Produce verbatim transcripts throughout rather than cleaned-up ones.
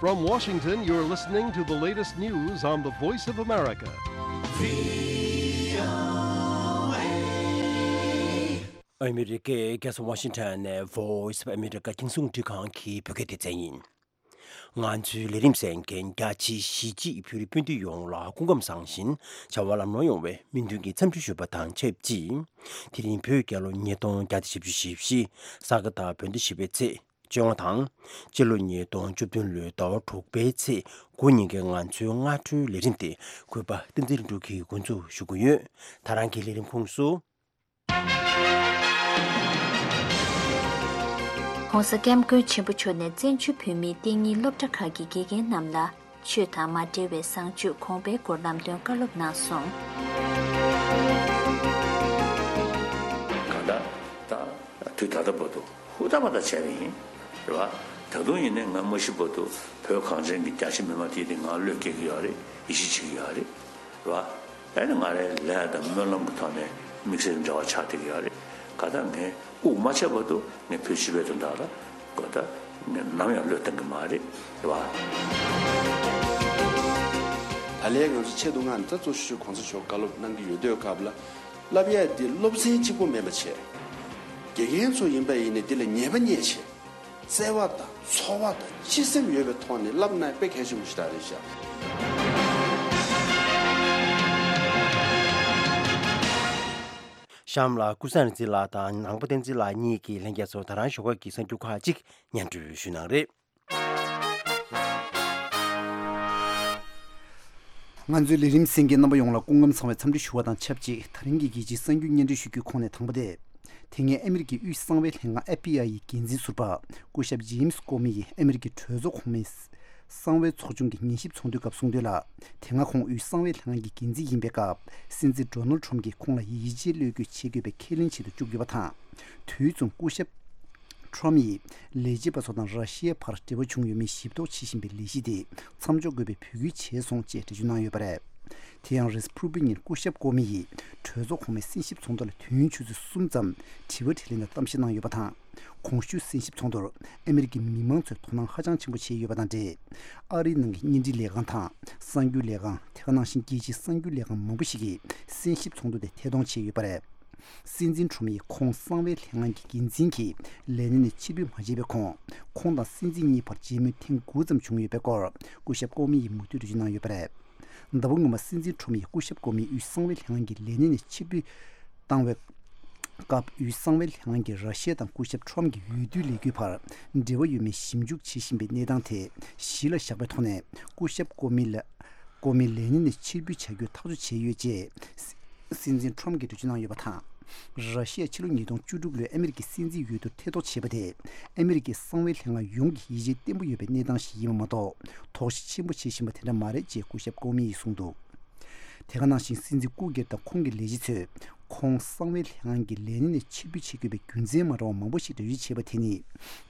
From Washington, you're listening to the latest news on the Voice of America. ཨ་མི་རི་ཀའི་རྒྱལ་ས་ཝ་ཤིང་ཊོན་ནས་Voice of America་རྒྱང་སྲིང་རླུང་འཕྲིན་ཁང་གི་བོད་སྐད་སྡེ་ཚན་ཡིན། ང་ཚོའི་ལས་རིམ་གསན་མཁན་རྒྱ་ཆེའི་གཞིས་བྱེས་བོད་རིགས་སྤུན་ཟླ་ཡོངས་ལ་སྐུ་ཁམས་བཟང་ཞིང་བྱ་བ་ལམ་ལྷོང་ཡོང་བའི་སྨོན་འདུན་གྱི་འཚམས་འདྲི་ཞུ་བ་དང་ཆབས་ཅིག་དེ་རིང་བོད་རྒྱལ་ལོ་ཉིས་སྟོང་བརྒྱ་དང་བཞི་བཅུ་ཞེ་བཞི། ས་ག་ཟླ་བོད་ཟླ་བཞི་པའི་ཚེས་བཅོ་ལྔ་དང་། སྤྱི་ལོ་ཉིས་སྟོང་བཅུ་བདུན་ལོའི་ཟླ་བ་དྲུག་པའི་ཚེས་དགུ་ཉིན་གྱི་ང་ཚོའི་སྔ་དྲོའི་ལས་རིམ་དེ་གུས་པ་བསྟན་འཛིན་ལྷུན་གྲུབ་ཀྱིས་འགོ་འཛུགས་ཞུ་གི་ཡོད། ད་རང་གི་ལས་རིམ་ཁོངས་སུ། ༸གོང་ས་༸སྐྱབས་མགོན་ཆེན་པོ་མཆོག་ནས་བཙན་བྱོལ་བོད་མིའི་གཏན་ཉིན་སློབ་གྲྭ་ཁག་གི་དགེ་རྒན་རྣམས་ལ་ཆོས་དང་མ་འབྲེལ་བའི་བཟང་སྤྱོད་གོང་འཕེལ་སྐོར་ལམ་སྟོན་བཀའ་སློབ་གནང་སོང་། གང་ལྟར་ད་དུས་ད་ལྟ་བར་དུ་ཧུར་ཐག་པ་ད་བྱས་པ་ཡིན། རེད་བ། ད་དུང་ཡིན་ནའི་ང་མ་ཤི་བར་དུ་བོད་གངས་ཅན་གྱི་རྒྱ་ཆེ་མི་མང་དེ་དེ་ང་བློས་འགེལ་གྱི་ཡོད་རེད། ཡིད་ཆེས་བྱེད་ཀྱི་ཡོད་རེད། རེད་བ། ཨ་ནི་ང་རའི་ལས་དང་སྨོན་ལམ་གྱི་ཐོག་ནས་དམིགས་བསལ་འབྲེལ་བ་ཆགས་བསྡད་ཀྱི་ཡོད་རེད། གང་ལྟར་ངས་དབུགས་མ་ཆད་བར་དུ་ངས་བོད་སྤྱི་པའི་དོན་དག་ལ་གོ་ད་ངས་ནམ་ཡང་བློས་གཏོང་གི་མ་རེད། རེད་བ། ད་ལན་ང་ཚོ་ཆེད་དུ་མངགས་ནས་ད་གཙོ་ཆེ་ཤོས་གོང་ས་མཆོག་བཀའ་སློབ་གནང་གི་ཡོད་དུས་སྐབས་ལ། བསླབ་ཡས་འདི་སློབ་ཚན་གཅིག་པོ་མིན་པ་བྱས། དགེ་རྒན་ཚོ་ཡིན་པ་ཡིན་ནའི་འདི་ལ་ཉེས་པ་རྙེད་བྱས། བརྩེ་བ་དང་ཚོར་བ་དང་སྤྱི་སེམས་ཡོད་པའི་ཐོག་ནས་བསླབ་ན་དཔེ་གལ་ཆེན་པོ་ཞིག་རེད་ཤག་གཤམ་ལ་ཀུན་བཟང་རིག་འཛིན་ལགས་དང་ནང་པ་བསྟན་འཛིན་ལགས་གཉིས་ཀྱིས་ལྷན་རྒྱས་ཚོར་ད་རང་ཞོགས་ཀ་གི་གསར་འགྱུར་ཁག་ཅིག་སྙན་སྒྲོན་ཞུས་གནང་རེད། ང་ཚོའི་ལས་རིམ་གསན་མཁན་རྣམ་པ་ཡོངས་ལ་སྐུ་ཁམས་བཟང་བའི་འཚམས་འདྲི་ཞུ་བ་དང་ཆབས་ཅིག་ད་རིང་གི་རྒྱལ་སྤྱིའི་གསར་འགྱུར་སྙན་སྒྲོན་ཞུ་རྒྱུའི་ཁོངས་ནས་དང་པོ་དེ། དེ་སྔའི་ཨ་མི་རི་ཀའི་དབུས་གསང་བའི་ལྷན་ཁང་ཨེཕ་བི་ཨའི་ཡི་འགན་འཛིན་ཟུར་པ་སྐུ་ཞབས་ཇེམ་སི་ཀོ་མི་ཡིས་ཨ་མི་རི་ཀའི་གྲོས་ཚོགས་གོང་མའི་གསང་བའི་ཚོགས་ཆུང་གི་ཉན་ཞིབ་ཚོགས་འདུའི་སྐབས་གསུངས་དོན་ལ། དེ་སྔ་ཁོང་དབུས་གསང་བའི་ལྷན་ཁང་གི་འགན་འཛིན་ཡིན་པའི་སྐབས་སྲིད་འཛིན་ཌོ་ནལ་ཊམ་གྱིས་ཁོང་ལ་ཡིད་ཆེས་བློས་འགེལ་བྱེད་དགོས་པའི་ཁས་ལེན་བྱེད་དུ་བཅུག་ཡོད་པ་དང་། དུས་མཚུངས་སྐུ་ཞབས་ཊམ་ཡིས་ལས་བྱེད་པ་ཚོ་དང་ར་ཤི་ཡའི་བར་འབྲེལ་བ་བྱུང་ཡོད་མེད་ཞིབ་རྟོག་བྱེད་བཞིན་པའི་ལས་གཞི་དེ་མཚམས་འཇོག་དགོས་པའི་འབོད་སྐུལ་བྱས་སོང་ཅེས་འགྲེལ་བརྗོད་གནང་ཡོད་པ་རེད། དེ་ཡང་རེས་གཟའ་ཕུར་བུའི་ཉིན་སྐུ་ཞབས་ཀོ་མི་ཡིས་གྲོས་ཚོགས་གོང་མའི་གསན་ཞིབ་ཚོགས་འདུ་ལ་དུས་ཡུན་ཆུ་ཚོད་གསུམ་ཙམ་དྲི་བ་དྲིས་ལན་དང་གཏམ་བཤད་གནང་ཡོད་པ་དང་། གོང་ཞུས་གསན་ཞིབ་ཚོགས་འདུར་ཨ་མི་རི་ཀའི་མི་མང་ཚོས་དོ་སྣང་ཧ་ཅང་ཆེན་པོ་བྱས་ཡོད་པ་དང་འབྲེལ། ཨ་རིའི་ནང་གི་བརྙན་འཕྲིན་ལས་ཁང་དང་གསར་འགྱུར་ལས་ཁང་དེ་ག་ནང་བཞིན་རྒྱལ་སྤྱིའི་གསར་འགྱུར་ལས་ཁང་མང་པོ་ཞིག་གིས་གསན་ཞིབ་ཚོགས་འདུ་དེ་ཐད་གཏོང་བྱས་ཡོད་པ་རེད། སྲིད་འཛིན་ཊམ་ཡིས་ཁོང་གསང་བའི་ལྷན་ཁང་གི་འགན་འཛིན་གྱི་ལས་གནས་ནས་ཕྱིར་འབུད་མ་བྱས་པའི་གོང་། ཁོང་དང་སྲིད་འཛིན་གཉིས་བར་མཇལ་མོལ་ཐེངས་དགུ་ཙམ་བྱུང་ཡོད་པའི་སྐོར་སྐུ་ཞབས་ཀོ་མི་ཡིས་མུ་མཐུད་འགྲེལ་བརྗོད་གནང་ཡོད་པ་རེད། ཟླ་བ་སྔོན་མ་སྲིད་འཛིན་ཊམ་ཡིས་སྐུ་ཞབས་ཀོ་མི་དབུས་གསང་བའི་ལྷན་ཁང་གི་ལས་གནས་ནས་ཕྱིར་འབུད་བཏང་བའི་སྐབས། དབུས་གསང་བའི་ལྷན་ཁང་གིས་ར་ཤི་ཡ་དང་སྐུ་ཞབས་ཊམ་གྱི་འོས་བསྡུའི་ལས་འགུལ་བར་འབྲེལ་བ་ཡོད་མེད་ཞིབ་འཇུག་བྱེད་བཞིན་པའི་གནས་སྟངས་དེ་གཞི་ལ་བཞག་པའི་ཐོག་ནས་སྐུ་ཞབས་ཀོ་མི་ལ། ཀོ་མི་ལས་གནས་ནས་ཕྱིར་འབུད་བྱ་རྒྱུའི་ཐག་གཅོད་བྱས་ཡོད་ཅེས་སྲིད་འཛིན་ཊམ་གྱིས་འགྲེལ་བརྗོད་གནང་ཡོད་པ་དང་། ར་ཤི་ཡ་ཕྱི་ལོ་ཉིས་སྟོང་བཅུ་དྲུག་ལོའི་ཨ་མི་རི་ཀའི་སྲིད་འཛིན་འོས་བསྡུར་ཐེ་གཏོགས་བྱས་པ་དེ་ཨ་མི་རི་ཀའི་གསང་བའི་ལྷན་ཁང་ཡོངས་ཀྱིས་ཡིད་ཆེས་བརྟན་པོ་ཡོད་པའི་གནས་སྟངས་ཤིག་ཡིན་པ་མ་གཏོགས། དོགས་གཞི་ཆེན་པོ་བྱེད་བཞིན་པ་དེ་འདྲ་མ་རེད་ཅེས་སྐུ་ཞབས་ཀོ་མི་ཡིས་གསུངས་འདུག་དེ་ག་ནང་བཞིན་སྲིད་འཛིན་སྐུ་སྒེར་དང་ཁོང་གི་ལས་བྱེད་ཚོས་ཁོང་གསང་བའི་ལྷན་ཁང་གི་ལས་གནས་ནས་ཕྱིར་འབུད་བྱེད་དགོས་པའི་རྒྱུ་མཚན་མ་འདྲ་བ་མང་པོ་ཞིག་འགྲེལ་བརྗོད་བྱས་པ་དེ་ནི།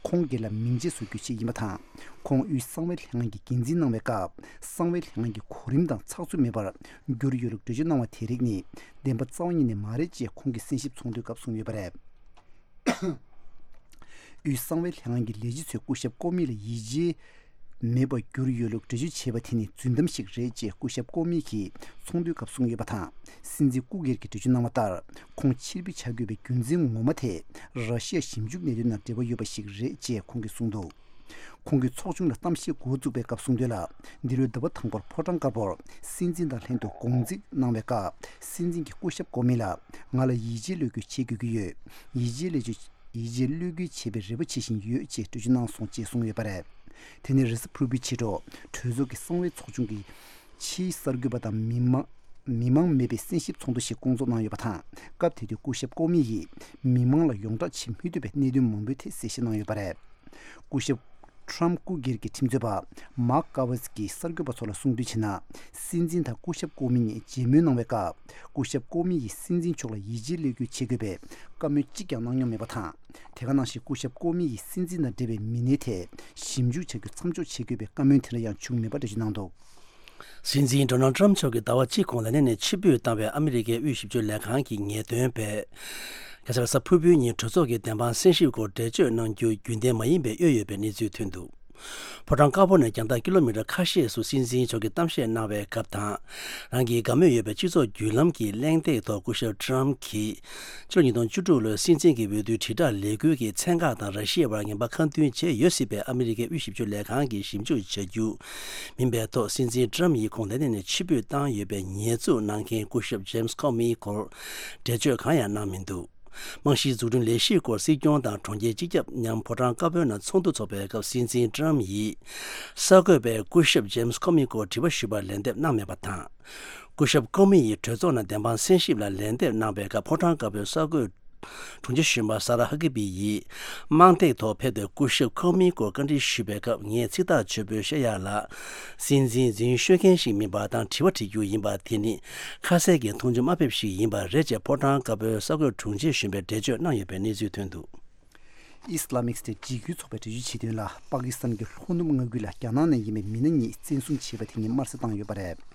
ཁོང་སྒེར་ལ་མིང་རྗེས་བཟོ་རྒྱུའི་ཆེད་ཡིན་པ་དང་། ཁོང་དབུས་གསང་བའི་ལྷན་ཁང་གི་འགན་འཛིན་གནང་བའི་སྐབས། གསང་བའི་ལྷན་ཁང་གི་གོ་རིམ་དང་ཚགས་ཚུད་མེད་པར་གྱུར་ཡོད་ལུགས་འགྲེལ་བརྗོད་གནང་བ་དེ་རིགས་ནི་བདེན་པ་རྩ་བ་ཉིད་ནས་མ་རེད་ཅེས་ཁོང་གིས་གསན་ཞིབ་ཚོགས་འདུའི་སྐབས་གསུངས་ཡོད་པ་རེད། དབུས་གསང་བའི་ལྷན་ཁང་གི་ལས་བྱེད་ཚོས་སྐུ་ཞབས་ཀོ་མི་ལ་ཡིད་ཆེས་མེད་པར་གྱུར་ཡོད་ལུགས་འགྲེལ་བརྗོད་བྱས་པ་དེ་ནི་རྫུན་གཏམ་ཞིག་རེད་ཅེས་སྐུ་ཞབས་ཀོ་མི་གིས་ཚོགས་འདུའི་སྐབས་གསུངས་ཡོད་པ་དང་། སྲིད་འཛིན་སྐུ་སྒེར་གྱིས་འགྲེལ་བརྗོད་གནང་བ་ལྟར། ཁོང་ཕྱིར་འབུད་བྱ་དགོས་པའི་རྒྱུ་མཚན་ངོ་མ་དེ་ར་ཤི་ཡ་ཞིབ་འཇུག་གནད་དོན་དང་འབྲེལ་བ་ཡོད་པ་ཞིག་རེད་ཅེས་ཁོང་གིས་གསུངས་འདུག་ཁོང་གིས་ཚོགས་ཆུང་ལ་གཏམ་བཤད་འགོ་བཙུགས་པའི་སྐབས་གསུངས་དོན་ལ། འདི་ལོའི་ཟླ་བ་དང་པོར་ཕོ་བྲང་དཀར་པོར་སྲིད་འཛིན་དང་ལྷན་དུ་དགོང་རྩིས་གནང་བའི་སྐབས། སྲིད་འཛིན་གྱིས་སྐུ་ཞབས་ཀོ་མི་ལ་ང་ལ་ཡིད་ཆེས་བློས་འགེལ་བྱེད་དགོས་ཀྱི་ཡོད། ཡིད་ཆེས་བློས་འགེལ། ཡིད་ཆེས་བློས་འགེལ་བྱེད་པའི་རེ་བ་བྱེད་བཞིན་ཡོད་ཅེས་འགྲེལ་བརྗོད་གནང་སོང་ཅེས་གསུངས་ཡོད་པ་རེད། དེ་ནི་རེས་གཟའ་ཕུར་བུའི་ཕྱི་དྲོ་གྲོས་ཚོགས་ཀྱི་གསང་བའི་ཚོགས་ཆུང་གི་ཕྱིའི་གསར་འགོད་པ་དང་མི་མང་མི་མང་མེད་པའི་གསན་ཞིབ་ཚོགས་འདུ་ཞིག་བསྐོང་ཚོགས་གནང་ཡོད་པ་དང་། སྐབས་དེ་དུས་སྐུ་ཞབས་ཀོ་མི་ཡིས་མི་མང་ལ་ཡོངས་བསྒྲགས་བྱེད་མི་ཐུབ་པའི་གནད་དོན་མང་པོའི་ཐད་གསལ་བཤད་གནང་ཡོད་པ་རེད། སྐུ་ཞབས་ཁྲམ་སྐུ་སྒེར་གྱི་ཁྲིམས་རྩོད་པ་མཱག་ཀ་ཝེས་ཀྱིས་གསར་འགོད་པ་ཚོ་ལ་གསུངས་དོན་བྱས་ན། སྲིད་འཛིན་དང་སྐུ་ཞབས་ཀོ་མི་གཉིས་མཇལ་མོལ་གནང་བའི་སྐབས། སྐུ་ཞབས་ཀོ་མི་ཡིས་སྲིད་འཛིན་མཆོག་ལ་ཡིད་ཆེས་བློས་འགེལ་བྱེད་དགོས་པའི་བཀའ་མོལ་གཅིག་ཀྱང་གནང་མྱོང་མེད་པ་དང་། དེ་ག་ནང་བཞིན་སྐུ་ཞབས་ཀོ་མི་ཡིས་སྲིད་འཛིན་དང་འབྲེལ་བའི་མི་སྣའི་ཐད་ཞིབ་འཇུག་བྱ་རྒྱུ་མཚམས་འཇོག་བྱེད་དགོས་པའི་བཀའ་མོལ་དེ་འདྲ་ཡང་བྱུང་མེད་པ་འགྲེལ་བརྗོད་གནང་འདུག་སྲིད་འཛིན་ཌོ་ནལ་ཊམ་མཆོག་གིས་ཟླ་བ་གཅིག་གོང་ལས་གནས་ནས་ཕྱིར་འབུད་བཏང་བའི་ཨ་མི་རི་ཀའི་དབུས་ཞིབ་དཔྱོད་ལས་ཁང་གི་ངེས་སྟོན་པས། རྒྱལ་ས་རེས་གཟའ་ཕུར་བུའི་ཉིན་གྲོས་ཚོགས་ཀྱི་བདེན་དཔང་གསན་ཞིབ་སྐོར་འགྲེལ་བརྗོད་གནང་རྒྱུ་རྒྱུན་ལྡན་མ་ཡིན་པའི་གཡོ་ཡོད་པའི་གནས་ཚུལ་ཐོན་འདུག་ཕོ་བྲང་དཀར་པོ་ནས་རྒྱང་ཐག་ཀི་ལོ་མི་ཊར་ཁ་ཤས་སུ་སྲིད་འཛིན་མཆོག་གིས་གཏམ་བཤད་གནང་བའི་སྐབས་དང་། རང་གི་དགའ་མོས་ཡོད་པའི་སྤྱི་ཚོགས་བརྒྱུད་ལམ་གྱི་གླེང་སྟེགས་ཐོག་སྐུ་ཞབས་ཊམ་གྱིས་ཕྱི་ལོ་ཉིས་སྟོང་བཅུ་དྲུག་ལོའི་སྲིད་འཛིན་གྱི་འོས་བསྡུའི་དྲིལ་བསྒྲགས་ལས་འགུལ་གྱིས་ཚན་ཁག་དང་ར་ཤི་ཡའི་བར་ངན་པ་ཁ་མཐུན་བྱས་ཡོད་སྲིད་པའི་ཨ་མི་རི་ཀའི་དབུས་ཞིབ་འཇུག་ལས་ཁང་གིས་ཞིབ་འཇུག་བྱ་རྒྱུ་མིན་པའི་ཐོག་སྲིད་འཛིན་ཊམ་ཡིས་ཁོང་ལས་གནས་ནས་ཕྱིར་འབུད་བཏང་ཡོད་པའི་ཉེས་འཛུགས་གནང་མཁན་སྐུ་ཞབས་ཇེམ་སི་ཁོ་མིའི་སྐོར་འགྲེལ་བརྗོད་གང་ཡང་གནང་མི་འདུག་རྨང་གཞིའི་འཛུགས་སྐྲུན་ལས་གཞིའི་སྐོར་སྲིད་སྐྱོང་དང་གྲོང་ཁྱེར་སྤྱི་ཁྱབ་མཉམ་ཕོ་བྲང་དཀར་པོའི་ནང་ཚོགས་འདུ་འཚོགས་པའི་སྐབས་སྲིད་འཛིན་ཊམ་ཡིས་གསར་འགོད་པས་སྐུ་ཞབས་ཇེམ་སི་ཁོ་མི་སྐོར་དྲི་བ་ཞུས་པར་ལན་འདེབས་གནང་མེད་པ་དང་། སྐུ་ཞབས་ཁོ་མི་ཡིས་གྲོས་ཚོགས་ནང་བདེན་དཔང་གསན་ཞིབ་ལ་ལན་འདེབས་གནང་པའི་སྐབས་ཕོ་བྲང་དཀར་པོའི་གསར་འགོད་དྲུང་ཆེ་གཞོན་པ་ས་ར་ཧ་ཀི་པི་ཡིས་དམངས་སྟེགས་ཐོག་ཕེབས་ཏེ་སྐུ་ཞབས་ཁོ་མིའི་སྐོར་བཀའ་འདྲི་ཞུས་པའི་སྐབས། ངས་ཚིག་ཐག་ཆོད་པོས་བཤད་ཡག་ལ། སྲིད་འཛིན་འཛིན་ཤོད་མཁན་ཞིག་མིན་པ་དང་དྲི་བ་དྲི་རྒྱུ་ཡིན་པ་དེ་ནི་ཁ་གསལ་གྱི་མཐོང་ཆུང་དམའ་ཕེབས་ཤིག་ཡིན་པ་རེད་ཅེས་ཕོ་བྲང་དཀར་པོའི་གསར་འགོད་དྲུང་ཆེ་གཞོན་པས་འགྲེལ་བརྗོད་གནང་ཡོད་པའི་གནས་ཚུལ་ཐོན་འདུག་ཨི་སི་ལ་མིག་སི་ཊེཊ་འཇིགས་སྐུལ་ཚོགས་པའི་འགྲེལ་བརྗོད་བྱེད་དོན་ལ། པ་ཀི་སི་ཐན་གྱི་ལྷོ་ནུབ་མངའ་ཁུལ་ལ་རྒྱ་ནག་ནས་ཡིན་པའི་མི་སྣ་གཉིས་བཙན་བཟུང་བྱས་པ་དེ་ཉིད་དམར་གསོད་བཏང་ཡོད་པ་རེད།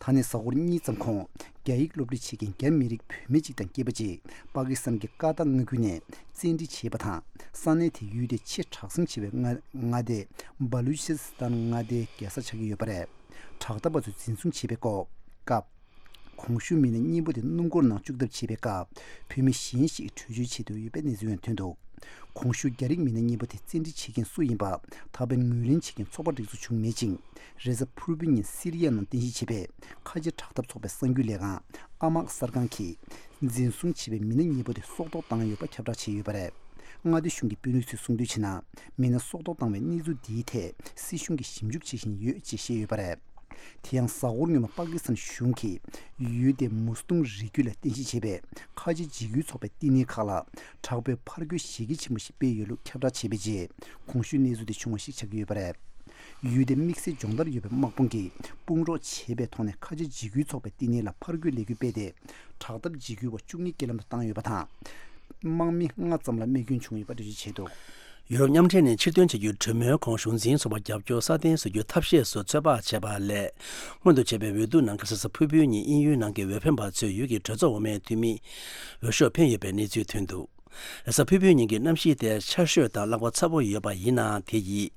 ད་ནས་གཟའ་འཁོར་གཉིས་ཙམ་གོང་། རྒྱ་ཡིག་སློབ་ཁྲིད་བྱེད་མཁན་རྒྱ་མི་རིགས་བུད་མེད་ཅིག་དང་སྐྱེས་པ་གཅིག་པ་ཀི་སི་ཐན་གྱི་ཀ་ཏ་མངའ་ཁུལ་ནས་བཙན་ཁྲིད་བྱས་པ་དང་། ས་གནས་དེའི་ཡུལ་དེ་ཆེས་གྲགས་ཅན་ཆེ་བའི་མངའ་མངའ་སྡེ་བ་ལུ་ཆི་སི་ཐན་མངའ་སྡེའི་རྒྱལ་ས་ཆགས་ཀྱི་ཡོད་པ་རེད། དྲག་འཐབ་པ་ཚོས་འཛིན་བཟུང་བྱས་པའི་སྐོར་སྐབས། གོང་ཞུས་མི་སྣ་གཉིས་པོ་དེ་སྣུམ་འཁོར་ནང་བཅུག་ཐབས་བྱས་པའི་སྐབས། བུད་མེད་གཞན་ཞིག་བྲོས་བྱོལ་བྱེད་འདོད་ཡོད་པའི་གནས་ཚུལ་ཡང་ཐོན་འདུག་གོང་ཞུས་རྒྱ་རིགས་མི་སྣ་གཉིས་པོ་དེ་བཙན་ཁྲིད་བྱེད་མཁན་སུ་ཡིན་པ། ད་ཕན་ངོས་ལེན་བྱེད་མཁན་ཚོགས་པ་སྒྲིག་འཛུགས་བྱུང་མེད་ཅིང་། རེས་གཟའ་ཕུར་བུའི་ཉིན་སི་རི་ཡ་ནང་རྟེན་གཞི་བྱས་པའི་ཁ་ཆེ་དྲག་འཐབ་ཚོགས་པའི་གསར་འགྱུར་ལས་ཁང་ཨ་མག་གསར་ཁང་གིས། འཛིན་བཟུང་བྱས་པའི་མི་སྣ་གཉིས་པོ་དེ་སྲོག་ཐོག་བཏང་ཡོད་པ་ཁྱབ་བསྒྲགས་བྱས་ཡོད་པ་རེད། མངའ་སྡེ་གཞུང་གི་དཔོན་རིགས་ཚོས་གསུངས་དོན་བྱས་ན། མི་སྣ་སྲོག་ཐོག་བཏང་བའི་གནས་ཚུལ་འདིའི་ཐད་སྲིད་གཞུང་གིས་ཞིབ་འཇུག་བྱེད་བཞིན་ཡོད་ཅེས་བཤད་ཡོད་པ་རེད། དེ་ཡང་གཟའ་འཁོར་སྔོན་མ་པ་ཀི་སི་ཐན་གཞུང་གིས་ཡུལ་དེའི་མུ་སི་ཐུང་རི་རྒྱུད་ལ་རྟེན་གཞི་བྱས་པའི་ཁ་ཆེ་འཇིགས་སྐུལ་ཚོགས་པའི་བསྟི་གནས་ཁག་ལ་དྲག་པོའི་ཕར་རྒོལ་གཞི་རྒྱ་ཆེན་པོ་ཞིག་སྤེལ་ཡོད་ལུགས་ཁྱབ་བསྒྲགས་བྱས་པའི་རྗེས། གོང་ཞུས་གནས་ཚུལ་དེ་བྱུང་བ་ཞིག་ཆགས་ཀྱི་ཡོད་པ་རེད། ཡུལ་དེའི་དམིགས་བསལ་སྦྱོང་བརྡར་ཡོད་པའི་དམག་དཔུང་གིས་དཔུང་རོགས་བྱས་པའི་ཐོག་ནས་ཁ་ཆེ་འཇིགས་སྐུལ་ཚོགས་པའི་བསྟི་གནས་ལ་ཕར་རྒོལ་ལས་འགུལ་སྤེལ་ཏེ། དྲག་འཐབ་འཇིགས་སྐུལ་བ་བཅུ་གཉིས་རྐྱེན་ལམ་དུ་བཏང་ཡོད་པ་དང་། དམག་མི་ལྔ་ཙམ་ལ་རྨས་སྐྱོན་བྱུང་ཡོད་པ་འགྲེལ་བརྗོད་བྱས་འདུག་ཡུ་རོབ་མཉམ་འབྲེལ་ནས་ཕྱིར་ཐོན་བྱ་རྒྱུའི་གྲོས་མོལ་གོང་གཞུང་འཛིན་ཚོགས་པར་རྒྱབ་སྐྱོར་སྲ་བརྟན་བཟོ་རྒྱུའི་ཐབས་ཤེས་སུ་ཚོད་དཔག་བྱས་པ་ལས། སྔོན་དུ་བྱས་པའི་འོས་བསྡུ་ནང་ཁ་ས་གཟའ་ཕུར་བུའི་ཉིན་དབྱིན་ཡུལ་ནང་གི་འོས་འཕེན་པ་ཚོས་ཡུལ་གྱི་གྲོས་ཚོགས་འོག་མའི་འཐུས་མི་འོས་ཤོག་འཕེན་ཡོད་པའི་གནས་ཚུལ་ཐོན་འདུག་རེས་གཟའ་ཕུར་བུའི་ཉིན་གྱི་གནམ་གཤིས་དེ་ཆར་ཞོད་དང་རླག་པ་ཚ་པོ་ཡོད་པ་ཡིན་ནའང་། དེ་ཡིས་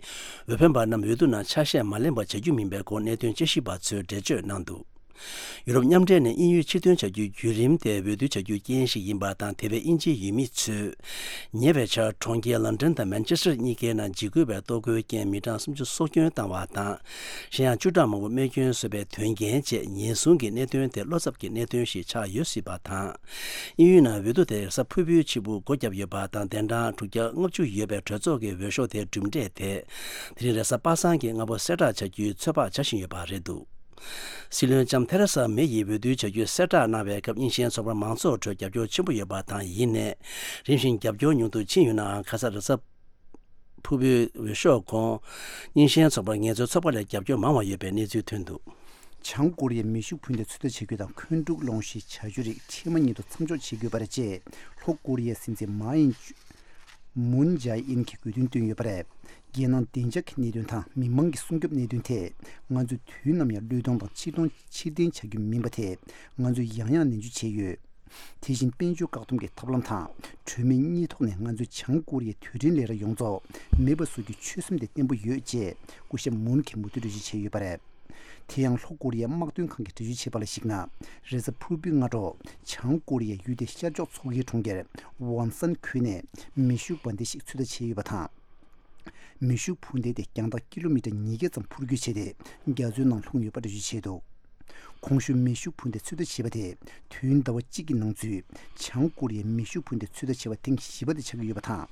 འོས་འཕེན་པ་རྣམས་འོས་བསྡུ་ནང་ཆ་ཤས་མ་ལེན་པ་བྱ་རྒྱུ་མིན་པའི་སྐོར་གནད་དོན་དཔྱད་ཞིབ་པ་ཚོས་འགྲེལ་བརྗོད་གནང་འདུག་ཡུ་རོབ་མཉམ་འབྲེལ་ནས་དབྱིན་ཡུལ་ཕྱིར་ཐོན་བྱ་རྒྱུའི་བརྒྱུད་རིམ་དེ་འོས་བསྡུ་བྱ་རྒྱུའི་རྐྱེན་ཞིག་ཡིན་པ་དང་། དེ་བས་དབྱིན་ཇིའི་ཡུལ་མི་ཚོས་ཉེ་བའི་ཆར་གྲོང་ཁྱེར་ལན་ཀྲན་དང་མན་ཆེ་སི་ཊར་གཉིས་ཀའི་ནང་འཇིགས་སྐུལ་བའི་གཏོར་རྒོལ་རྐྱེན་མི་གྲངས་སུམ་ཅུ་སྲོག་སྐྱོན་བཏང་བ་དང་། གཞན་ཡང་བཅུ་ཕྲག་མང་པོ་རྨས་སྐྱོན་བཟོས་པའི་དོན་རྐྱེན་བཅས་ཉེན་སྲུང་གི་གནད་དོན་དེ་བློ་འཚབ་ཀྱི་གནད་དོན་ཞིག་ཆགས་ཡོད་སྲིད་པ་དང་། དབྱིན་ཡུལ་ནང་འོས་བསྡུ་དེ་རེས་གཟའ་ཕུར་བུའི་ཕྱི་དབུགས་སྒོ་བརྒྱབ་ཡོད་པ་དང་། གདན་གྲངས་དྲུག་བརྒྱ་ལྔ་བཅུ་ཡོད་པའི་གྲོས་ཚོགས་ཀྱི་འོས་ཤོག་དེ་གྲུབ་འབྲས་དེ་དེ་རིང་རེས་གཟའ་པ་སངས་ཀྱི་སྔ་པོ་གསལ་བསྒྲགས་བྱ་རྒྱུའི་ཚོད་དཔག་བྱ་བཞིན་ཡོད་པ་རེད་འདུག་སྲིད་བློན་ལྕམ་ཐེ་རེ་ས་མེ་ཡིས་འོས་བསྡུའི་བྱ་རྒྱུ་གསལ་བསྒྲགས་གནང་བའི་སྐབས། རྙིང་ཞེན་ཚོགས་པར་མང་ཚོགས་ཁྲོད་རྒྱབ་སྐྱོར་ཆེན་པོ་ཡོད་པ་དང་། ཡིན་ནའི་རིམ་བཞིན་རྒྱབ་སྐྱོར་ཉུང་དུ་ཕྱིན་ཡོད་ནའང་། ཁ་ས་རེས་གཟའ་ཕུར་བུའི་འོས་ཤོག་གོང་། རྙིང་ཞེན་ཚོགས་པར་ངལ་རྩོལ་ཚོགས་པ་ལས་རྒྱབ་སྐྱོར་མང་བ་ཡོད་པའི་གནས་ཚུལ་ཐོན་འདུག་བྱང་ཀོ་རི་ཡའི་མེ་ཤུགས་འཕུར་མདེལ་ཚོད་ལྟ་བྱེད་རྒྱུ་དང་འཁོན་འཁྲུག་སློང་གཞིའི་བྱ་སྤྱོད་རིགས་འཕྲལ་མ་ཉིད་དུ་མཚམས་འཇོག་བྱེད་དགོས་པ་རེད་ཅེས་ལྷོ་ཀོ་རི་ཡའི་སྲིད་འཛིན་མཱ་ཡིན་མུན་ཇཱ་ཨིན་གྱིས་དགོས་འདུན་བཏོན་ཡོད་པ་རེད། རྒྱལ་ནང་བདེ་འཇགས་ཀྱི་གནད་དོན་དང་མི་མང་གི་སྲུང་སྐྱོབ་གནད་དོན་ཐད། ང་ཚོས་དུས་ནམ་ཡང་བློས་གཏོང་དང་ཕྱིར་གཏོང་ཕྱིར་འཐེན་བྱ་རྒྱུ་མིན་པ་ཐད། ང་ཚོས་ཡང་ཡང་ནན་བརྗོད་བྱས་ཡོད། དེ་བཞིན་དཔལ་འབྱོར་བཀག་སྡོམ་གྱི་ཐབས་ལམ་དང་གྲོས་མོལ་གཉིས་ཐོག་ནས། ང་ཚོས་བྱང་ཀོ་རི་ཡའི་དུས་དྲན་ལས་ར་ཡོངས་རྫོགས་མེད་པ་བཟོ་རྒྱུའི་ཆོད་སེམས་དེ་བརྟན་པོ་ཡོད་ཅེས་སྐུ་ཞབས་མུན་གྱིས་མུ་མཐུད་འགྲེལ་བརྗོད་བྱས་ཡོད་པ་རེད། དེ་ཡང་ལྷོ་ཀོ་རི་ཡའི་དམག་དོན་ཁང་གིས་འགྲེལ་བརྗོད་བྱས་པ་ལ་གཞིགས་ན། རེས་གཟའ་ཕུར་བུའི་སྔ་དྲོ། བྱང་ཀོ་རི་ཡའི་ཡུལ་དེའི་ཤར་ཕྱོགས་མཚོ་ཁའི་གྲོང་ཁྱེར་ཝོན་སན་ཁུལ་ནས་མེ་ཤུགས་འབར་མདེལ་ཞིག་ཚོད་ལྟ་བྱས་ཡོད་པ་དང་། མེ་ཤུགས་འཕུར་མདེལ་དེ་རྒྱང་ཐག་ཀི་ལོ་མི་ཊར་ཉིས་བརྒྱ་ཙམ་འཕུར་སྐྱོད་བྱས་ཏེ། རྒྱ་མཚོའི་ནང་ལྷུང་ཡོད་པ་འགྲེལ་བརྗོད་བྱས་འདུག་གོང་ཞུས་མེ་ཤུགས་འཕུར་མདེལ་ཚོད་ལྟ་བྱས་པ་དེ། དུས་ཡུན་ཟླ་བ་གཅིག་གི་ནང་ཚུད། བྱང་ཀོ་རི་ཡའི་མེ་ཤུགས་འཕུར་མདེལ་ཚོད་ལྟ་བྱས་པ་ཐེངས་བཞི་པ་དེ་ཆགས་ཀྱི་ཡོད་པ་དང་།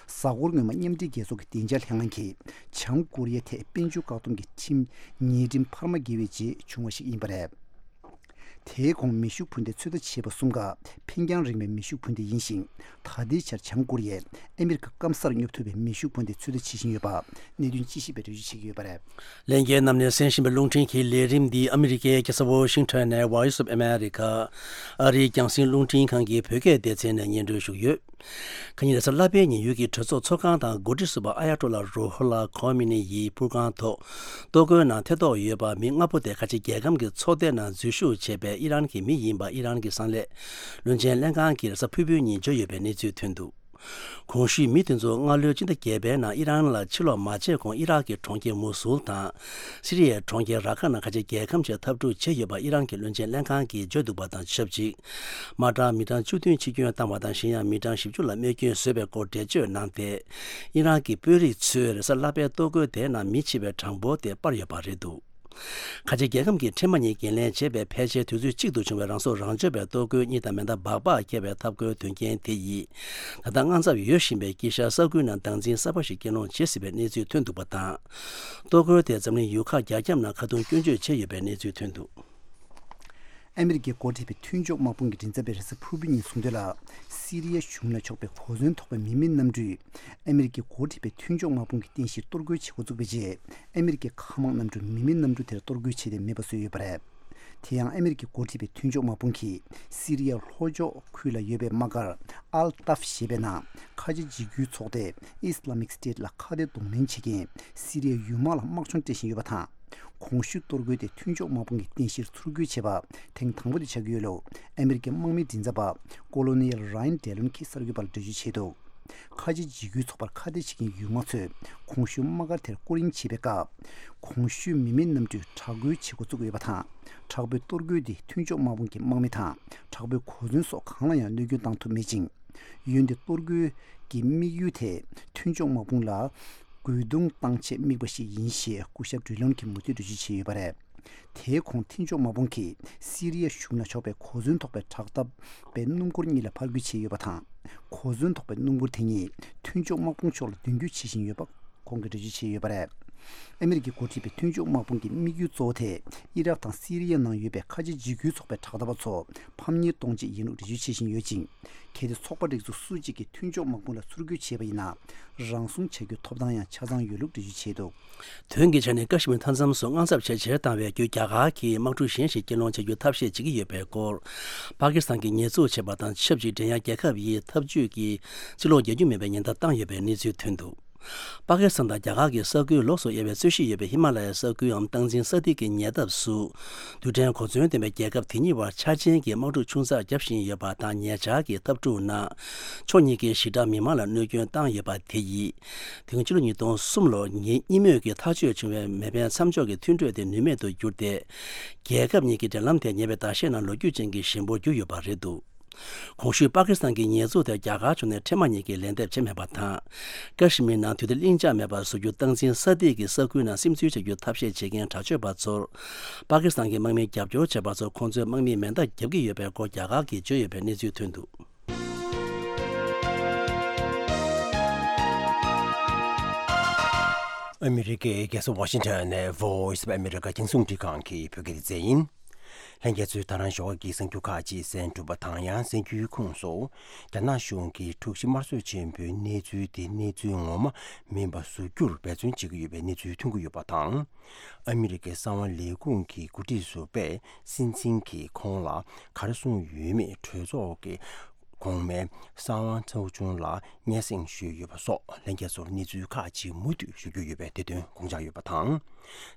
གཟའ་འཁོར་སྔོན་མ་མཉམ་འབྲེལ་རྒྱལ་ཚོགས་ཀྱི་བདེ་འཇགས་ལྷན་ཁང་གིས་བྱང་ཀོ་རི་ཡ་ཐད་དཔལ་འབྱོར་བཀག་སྡོམ་གྱི་ཁྲིམས་ཉེས་ཁྲིམས་འཕར་མ་བརྒལ་བའི་རྗེས་བྱུང་བ་ཞིག་ཡིན་པ་རེད། དེའི་གོང་མེ་ཤུགས་འཕུར་མདེལ་ཚོད་ལྟ་བྱས་པ་གསུམ་ཀ་འཕེན་རྒྱང་རིང་བའི་མེ་ཤུགས་འཕུར་མདེལ་ཡིན་ཞིང་། ད་ལྟའི་ཆར་བྱང་ཀོ་རི་ཡས་ཨ་མི་རི་ཀ་སྐམ་སར་སྙོབ་ཐུབ་པའི་མེ་ཤུགས་འཕུར་མདེལ་ཚོད་ལྟ་བྱེད་བཞིན་ཡོད་པ་གནད་དོན་དཔྱད་ཞིབ་པས་འགྲེལ་བརྗོད་བྱེད་ཀྱི་ཡོད་པ་རེད། ལྷན་རྒྱས་རྣམས་ནས་གསན་བཞིན་པའི་རླུང་འཕྲིན་གྱི་ལས་རིམ་འདི་ཨ་མི་རི་ཀའི་རྒྱལ་ས་ཝོ་ཤིང་ཊོན་ནས་Voice of America ཨ་རིའི་རྒྱང་སྲིང་རླུང་འཕྲིན་ཁང་གི་བོད་སྐད་སྡེ་ཚན་ནས་སྙན་སྒྲོན་ཞུ་གི་ཡོད། ཁ་ཉིན་རེས་གཟའ་ལྷག་པའི་ཉིན་ཡུལ་གྱི་གྲོས་ཚོགས་ཚོགས་ཁང་དང་འགོ་ཁྲིད་ཟུར་པ་ཨ་ཡ་ཏོ་ལ་རོ་ཧོ་ལ་ཁོ་མི་ནི་ཡི་པུར་ཁང་ཐོག་གཏོར་རྒོལ་ནང་ཐེ་གཏོགས་ཡོད་པ་མི་ལྔ་པོ་དེ་ཁ་ཆེ་རྒྱལ་ཁམས་ཀྱི་ཚོགས་སྡེ་ནང་འཛུལ་ཞུགས་བྱས་པའི་ཨི་རན་གྱི་མི་ཡིན་པ་ཨི་རན་གྱི་གསང་ལས་བློན་ཆེན་ལྷན་ཁང་གིས་རེས་གཟའ་ཕུར་བུའི་ཉིན་བརྗོད་ཡོད་པའི་གནས་ཚུལ་ཐོན་འདུག་གོང་ཞུས་མི་དེ་ཚོ་སྔ་ལོའི་སྤྱི་ཟླ་བརྒྱད་པའི་ནང་ཨི་རན་ལ་ཕྱིར་ལོག་མ་བྱས་གོང་ཨི་རག་གི་གྲོང་ཁྱེར་མུ་སུལ་དང་། སི་རི་ཡའི་གྲོང་ཁྱེར་ར་ཁ་ནང་ཁ་ཆེ་རྒྱལ་ཁམས་ཆེད་འཐབ་འཁྲུག་བྱས་ཡོད་པ་ཨི་རན་གྱི་བློན་ཆེན་ལྷན་ཁང་གིས་བརྗོད་འདུག་པ་དང་ཆབས་ཅིག་མ་རྐང་མི་གྲངས་བཅུ་བདུན་འཆི་སྐྱོན་བཏང་བ་དང་། གཞན་ཡང་མི་གྲངས་བཞི་བཅུ་ལ་རྨས་སྐྱོན་བཟོས་པའི་སྐོར་འགྲེལ་བརྗོད་གནང་སྟེ། ཨི་རན་གྱི་དཔོན་རིགས་ཚོས་རེས་གཟའ་ལྷག་པའི་གཏོར་རྒོལ་དེའི་ནང་མི་འཆི་བའི་གྲངས་འབོར་དེ་སྤར་ཡོད་པ་རེད་འདུག་ཁ་ཆེ་རྒྱལ་ཁམས་ཀྱི་ཁྲིམས་དམག་གཉིས་འགན་ལེན་བྱས་པའི་ཕལ་ཆེར་དུས་ཚོད་གཅིག་ཏུ་བྱུང་བའི་རང་སྲོག་རང་གཅོད་པའི་གཏོར་རྒོལ་གཉིས་དང་མེ་མདའ་སྦག་སྦག་འཁྱེར་བའི་འཐབ་རྒོལ་དོན་རྐྱེན་དེ་ཡིས། ད་ལྟ་དངངས་འཚབ་ཡོད་བཞིན་པའི་དཀྱིལ་ཤར་ས་ཁུལ་ནང་སྟངས་འཛིན་གསར་པ་ཞིག་སྐྱེལ་སློང་བྱེད་སྲིད་པའི་གནས་ཚུལ་ཐོན་འདུག་པ་དང་། གཏོར་རྒོལ་དེས་འཛམ་གླིང་ཡུལ་ཁག་རྒྱ་ཁྱབ་ནང་ཁ་རྡུང་སྐྱོན་བརྗོད་བྱས་ཡོད་པའི་གནས་ཚུལ་ཐོན་འདུག་ཨ་མི་རི་ཀས་འགོ་ཁྲིད་པའི་མཐུན་ཕྱོགས་དམག་དཔུང་གི་མགྲིན་ཚབ་པས་རེས་གཟའ་ཕུར་བུ་ཉིན་གསུངས་དོན་ལ། སི་རི་ཡ་གཞུང་ལ་ཕྱོགས་པའི་གོ་མཚོན་ཐོགས་པའི་མི་མེད་གནམ་གྲུས་ཨ་མི་རི་ཀས་འགོ་ཁྲིད་པའི་མཐུན་ཕྱོགས་དམག་དཔུང་གི་རྟེན་གཞིར་གཏོར་རྒོལ་བྱེད་འགོ་བཙུགས་པའི་རྗེས། ཨ་མི་རི་ཀའི་མཁའ་དམག་གནམ་གྲུས་མི་མེད་གནམ་གྲུ་དེར་གཏོར་རྒོལ་བྱས་ཏེ་མེད་པ་བཟོས་ཡོད་པ་རེད། དེ་ཡང་ཨ་མི་རི་ཀས་འགོ་ཁྲིད་པའི་མཐུན་ཕྱོགས་དམག་དཔུང་གིས་སི་རི་ཡའི་ལྷོ་ཕྱོགས་ཁུལ་ལ་ཡོད་པའི་དམག་སྒར་ཨལ་ཏཱབ་ཞེས་པའི་ནང་ཁ་ཆེ་འཇིགས་སྐུལ་ཚོགས་སྡེ་Islamic State ལ་ཁ་གཏད་གདོང་ལེན་བྱེད་མཁན་སི་རི་ཡའི་ཡུལ་དམག་ལ་དམག་སྦྱོང་སྤྲད་བཞིན་ཡོད་པ་དང་། གོང་ཞུས་གཏོར་རྒོལ་དེ་མཐུན་ཕྱོགས་དམག་དཔུང་གི་རྟེན་གཞིར་ཚུར་རྒོལ་བྱས་པ་ཐེངས་དང་པོ་དེ་ཆགས་ཀྱི་ཡོད་ལུགས་ཨ་མི་རི་ཀའི་དམག་མིའི་མགྲིན་ཚབ་པ་Colonel Ryan Dillon གྱིས་གསར་འགོད་པ་ལ་འགྲེལ་བརྗོད་བྱས་འདུག་ཁ་ཆེ་འཇིགས་སྐུལ་ཚོགས་པར་ཁ་གཏད་བྱེད་མཁན་ཡུལ་དམག་ཚོས་གོང་ཞུས་དམག་སྒར་དེར་སྐོར་གཡེང་བྱེད་པའི་སྐབས། གོང་ཞུས་མི་མེད་གནམ་གྲུས་དྲག་རྒོལ་བྱེད་འགོ་བཙུགས་ཡོད་པ་དང་། དྲག་པོའི་གཏོར་རྒོལ་འདིས་མཐུན་ཕྱོགས་དམག་དཔུང་གི་དམག་མི་དང་དྲག་པོའི་གོ་མཚོན་སོགས་གང་ལ་ཡང་གནོད་སྐྱོན་བཏང་ཐུབ་མེད་ཅིང་། འོན་ཏེ་གཏོར་རྒོལ་གྱི་དམིགས་ཡུལ་དེ་མཐུན་ཕྱོགས་དམག་དཔུང་ལ་རྒོལ་རྡུང་བཏང་ཆེད་དམིགས་པ་ཞིག་ཡིན་ཞེས་སྐུ་ཞབས་ཌི་ལོན་གྱིས་མུ་མཐུད་འགྲེལ་བརྗོད་བྱས་ཡོད་པ་རེད། དེའི་གོང་མཐུན་ཕྱོགས་དམག་དཔུང་གིས་སི་རི་ཡ་གཞུང་ལ་ཕྱོགས་པའི་གོ་མཚོན་ཐོགས་པའི་དྲག་འཐབ་པའི་སྣུམ་འཁོར་གཉིས་ལ་ཕར་རྒོལ་བྱས་ཡོད་པ་དང་། གོ་མཚོན་ཐོགས་པའི་སྣུམ་འཁོར་དེ་གཉིས་མཐུན་ཕྱོགས་དམག་དཔུང་ཕྱོགས་ལ་མདུན་སྐྱོད་བྱེད་བཞིན་ཡོད་པ་ཁོང་གིས་འགྲེལ་བརྗོད་བྱས་ཡོད་པ་རེད། ཨ་མི་རི་ཀས་འགོ་ཁྲིད་པའི་མཐུན་ཕྱོགས་དམག་དཔུང་གི་དམིགས་ཡུལ་གཙོ་བོ་དེ་ཨི་རག་དང་སི་རི་ཡ་ནང་ཡོད་པའི་ཁ་ཆེ་འཇིགས་སྐུལ་ཚོགས་པའི་དྲག་འཐབ་པ་ཚོ་ཕམ་ཉེས་གཏོང་ཆེད་ཡིན་ལུགས་འགྲེལ་བརྗོད་བྱེད་བཞིན་ཡོད་ཅིང་། གལ་ཏེ་ཚོགས་པ་རིགས་ཚོགས་སུ་གཅིག་གིས་མཐུན་ཕྱོགས་དམག་དཔུང་ལ་ཚུར་རྒོལ་བྱས་པ་ཡིན་ན། རང་སྲུང་བྱ་རྒྱུའི་ཐོབ་ཐང་ཡང་ཆ་ཚང་ཡོད་ལུགས་འགྲེལ་བརྗོད་བྱས་འདུག་དོན་གྱི་ཆ་ནས་ཀ་ཤི་མིར་མཐའ་མཚམས་སུ་དངངས་འཚབ་ཇེ་ཆེར་བཏང་བའི་བརྒྱུད། རྒྱ་གར་གྱིས་དམག་འཁྲུག་གཞན་ཞིག་སྐྱེལ་སློང་བྱ་རྒྱུའི་ཐབས་ཤེས་བྱེད་ཀྱི་ཡོད་པའི་སྐོར། པ་ཀི་སི་ཐན་གྱིས་ཉེས་འཛུགས་བྱས་པ་དང་ཆབས་ཅིག་འགྲན་ཡ་རྒྱལ་ཁབ་ཡིས་འཐབ་ཇུས་ཀྱི་ཕྱིར་ལོག་རྒྱག་རྒྱུ་མིན་པའི་ཉེན་བརྡ་བཏང་ཡོད་པའི་གནས་ཚུལ་ཐོན་འདུག་པ་ཀི་སི་ཐན་དང་རྒྱ་གར་གྱི་ས་ཁུལ་ལོགས་སུ་དབྱེ་བའི་རྩོད་གཞི་ཡོད་པའི་ཧི་མ་ལ་ཡའི་ས་ཁུལ་འམ་སྟངས་འཛིན་ས་ཐིག་གི་ཉེ་འདབས་སུ། རྡུལ་ཕྲན་གོ་མཚོན་ལྡན་པའི་རྒྱལ་ཁབ་དེ་གཉིས་བར་འཆར་ཅན་གྱི་དམག་འཁྲུག་ཆུང་ཙག་བརྒྱབ་བཞིན་ཡོད་པ་དང་། ཉེ་ཆར་གྱི་འཐབ་འཁྲུག་ནང་ཕྱོགས་གཉིས་ཀས་ཞི་དྲག་མི་མང་ལ་གནོད་སྐྱོན་བཏང་ཡོད་པ་དེ་ཡིས། དེ་སྔོན་ཕྱི་ལོ་ཉིས་སྟོང་གསུམ་ལོར་ཉེ་གཉིས་མོས་ཀྱིས་ཐག་གཅོད་བྱུང་བའི་མེ་འཕེན་མཚམས་འཇོག་གི་མཐུན་གྲོས་དེ་ནུས་མེད་དུ་གྱུར་ཏེ། རྒྱལ་ཁབ་གཉིས་ཀྱི་འབྲེལ་ལམ་དེ་ཉེ་བའི་ཟླ་ཤས་ནང་ལོ་རྒྱུས་ཅན་གྱི་ཞན་པོར་གྱུར་ཡོད་པ་རེད་འདུག་གོང་ཞུས་པ་ཀི་སི་ཐན་གྱི་ཉེས་འཛུགས་དེར་རྒྱ་གར་ཕྱོགས་ནས་འཕྲལ་མ་ཉིད་ཀྱིས་ལན་འདེབས་བྱས་མེད་པ་དང་། ཀ་ཤི་མིར་ནང་དུས་བདེ་ལྷིང་འཇགས་མེད་པར་བཟོ་རྒྱུ་སྟངས་འཛིན་ས་ཐིག་གིས་ས་ཁུལ་ནང་སིམ་འཛུལ་བྱ་རྒྱུའི་ཐབས་ཤེས་བྱེད་མཁན་དྲག་སྤྱོད་པ་ཚོར། པ་ཀི་སི་ཐན་གྱི་དམག་མིས་རྒྱབ་སྐྱོར་བྱས་པ་ཚོར་ཁོང་ཚོས་དམག་མིས་མེ་མདའ་བརྒྱབ་ཀྱི་ཡོད་པའི་སྐོར་རྒྱ་གར་གྱིས་བརྗོད་ཡོད་པའི་གནས་ཚུལ་ཐོན་འདུག་ཨ་མི་རི་ཀའི་རྒྱལ་ས་ཝ་ཤིང་ཊོན་ནས་Voice of America རྒྱང་སྲིང་རླུང་འཕྲིན་ཁང་གི་བོད་སྐད་སྡེ་ཚན་ཡིན། ལྷན་རྒྱས་ཚོས་ད་རང་ཞོགས་ཀྱི་གསར་འགྱུར་ཁག་ཅིག་གསན་གྲུབ་པ་དང་། ཡང་གསར་འགྱུར་ཁོངས་སུ། རྒྱ་ནག་གཞུང་གིས་འཁྲུག་གཞི་དམར་གསོད་ཆེན་པོའི་གནས་ཚུལ་དེ་གནས་ཚུལ་ངོ་མ་མིན་པ་བཟོ་རྒྱུར་འབད་བརྩོན་བྱེད་ཀྱི་ཡོད་པའི་གནས་ཚུལ་ཐོན་གྱི་ཡོད་པ་དང་། ཨ་མི་རི་ཀའི་གསང་བ་ལས་ཁུངས་ཀྱི་འགོ་ཁྲིད་ཟུར་པས་སྲིད་འཛིན་གྱིས་ཁོང་ལ་ག་རེ་གསུངས་ཡོད་མེད་གྲོས་ཚོགས་ཀྱི་གོང་མའི་གསང་བ་ཚོགས་ཆུང་ལ་སྙན་སེང་ཞུས་ཡོད་པ་སོགས་ལྷན་རྒྱས་ཚོར་གནས་ཚུལ་ཁག་ཅིག་མུ་མཐུད་ཞུ་རྒྱུ་ཡོད་པས་དེ་དོན་དགོངས་འཇགས་ཡོད་པ་དང་།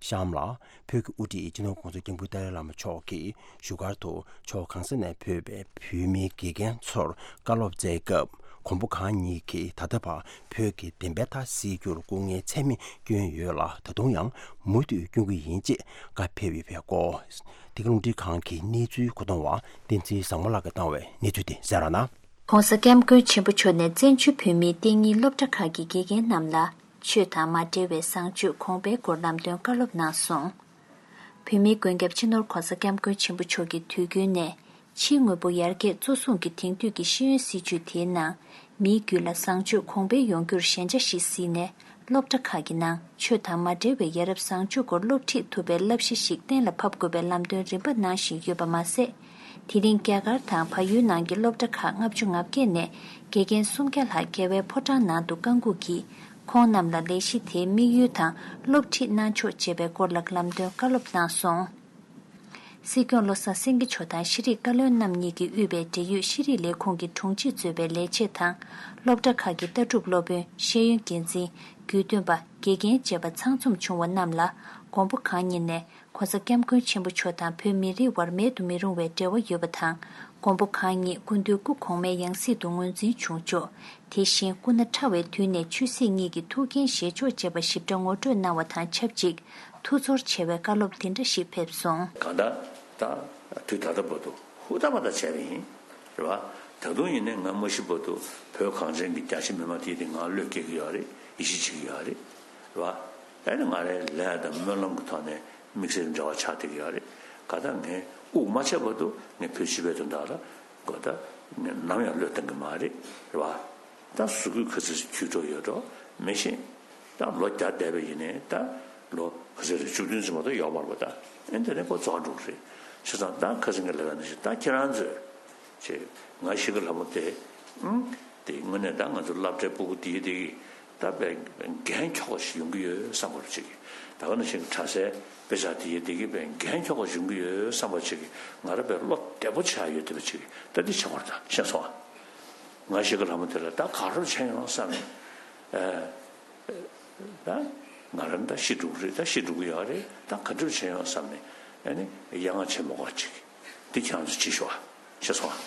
གཤམ་ལ། བོད་ཀྱི་དབུ་ཁྲིད་སྤྱི་ནོར་༸གོང་ས་༸སྐྱབས་མགོན་ཏཱ་ལའི་བླ་མ་མཆོག་གིས་བཞུགས་སྒར་དུ་ཕྱོགས་གང་ས་ནས་ཕེབས་པའི་བོད་མིའི་དགེ་རྒན་ཚོར་བཀའ་སློབ་སྩལ་སྐབས། མགོན་པོ་གང་ཉིད་ཀྱིས་ད་ལྟ་བར་བོད་ཀྱི་བདེན་པའི་མཐའ་གསལ་རྒྱུར་སྐུ་ངལ་ཚད་མེད་བསྐྱོན་ཡོད་ལ། ད་དུང་ཡང་མུ་མཐུད་སྐྱོན་གྱི་ཡིན་ཅེས་བཀའ་ཕེབས་ཡོད་པའི་སྐོར། འདི་ག་རླུང་འཕྲིན་ཁང་གི་གནས་ཚུལ་མཁོ་གཏོང་བ་བསྟན་འཛིན་བཟང་མོ་ལགས་ཀྱིས་བཏང་བའི་གནས་ཚུལ་དེ་གསན་རོགས་གནང་། ༸གོང་ས་༸སྐྱབས་མགོན་ཆེན་པོ་མཆོག་ནས་བཙན་བྱོལ་བོད་མིའི་གཏན་ཉིན་སློབ་གྲྭ་ཁག་གི་དགེ་རྒན་རྣམས་ལ་ཆོས་དང་མ་འབྲེལ་བའི་བཟང་སྤྱོད་གོང་འཕེལ་སྐོར་ལམ་སྟོན་བཀའ་སློབ་གནང་སོང་། བོད་མིའི་མགོན་སྐྱབས་སྤྱི་ནོར་༸གོང་ས་༸སྐྱབས་མགོན་ཆེན་པོ་མཆོག་གིས་དུས་རྒྱུན་ནས་ཕྱིའི་དངོས་པོ་ཡར་རྒྱས་གཙོ་བཟུང་གི་དེང་དུས་ཀྱི་ཤེས་ཡོན་སྲིད་བྱུས་དེའི་ནང་མིའི་རྒྱུད་ལ་བཟང་སྤྱོད་གོང་འཕེལ་ཡོང་རྒྱུར་ཞན་ཆ་ཞིག་གཟིགས་ནས། སློབ་གྲྭ་ཁག་གི་ནང་ཆོས་དང་མ་འབྲེལ་བའི་ཡ་རབས་བཟང་སྤྱོད་སྐོར་སློབ་ཁྲིད་ཐུབ་པའི་བསླབ་གཞི་ཞིག་གཏན་ལ་ཕབ་དགོས་པའི་ལམ་སྟོན་རིམ་པ་གནང་བཞིན་ཡོད་པ་མ་ཟད། དེ་རིང་རྒྱ་གར་དང་བལ་ཡུལ་ནང་གི་སློབ་གྲྭ་ཁག་ལྔ་བཅུ་ང་བརྒྱད་ནས་དགེ་རྒན་སུམ་བརྒྱ་ལྷག་རྒྱལ་བའི་ཕོ་བྲང་ནང་དུ་བཀའ་འགུགས་ཀྱིས། ཁོང་རྣམས་ལ་ལས་གཞི་དེའི་དམིགས་ཡུལ་དང་སློབ་ཁྲིད་གནང་ཕྱོགས་བཅས་པའི་སྐོར་ལ་ལམ་སྟོན་བཀའ་སློབ་གནང་སོང་། སྲིད་སྐྱོང་བློ་བཟང་སེང་གེ་མཆོག་དང་ཤེས་རིག་བཀའ་བློན་རྣམ་གཉིས་ཀྱིས་དབུས་པའི་འབྲེལ་ཡོད་ཤེས་རིག་ལས་ཁུངས་ཀྱི་དྲུང་ཆེས་གཙོས་པའི་ལས་བྱེད་དང་། སློབ་གྲྭ་ཁག་གི་ལྟ་གྲུབ་སློབ་དཔོན། ཤེས་ཡོན་འགན་འཛིན། དགེ་འདུན་པ། དགེ་རྒན་བཅས་པ་ཚང་འཛོམས་བྱུང་བ་རྣམས་ལ། མགོན་པོ་གང་ཉིད་ནས་༸གོང་ས་༸སྐྱབས་མགོན་ཆེན་པོ་མཆོག་དང་བོད་མི་རིགས་དབར་མེད་དུ་མི་རུང་བའི་འབྲེལ་བ་ཡོད་པ་དང་། མགོན་པོ་གང་ཉིད་སྐུ་མདུན་སྐུ་གོང་མའི་ཡང་སྲིད་དུ་ངོས་འཛིན་བྱུང་ཆོག་དེ་བཞིན་སྐུ་ན་ཕྲ་བའི་དུས་ནས་ཆོས་སྲིད་གཉིས་ཀྱི་ཐུགས་འགན་བཞེས་ཆོག་ཅེས་པ་ཞིབ་ཕྲ་ངོ་སྤྲོད་གནང་བ་དང་ཆབས་ཅིག་ཐུགས་ཚོར་ཆེ་བའི་བཀའ་སློབ་འདི་འདྲ་ཞིག་ཕེབས་སོང་། གང་ལྟར་ད་དུས་ད་ལྟ་བར་དུ་ཧུར་ཐག་པ་ཐག་བྱས་པ་ཡིན། རེད་བ། ད་དུང་ཡིན་ནའི་ང་མ་ཤི་བར་དུ་བོད་གངས་ཅན་གྱི་རྒྱ་ཆེ་མི་མང་དེ་དེ་ང་བློས་འགེལ་གྱི་ཡོད་རེད། ཡིད་ཆེས་བྱེད་ཀྱི་ཡོད་རེད། རེད་བ། ཨ་ནི་ང་རའི་ལས་དང་སྨོན་ལམ་གྱི་ཐོག་ནས་དམིགས་བསལ་འབྲེལ་བ་ཆགས་བསྡད་ཀྱི་ཡོད་རེད། གང་ལྟར་ངས་དབུགས་མ་ཆད་བར་དུ་ངས་བོད་སྤྱི་པའི་དོན་དག་ལ་གོ་ད་ངས་ནམ་ཡང་བློས་གཏོང་གི་མ་རེད། རེད་བ། ད་གཟུགས་པོ་ག་ཚོད་ཅིག་འཁྱུད་འགྲོ་ཡོད་འགྲོ་མི་ཤེས། ད་ལོ་བརྒྱ་འདས་པ་ཡིན་ནའི་ད་ལོ་ག་ཚོད་རེད། བཅུ་བདུན་ཙམ་མ་གཏོགས་ཡོད་མ་རེད་པ། ད་ཨེ་འདི་ནས་ཁོ་རྫོགས་འགྲོ་གི་རེད། བྱས་ཙང་ད་ཁ་སང་གི་ལབ་པ་ནང་བཞིན་ད་ཁྱེད་རང་ཚོས་ཅེས་ང་ཤི་ཁ་ལྷ་མོ་དེ་ཨང་དེ་དངོས་གནས་ད་ང་ཚོ་སློབ་གྲྭའི་སྤུ་གུ་དེ་དེ་གི་ད་དཔེ་འགན་འཁྱོག་པ་ཞིག་ཡོང་གི་ཡོད་བསམ་པ་ཅིག་གིས། ད་ག་ནང་བཞིན་གྱི་གྲྭ་སའི་དཔེ་ཆ་དེ་དེ་གི་དཔེ་འགན་འཁྱོག་པ་ཞིག་ཡོང་གི་ཡོད་བསམ་པ་ཅིག་གིས་ང་རང་དཔེ་བློ་བདེ་པོ་ཆགས་ཡོད་བསྡད་པ་ཅིག་གིས། ད་འདི་བྱེད་དགོས་རེད། ད་ཤེས་སོང་ཨ། ང་ཤི་ཁ་ལྷ་མོ་དེ་ལ་ད་ག་རེ་བྱས་ཡོང་བསམ་ནས། ཨ། ད་ང་རང་ད་ཤི་འགྲོ་གི་རེད། ད་ཤི་འགྲོ་གི་ཡོད་རེད། ད་ག་འདྲ་བྱས་ཡོང་བསམ་ནས་ཨ་ནི་ཡ་ང་ཆེན་མོ་ག་ཅིག་འདི་ཁྱེད་རང་ཚོ་བྱེད་ཤོག་ཨ། ཤེས་སོང་ཨ།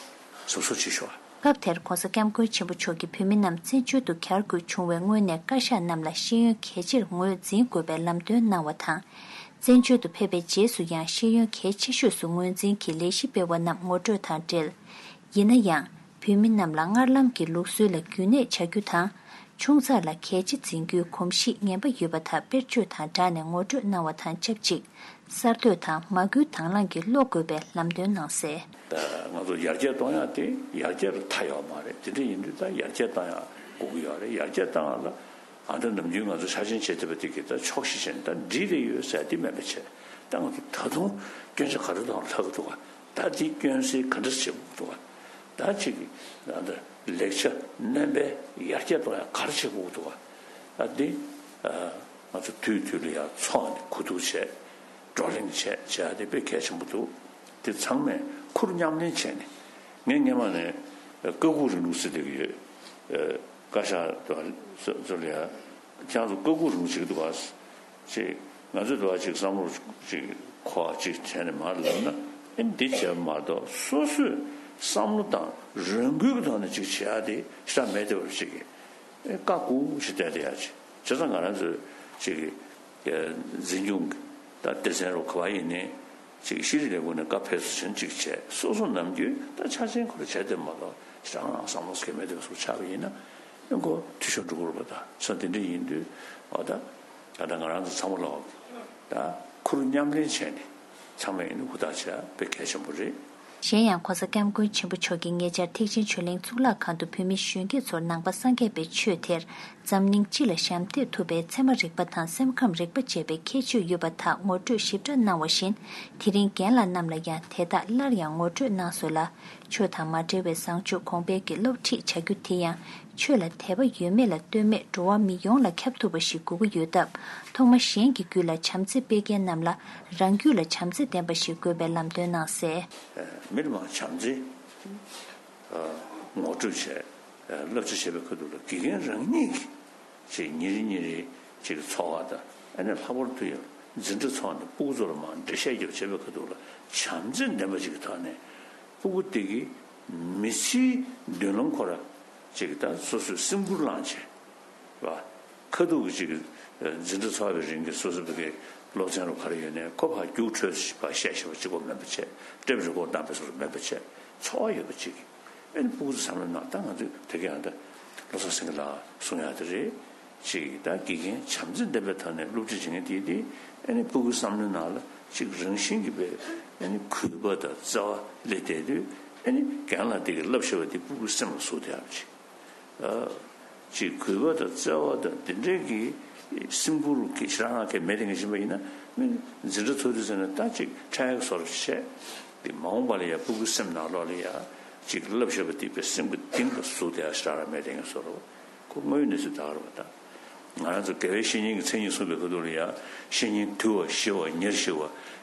གཟབ་གཟབ་བྱེད་ཤོག་ཨ། སྐབས་དེར་༧གོང་ས་༧སྐྱབས་མགོན་ཆེན་པོ་མཆོག་གིས་བོད་མི་རྣམས་བཙན་བྱོལ་དུ་གྱར་དགོས་བྱུང་བའི་སྔོན་ནས་བཀའ་ཤག་རྣམས་ལ་ཤེས་ཡོན་གལ་ཆེར་ངོས་འཛིན་དགོས་པའི་ལམ་སྟོན་གནང་བ་དང་། བཙན་བྱོལ་དུ་ཕེབས་པའི་རྗེས་སུ་ཡང་ཤེས་ཡོན་གལ་ཆེ་ཤོས་སུ་ངོས་འཛིན་གྱིས་ལས་གཞི་སྤེལ་བ་རྣམས་ངོ་སྤྲོད་དང་འབྲེལ། ཡིན་ན་ཡང་། བོད་མི་རྣམས་ལ་སྔར་ལམ་གྱི་ལུགས་སྲོལ་ལ་རྒྱུན་གནས་བྱ་རྒྱུ་དང་། ཆུང་ཙག་ལ་གལ་ཆེ་འཛིན་རྒྱུའི་གོམས་གཤིས་ངན་པ་ཡོད་པ་དག་དཔེར་བརྗོད་དང་སྦྲགས་ནས་ངོ་སྤྲོད་གནང་བ་དང་ཆབས་ཅིག་གསར་གཏོད་དང་མ་བསྐུལ་དང་བླངས་ཀྱིས་སློབ་དགོས་པའི་ལམ་སྟོན་གནང་གསལ། ད་ང་ཚོ་ཡར་རྒྱས་གཏོང་ཡག་དེ་ཡར་རྒྱས་ལ་མཐའ་ཡོད་མ་རེད། དེ་འདྲ་ཡིན་དུས་ད་ཡར་རྒྱས་གཏོང་ཡག་དགོས་ཀྱི་ཡོད་རེད། ཡར་རྒྱས་གཏོང་ཡག་ལ་ཨ་འདྲ་ནམ་རྒྱུན་ང་ཚོ་ཆ་ཆེན་བྱེད་ཐུབ་པ་དེ་གི་ད་ཆོག་ཤེས་བྱས་ནས་ད་འགྲིག་རེ་ཡོད་ཟེར་དེ་མེད་པ་བྱས། ད་ང་ཚོ་ད་དུང་སྐྱོན་ཆ་ག་རེ་དང་ལྷག་གི་འདུག་ག་ད་དེ་སྐྱོན་སེལ་ག་འདྲ་བྱེད་དགོས་འདུག་ག་ད་ཅིག་ད་ལེགས་ཆ་སྣོན་པའི་ཡར་རྒྱས་གཏོང་ཡག་ག་རེ་བྱེད་དགོས་འདུག་ག་ད་དེ་ང་ཚོ་དུས་དུས་ལ་ཡར་ཚོགས་ནས་གོ་བསྡུར་བྱས། བགྲོ་གླེང་བྱས་བྱས་ཡག་དེ་དཔེ་གལ་ཆེན་པོ་འདུག་དེ་ཚང་མས་ཁུར་མཉམ་ལེན་བྱས་ནས། ངས་སྔན་མ་ནས་བཀའ་བསྒོ་རིང་ལུགས་ཟེར་བསྡད་ཀྱི་ཡོད། བཀའ་ཤག་ཏུ་ཚོ་ལ་ཡ། ཁྱེད་ཚོ་བཀའ་བསྒོ་རིང་ལུགས་བྱེད་ཀྱི་འདུག་ག་ཅེས་ང་ཚོས་དུ་བ་ཅིག་བསམ་བློ་ཅིག་འཁོར་བ་ཅིག་བྱས་ནས་མར་ལབ་ན། ཨེ་འདི་བྱས་པ་མ་གཏོགས་སོ་སོས་བསམ་བློ་དང་རང་འགུལ་གྱི་ཐོག་ནས་ཅིག་བྱེད་ཡག་དེ་ཞེ་དྲག་མེད་བསྡད་པ་ཅིག་གིས། ཨེ་བཀའ་བསྒོ་ཞིག་བསྡད་བསྡད་ཡག་ཅིག་བྱས་ཙང་ང་རང་ཚོས་ཅིག་གི་འཛིན་སྐྱོང་གི་ད་སྡེ་ཚན་རུ་ག་བ་ཡིན་ནའི་ཅིག་ཤེས་རིག་ལས་ཁུངས་ནས་བཀའ་ཕེབས་བསུ་ཆེན་ཅིག་བྱས། སོ་སོ་ནམ་རྒྱུན་ད་ཆ་ཆེན་ཁོ་ར་བྱས་བསྡད་མ་གཏོགས་ཞེ་དྲག་བསམ་བློ་ཟེར་མཁན་མེད་བསྡད་པ་ཟུག་ཆགས་པ་ཡིན་ན། ཨེ་ཁོ་འཐུས་ཤོར་འགྲོ་གི་རེད་པ། ད་ས་དེ་འདྲ་ཡིན་དུས་འོ་ད་ད་ལྟ་ང་རང་ཚོ་ཚང་མ་ལོག་ད་ཁུར་མཉམ་ལེན་བྱས་ནས་ཚང་མས་ཡིན་ན་ཧུར་ཐག་བྱས་དཔེ་གལ་ཆེན་པོ་རེད། གཞན་ཡང་༧གོང་ས་༧སྐྱབས་མགོན་ཆེན་པོ་མཆོག་གིས་ཉེ་ཆར་ཐེག་ཆེན་ཆོས་གླིང་གཙུག་ལག་ཁང་དུ་བོད་མི་གཞོན་སྐྱེས་ཚོར་ནང་པ་སངས་རྒྱས་པའི་ཆོས་དེར་འཛམ་གླིང་སྤྱི་ལ་ཞབས་འདེགས་ཐུབ་པའི་ཚད་མ་རིག་པ་དང་སེམས་ཁམས་རིག་པ་ཅེས་པའི་ཁྱད་ཆོས་ཡོད་པ་དག་ངོ་སྤྲོད་ཞིབ་ཕྲ་གནང་བ་བཞིན། དེ་རིང་རྒན་ལགས་རྣམས་ལ་ཡང་དེ་དག་སླར་ཡང་ངོ་སྤྲོད་གནང་སོང་ལ། ཆོས་དང་མ་འབྲེལ་བའི་བཟང་སྤྱོད་གོང་འཕེལ་གྱི་སློབ་ཁྲིད་བྱ་རྒྱུ་དེ་ཡང་ཆོས་ལ་དད་པ་ཡོད་མེད་ལ་ལྟོས་མེད་འགྲོ་བ་མི་ཡོངས་ལ་ཁྱབ་ཐུབ་པ་ཞིག་དགོས་ཀྱི་ཡོད་སྟབས། ཐོག་མ་གཞན་གྱི་རྒྱུད་ལ་བྱམས་བརྩེ་སྤེལ་མཁན་རྣམས་ལ་རང་རྒྱུད་ལ་བྱམས་བརྩེ་ལྡན་པ་ཞིག་དགོས་པའི་ལམ་སྟོན་གནང་གསལ། མི་ལ་མ་བྱམས་བརྩེ་ངོ་སྤྲོད་བྱས། བསླབ་བྱ་བྱེད་པའི་ཁ་ཐུག་ལ་དགེ་རྒན་རང་ཉིད་ཀྱིས་ཅིག་ཉིན་རེ་ཉིན་རེ་ཅིག་འཚོ་བ་དང་ཨ་ནི་ལྷག་པར་དུ་ཡང་འཛིན་གྲྭ་ཚོགས་ནས་སྤུ་གུ་ཚོ་ལ་མར་འགྲེལ་བཤད་རྒྱབ་བྱེད་པའི་ཁ་ཐུག་ལ་བྱམས་བརྩེ་ལྡན་པ་ཅིག་གི་ཐོག་ནས་སྤུ་གུ་དེ་གིས་མི་ཚེའི་མདུན་ལམ་ཁོ་ར་ཅིག་ད་སོ་སོས་སེམས་ཁུར་བླངས་བྱས། རེད་བ། ཁ་ཐུག་གི་ཅིག་འཛིན་གྲྭ་ཚོགས་པའི་རིང་གི་སོ་སོ་བོད་སྐད་སློབ་ཚན་རུ་ག་རེ་ཡོད་ནའི་ཁོ་ཕར་རྒྱུགས་འཕྲོད་ཕར་བཤད་ཤེས་པ་གཅིག་པོ་མེད་པ་བྱས། ཊེབ་རི་ཀོཌ་བཏང་པའི་སོ་སོ་མེད་པ་བྱས། འཚོ་བ་ཡོད་པ་ཅིག་ཨེ་ནི་སྤུ་གུ་ཚོ་བསམ་བློ་ནང་ད་ང་ཚོས་དེ་ག་ཡང་ད་བློ་བཟང་སེང་གེ་ལགས་གསུང་ཡག་དེ་རེད། ཅིག་ད་དགེ་རྒན་བྱམས་བརྩེ་ལྡན་པའི་ཐོག་ནས་སློབ་ཁྲིད་བྱེད་མཁན་དེ་དེ་ཨེ་ནི་སྤུ་གུའི་བསམ་བློའི་ནང་ལ་ཅིག་རང་བཞིན་གྱིས་པའི་ཨེ་ནི་གུས་པ་དང་བརྩེ་བ་སླེབས་བསྡད་དུས་ཨེ་ནི་རྒན་ལགས་དེ་གིས་བསླབ་བཞག་པ་དེ་སྤུ་གུའི་སེམས་ལ་ཟུག་བསྡད་ཡག་ཅིག་ཅིག་གུས་པ་དང་བརྩེ་བ་དང་དེ་འདྲའི་གི་སེམས་ཁུར་གྱི་ཞེ་དྲག་གི་མེད་དེ་ངས་ཤེས་པ་ཡིན་ན། མི་འཛིན་གྲྭ་ཚོགས་དུས་ཚོད་ནས་ད་ཅིག་འཕྲལ་བཟོ་འདྲ་བྱས་ཏེ་མ་འོངས་པ་ལ་ཡ་སྤུ་གུའི་སེམས་ནང་ལོགས་ལ་ཡ་ཅིག་བསླབ་བཞག་པ་དེ་དཔེ་སེམས་ཀྱི་གཏིང་ལ་ཟུག་བསྡད་ཡག་ཞེ་དྲག་མེད་དེ་ངས་བཟོ་འདྲ་བ་ཁོ་དངོས་ཡོད་གནས་ཚུལ་ད་ག་རེད་པ། ད་ང་རང་ཚོ་དགེ་བའི་བཤེས་གཉེན་གྱི་མཚན་ཉིད་གསུངས་པའི་ཁ་ཐུག་ལ་ཡ་བཤེས་གཉེན་དུལ་བ་ཞི་བ་ཉེར་ཞི་བ་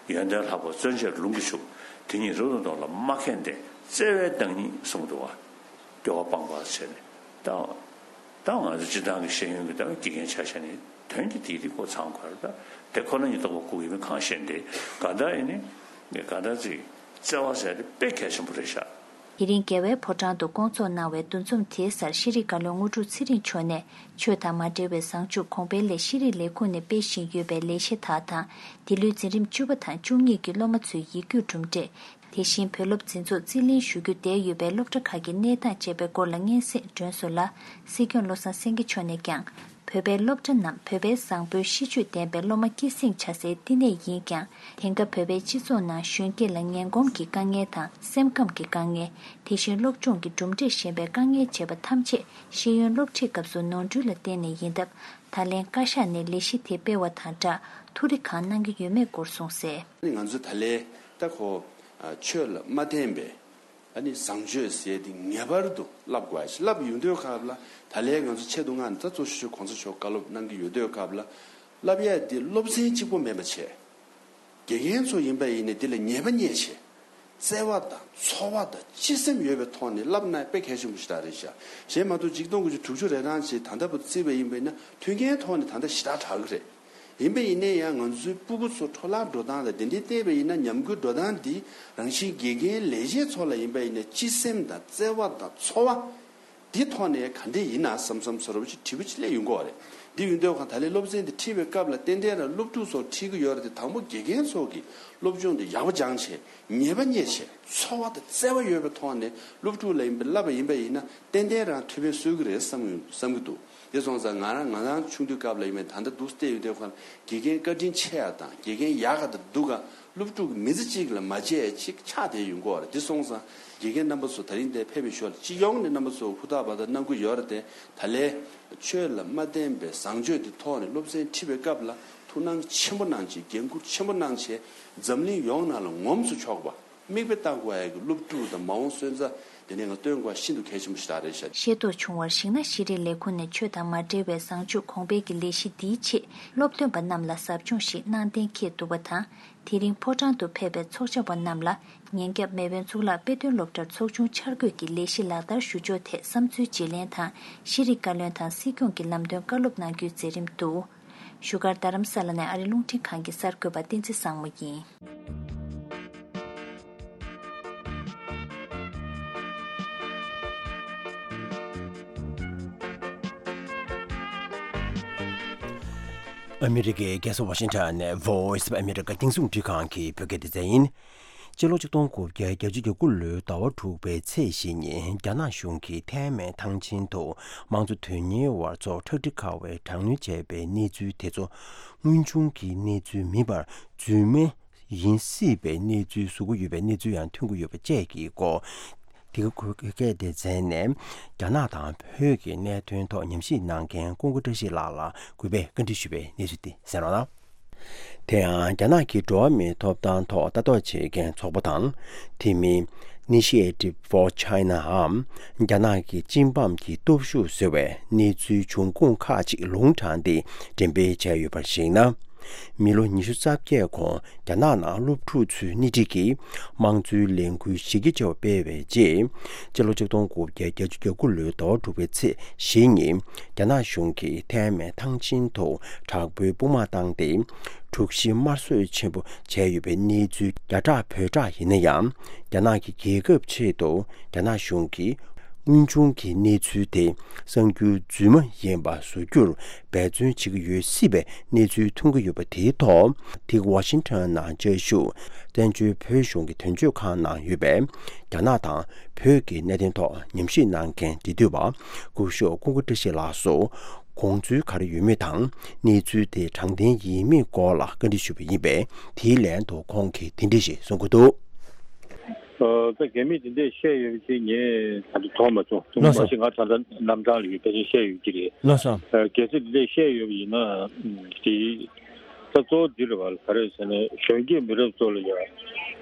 ཡོན་ཏན་ལྷག་པ་བརྩོན་བཅས་ལུང་གིས་ཕྱུག་དེ་ཉིད་རབ་ཏུ་བསྟོད་ལ་མ་མཁས་ལྡན་བརྩེ་བའི་བདག་ཉིད་གསུངས་འདུག་བ། སྐྱོ་བ་སྤངས་པ་བྱས་ནས་ད། ད་ང་ཚོ་སྤྱིར་བཏང་གི་ཤེས་ཡོན་གྱི་ད་དགེ་རྒན་ཆ་བཞག་ནས་དོན་གྱི་དེའི་དེ་ཀོ་ཚང་དགོས་རེད། ད་དེ་ཁོ་ན་ཉིད་རྟོགས་པ་སྐུ་ཡིན་མིན་གང་ཤེས་འདི་ག་ད་ཡིན་ནི་ག་ད་ཅིག་བརྩེ་བ་ཟེར་དེ་དཔེ་གལ་ཆེན་པོ་རེད་ཤག་དེ་རིང་རྒྱལ་བའི་ཕོ་བྲང་དུ་བསྐོང་ཚོགས་གནང་བའི་འདུ་འཛོམས་དེའི་སར་ཤེས་རིག་བཀའ་བློན་དངོས་གྲུབ་ཚེ་རིང་མཆོག་ནས་ཆོས་དང་མ་འབྲེལ་བའི་བཟང་སྤྱོད་གོང་འཕེལ་སླད་ཤེས་རིག་ལས་ཁུངས་ནས་སྤེལ་བཞིན་ཡོད་པའི་ལས་གཞི་དག་དང་། འདི་ལོའི་འཛིན་རིམ་བཅུ་པ་དང་བཅུ་གཉིས་ཀྱི་སློབ་མ་ཚོའི་ཡིག་རྒྱུགས་གྲུབ་འབྲས། དེ་བཞིན་བོད་སློབ་འཛིན་ཚོགས་རྩིས་ལེན་ཞུ་རྒྱུ་བསྡད་ཡོད་པའི་སློབ་གྲྭ་ཁག་གི་གནས་སྟངས་བཅས་པའི་སྐོར་ལ་སྙན་སེང་སྒྲོན་གསུམ་ལ། སྲིད་སྐྱོང་བློ་བཟང་སེང་གེ་མཆོག་ནས་ཀྱང་། བོད་པའི་སློབ་གྲྭ་རྣམས་བོད་པའི་བཟང་པོའི་གཤིས་སྤྱོད་ལྡན་པའི་སློབ་མ་སྐྱེད་སྲིང་བྱ་སའི་བསྟི་གནས་ཡིན་ཀྱང་། དེང་སྐབས་བོད་པའི་སྤྱི་ཚོགས་ནང་གཞོན་སྐྱེས་ལ་ངན་གོམས་ཀྱི་དཀའ་ངལ་དང་སེམས་ཁམས་ཀྱི་དཀའ་ངལ། དེ་བཞིན་སློབ་སྦྱོང་གི་གྲུབ་འབྲས་ཞན་པའི་དཀའ་ངལ་བཅས་པ་ཐམས་ཅད་ཤེས་ཡོན་སློབ་ཁྲིད་སྐབས་སུ་ནོར་འཁྲུལ་ལ་བརྟེན་ནས་ཡིན་སྟབས། ད་ལན་བཀའ་ཤག་ནས་ལས་གཞི་དེ་སྤེལ་བ་དང་སྦྲགས་ཐུགས་རེ་གང་གནང་གི་ཡོད་མེད་སྐོར་གསུངས་གསལ། ང་ཚོ་ད་ལན་ད་ཁོ་ཆོས་ལ་མ་བརྟེན་པའི། ཨ་ནི་བཟང་སྤྱོད་ཟེར་དེ་ངེས་པར་དུ་བསླབ་དགོས་ཞེས་བསླབ་ཡོང་དུས་སྐབས་ལ། ད་ལན་ང་ཚོ་ཆེད་དུ་མངགས་ནས་ད་གཙོ་ཆེ་ཤོས་གོང་ས་མཆོག་བཀའ་སློབ་གནང་གི་ཡོད་དུས་སྐབས་ལ། བསླབ་ཡས་དེ་སློབ་ཚན་གཅིག་པོ་མིན་པ་བྱས། དགེ་རྒན་ཚོ་ཡིན་པ་ཡིན་ནའི་འདི་ལ་ཉེས་པ་རྙེད་བྱས། བརྩེ་བ་དང་ཚོར་བ་དང་སྤྱི་སེམས་ཡོད་པའི་ཐོག་ནས་བསླབ་ན་དཔེ་གལ་ཆེན་པོ་ཞེ་དྲག་རེད་ཤག་གཞན་མ་གཏོགས་ཆིག་སྟོང་དགུ་བརྒྱ་དྲུག་ཅུ་རེ་གྲངས་ཅིག་ད་ལྟ་བར་བརྩིས་པ་ཡིན་པ་ཡིན་ན་མཐུན་རྐྱེན་ཐོག་ནས་ད་ལྟ་ཞེ་དྲག་དྲག་གི་རེད། ཡིན་པ་ཡིན་ནའི་ཡང་ང་ཚོའི་སྤུ་གུ་ཚོ་འཕྲོ་བརླག་འགྲོ་སྟངས་དང་དེ་འདྲའི་བལྟས་པ་ཡིན་ན་ཉམས་རྒུད་འགྲོ་སྟངས་འདི་རང་བཞིན་དགེ་རྒན་ལས་བྱེད་ཚོ་ལ་ཡིན་པ་ཡིན་ན་སྤྱི་སེམས་དང་བརྩེ་བ་དང་ཚོར་བ་འདི་ཐོག་ནས་ག་འདྲས་ཡིན་ན་བསམ་བསམ་ཚོར་བ་ཅིག་དྲི་བ་ཅིག་སླེབས་ཡོང་གི་ཡོད་རེད། འདི་ཡིན་དུས་གང་ད་ལན་སློབ་ཚན་འདི་ཁྲིད་པའི་སྐབས་ལ་ཏན་ཏན་རང་སློབ་ཕྲུག་ཚོར་ཁྲིད་ཀྱི་ཡོད་རེད་དེ་དང་པོ་དགེ་རྒན་ཚོ་གིས་སློབ་སྦྱོང་འདི་ཡག་པོ་སྦྱངས་བྱས་ཉེས་པ་རྙེད་བྱས་ཚོར་བ་དང་བརྩེ་བ་ཡོད་པའི་ཐོག་ནས་སློབ་ཕྲུག་ལ་ཡིན་པ་བསླབ་པ་ཡིན་པ་ཡིན་ན་ཏན་ཏན་རང་ཐུགས་ཕན་གསོས་ཀྱི་རེད་བསམ་བསམ་གྱི་འདུག་དེ་སོང་ཙང་ང་རང་ང་རང་ཆུང་དུས་སྐབས་ལ་ཡིན་པའི་ད་ལྟ་འདུག་བལྟས་ཡོད་དུས་ཁོ་ན་དགེ་རྒན་བཀའ་དྲིན་ཆེ་ཡ་དང་དགེ་རྒན་ཡག་ག་དང་སྡུག་ག་སློབ་ཕྲུག་མི་ཚེ་གཅིག་ལ་མ་བརྗེད་ཅིག་ཆགས་བསྡད་ཡོང་གི་ཡོད་རེད། དེ་སོང་ཙང་དགེ་རྒན་རྣམ་པ་ཚོ་ད་རིང་འདིར་ཕེབས་པའི་ཞོར་ལ་སྤྱི་ཡོངས་ནས་རྣམ་པ་ཚོ་ཧུར་ཐག་འབད་ཐག་གནང་གི་ཡོད་རེད་དེ། ད་ལན་ཆོས་ལ་མ་བརྟེན་པའི་བཟང་སྤྱོད་དེ་ཐོག་ནས་སློབ་ཚན་ཁྲིད་པའི་སྐབས་ལ་ཐུགས་སྣང་ཆེན་པོ་གནང་བྱས་འགན་འཁུར་ཆེན་པོ་གནང་བྱས་འཛམ་གླིང་ཡོངས་ནང་ལ་ངོམས་སུ་ཆོག་པ། མིག་དཔེ་ལྟ་དགོས་ཡ་གི་སློབ་ཕྲུག་དང་མ་འོངས་སོན་རྩ་དེ་ནས་ང་སྟོན་དགོས་ཤིན་ཏུ་གལ་ཆེན་པོ་ཞིག་རེད་ཤག་ཤེས་རྟོགས་བྱུང་བར་གཞིགས་ན་ཤེས་རིག་ལས་ཁུངས་ནས་ཆོས་དང་མ་འབྲེལ་བའི་བཟང་སྤྱོད་གོང་སྤེལ་གྱི་ལས་གཞི་འདིའི་ཆེད་སློབ་སྟོན་པ་རྣམས་ལ་ཟབ་སྦྱོང་ཞིག་གནང་གཏན་འཁེལ་འདུག་པ་དང་། དེ་རིང་ཕོ་བྲང་དུ་ཕེབས་པའི་ཚོགས་བཅར་བ་རྣམས་ལ་ཉིན་རྒྱབ་མེས་དབོན་གཙུག་ལག་དཔེ་སྟོན་སློབ་གྲྭར་ཚོགས་ཆུང་འཆར་འགོད་ཀྱི་ལས་གཞི་ལག་བསྟར་ཞུ་ཕྱོགས་ཐད་བསམ་ཚུལ་བརྗེ་ལེན་དང་ཤེས་རིག་བཀའ་བློན་དང་སྲིད་སྐྱོང་གི་ལམ་སྟོན་བཀའ་སློབ་གནང་རྒྱུའི་མཛད་རིམ་འདུག་བཞུགས་སྒར་རྡ་རམ་ས་ལ་ནས་ཨ་རི་རླུང་འཕྲིན་ཁང་གི་གསར་འགོད་པ་བསྟན་འཛིན་བཟང་མོ་ཡིན། ཨ་མི་རི་ཀའི་རྒྱལ་ས་ཝ་ཤིང་ཊོན་ནས་Voice of America་རྒྱང་སྲིང་རླུང་འཕྲིན་ཁང་གི་བོད་སྐད་སྡེ་ཚན་ཡིན། སྤྱི་ལོ་ཆིག་སྟོང་དགུ་བརྒྱ་བརྒྱད་ཅུ་གྱ་དགུ་ལོའི་ཟླ་བ་དྲུག་པའི་ཚེས་བཞི་ཉིན་རྒྱ་ནག་གཞུང་གིས་ཐའེ་མེན་ཐང་ཆེན་དུ་དམངས་གཙོ་དོན་གཉེར་བ་ཚོར་ཁྲག་དྲི་ཁ་བའི་དྲག་གནོན་བྱས་པའི་གནས་ཚུལ་དེ་ཚོ་དངོས་བྱུང་གི་གནས་ཚུལ་མིན་པར་རྫུན་མ་ཡིན་སྲིད་པའི་གནས་ཚུལ་བཟོ་གི་ཡོད་པའི་གནས་ཚུལ་ཡང་ཐོན་གྱི་ཡོད་པ་བཅས་ཀྱི་སྐོར། དེ་ག་བོད་སྐད་སྡེ་ཚན་ནས་རྒྱ་ནག་དང་བོད་ཀྱི་གནད་དོན་ཐོག་ཉམས་ཞིབ་གནང་མཁན་ཀུན་དགའ་བཀྲ་ཤིས་ལགས་ལ་གུས་པས་བཀའ་འདྲི་ཞུས་པའི་གནས་ཚུལ་དེ་གསན་རོགས་གནང་། དེ་ཡང་རྒྱ་ནག་གི་འགྲོ་བ་མིའི་ཐོབ་ཐང་ཐོག་ལྟ་རྟོག་བྱེད་མཁན་ཚོགས་པ་དང་། དེ་མིན་Initiative for China འམ་རྒྱ་ནག་གི་སྤྱི་འབངས་ཀྱི་སྟོབས་ཤུགས་ཟེར་བས་གནས་ཚུལ་འབྱུང་ཁུངས་ཁག་ཅིག་ལུང་དྲངས་ཏེ་འགྲེམས་སྤེལ་བྱས་ཡོད་པར་གཞིགས་ན། མི་ལོ་ཉི་ཤུ་རྩ་བརྒྱད་གོང་རྒྱ་ནག་ནང་སློབ་ཕྲུག་ཚོའི་སྣེ་ཁྲིད་ཀྱིས་དམངས་གཙོའི་ལས་འགུལ་གཞི་རྒྱ་ཆེ་བ་སྤེལ་བའི་རྗེས། སྤྱི་ལོ་ཆིག་སྟོང་དགུ་བརྒྱ་བརྒྱད་ཅུ་གྱ་དགུ་ལོའི་ཟླ་བ་དྲུག་པའི་ཚེས་བཞི་ཉིན་རྒྱ་ནག་གཞུང་གིས་ཐའེ་མེན་ཐང་ཆེན་དུ་དྲག་པོའི་དཔུང་དམག་བཏང་སྟེ། འཁྲུག་གཞི་དམར་གསོད་ཆེན་པོ་བྱས་ཡོད་པའི་གནས་ཚུལ་བརྒྱ་ཕྲག་བོད་ཕྲག་ཡིན་ན་ཡང་། རྒྱ་ནག་གི་རྒྱལ་ཁབ་ཆེད་དུ་རྒྱ་ནག་གཞུང་གིས་དངོས་བྱུང་གི་གནས་ཚུལ་དེ་གསར་འགྱུར་རྫུན་མ་ཡིན་པ་བཟོ་རྒྱུར་འབད་བརྩོན་བྱེད་ཀྱི་ཡོད་སྲིད་པའི་གནས་ཚུལ་ཐོན་གྱི་ཡོད་པ་དེའི་ཐོག་དེ་ཝ་ཤིང་ཊོན་ནང་བཅའ་བཞུགས་བཙན་བྱོལ་བོད་གཞུང་གི་དོན་གཅོད་ཁང་ནང་ཡོད་པའི་རྒྱ་ནག་དང་བོད་ཀྱི་གནད་དོན་ཐོག་ཉམས་ཞིབ་གནང་མཁན་འབྲེལ་མཐུད་པ་སྐུ་ཞབས་ཀུན་དགའ་བཀྲ་ཤིས་ལགས་སུ། དགོངས་ཚུལ་ག་རེ་ཡོད་མེད་དང་གནས་ཚུལ་དེ་དྲང་བདེན་ཡིན་མིན་སྐོར་ལ་བཀའ་འདྲི་ཞུས་པ་ཡིན་པས། དེའི་ལན་དུ་ཁོང་གིས་དེ་འདྲ་ཞིག་གསུང་གི་འདུག། ཨ་ད་གལ་མི་དེ་འདྲས་བཤད་ཡོད་པ་ཞིག་ངས་ད་དུང་མཐོང་མ་བྱུང་། ལགས་སོ། མ་གཞི་ང་ད་ལྟ་རྣམ་གྲངས་ལ་ཡོད་པ་ཞིག་བཤད་ཡོད་ཀྱི་རེད། ལགས་སོ། ཨ་གལ་སྲིད་དེ་འདྲས་བཤད་ཡོད་པ་ཡིན་ན་དེ་ད་གཙོ་བོ་འདི་རེད་བ། ག་རེ་ཟེར་ན་གཞོན་སྐྱེས་མི་རབས་ཚོ་ལ་ཡང་ཨ་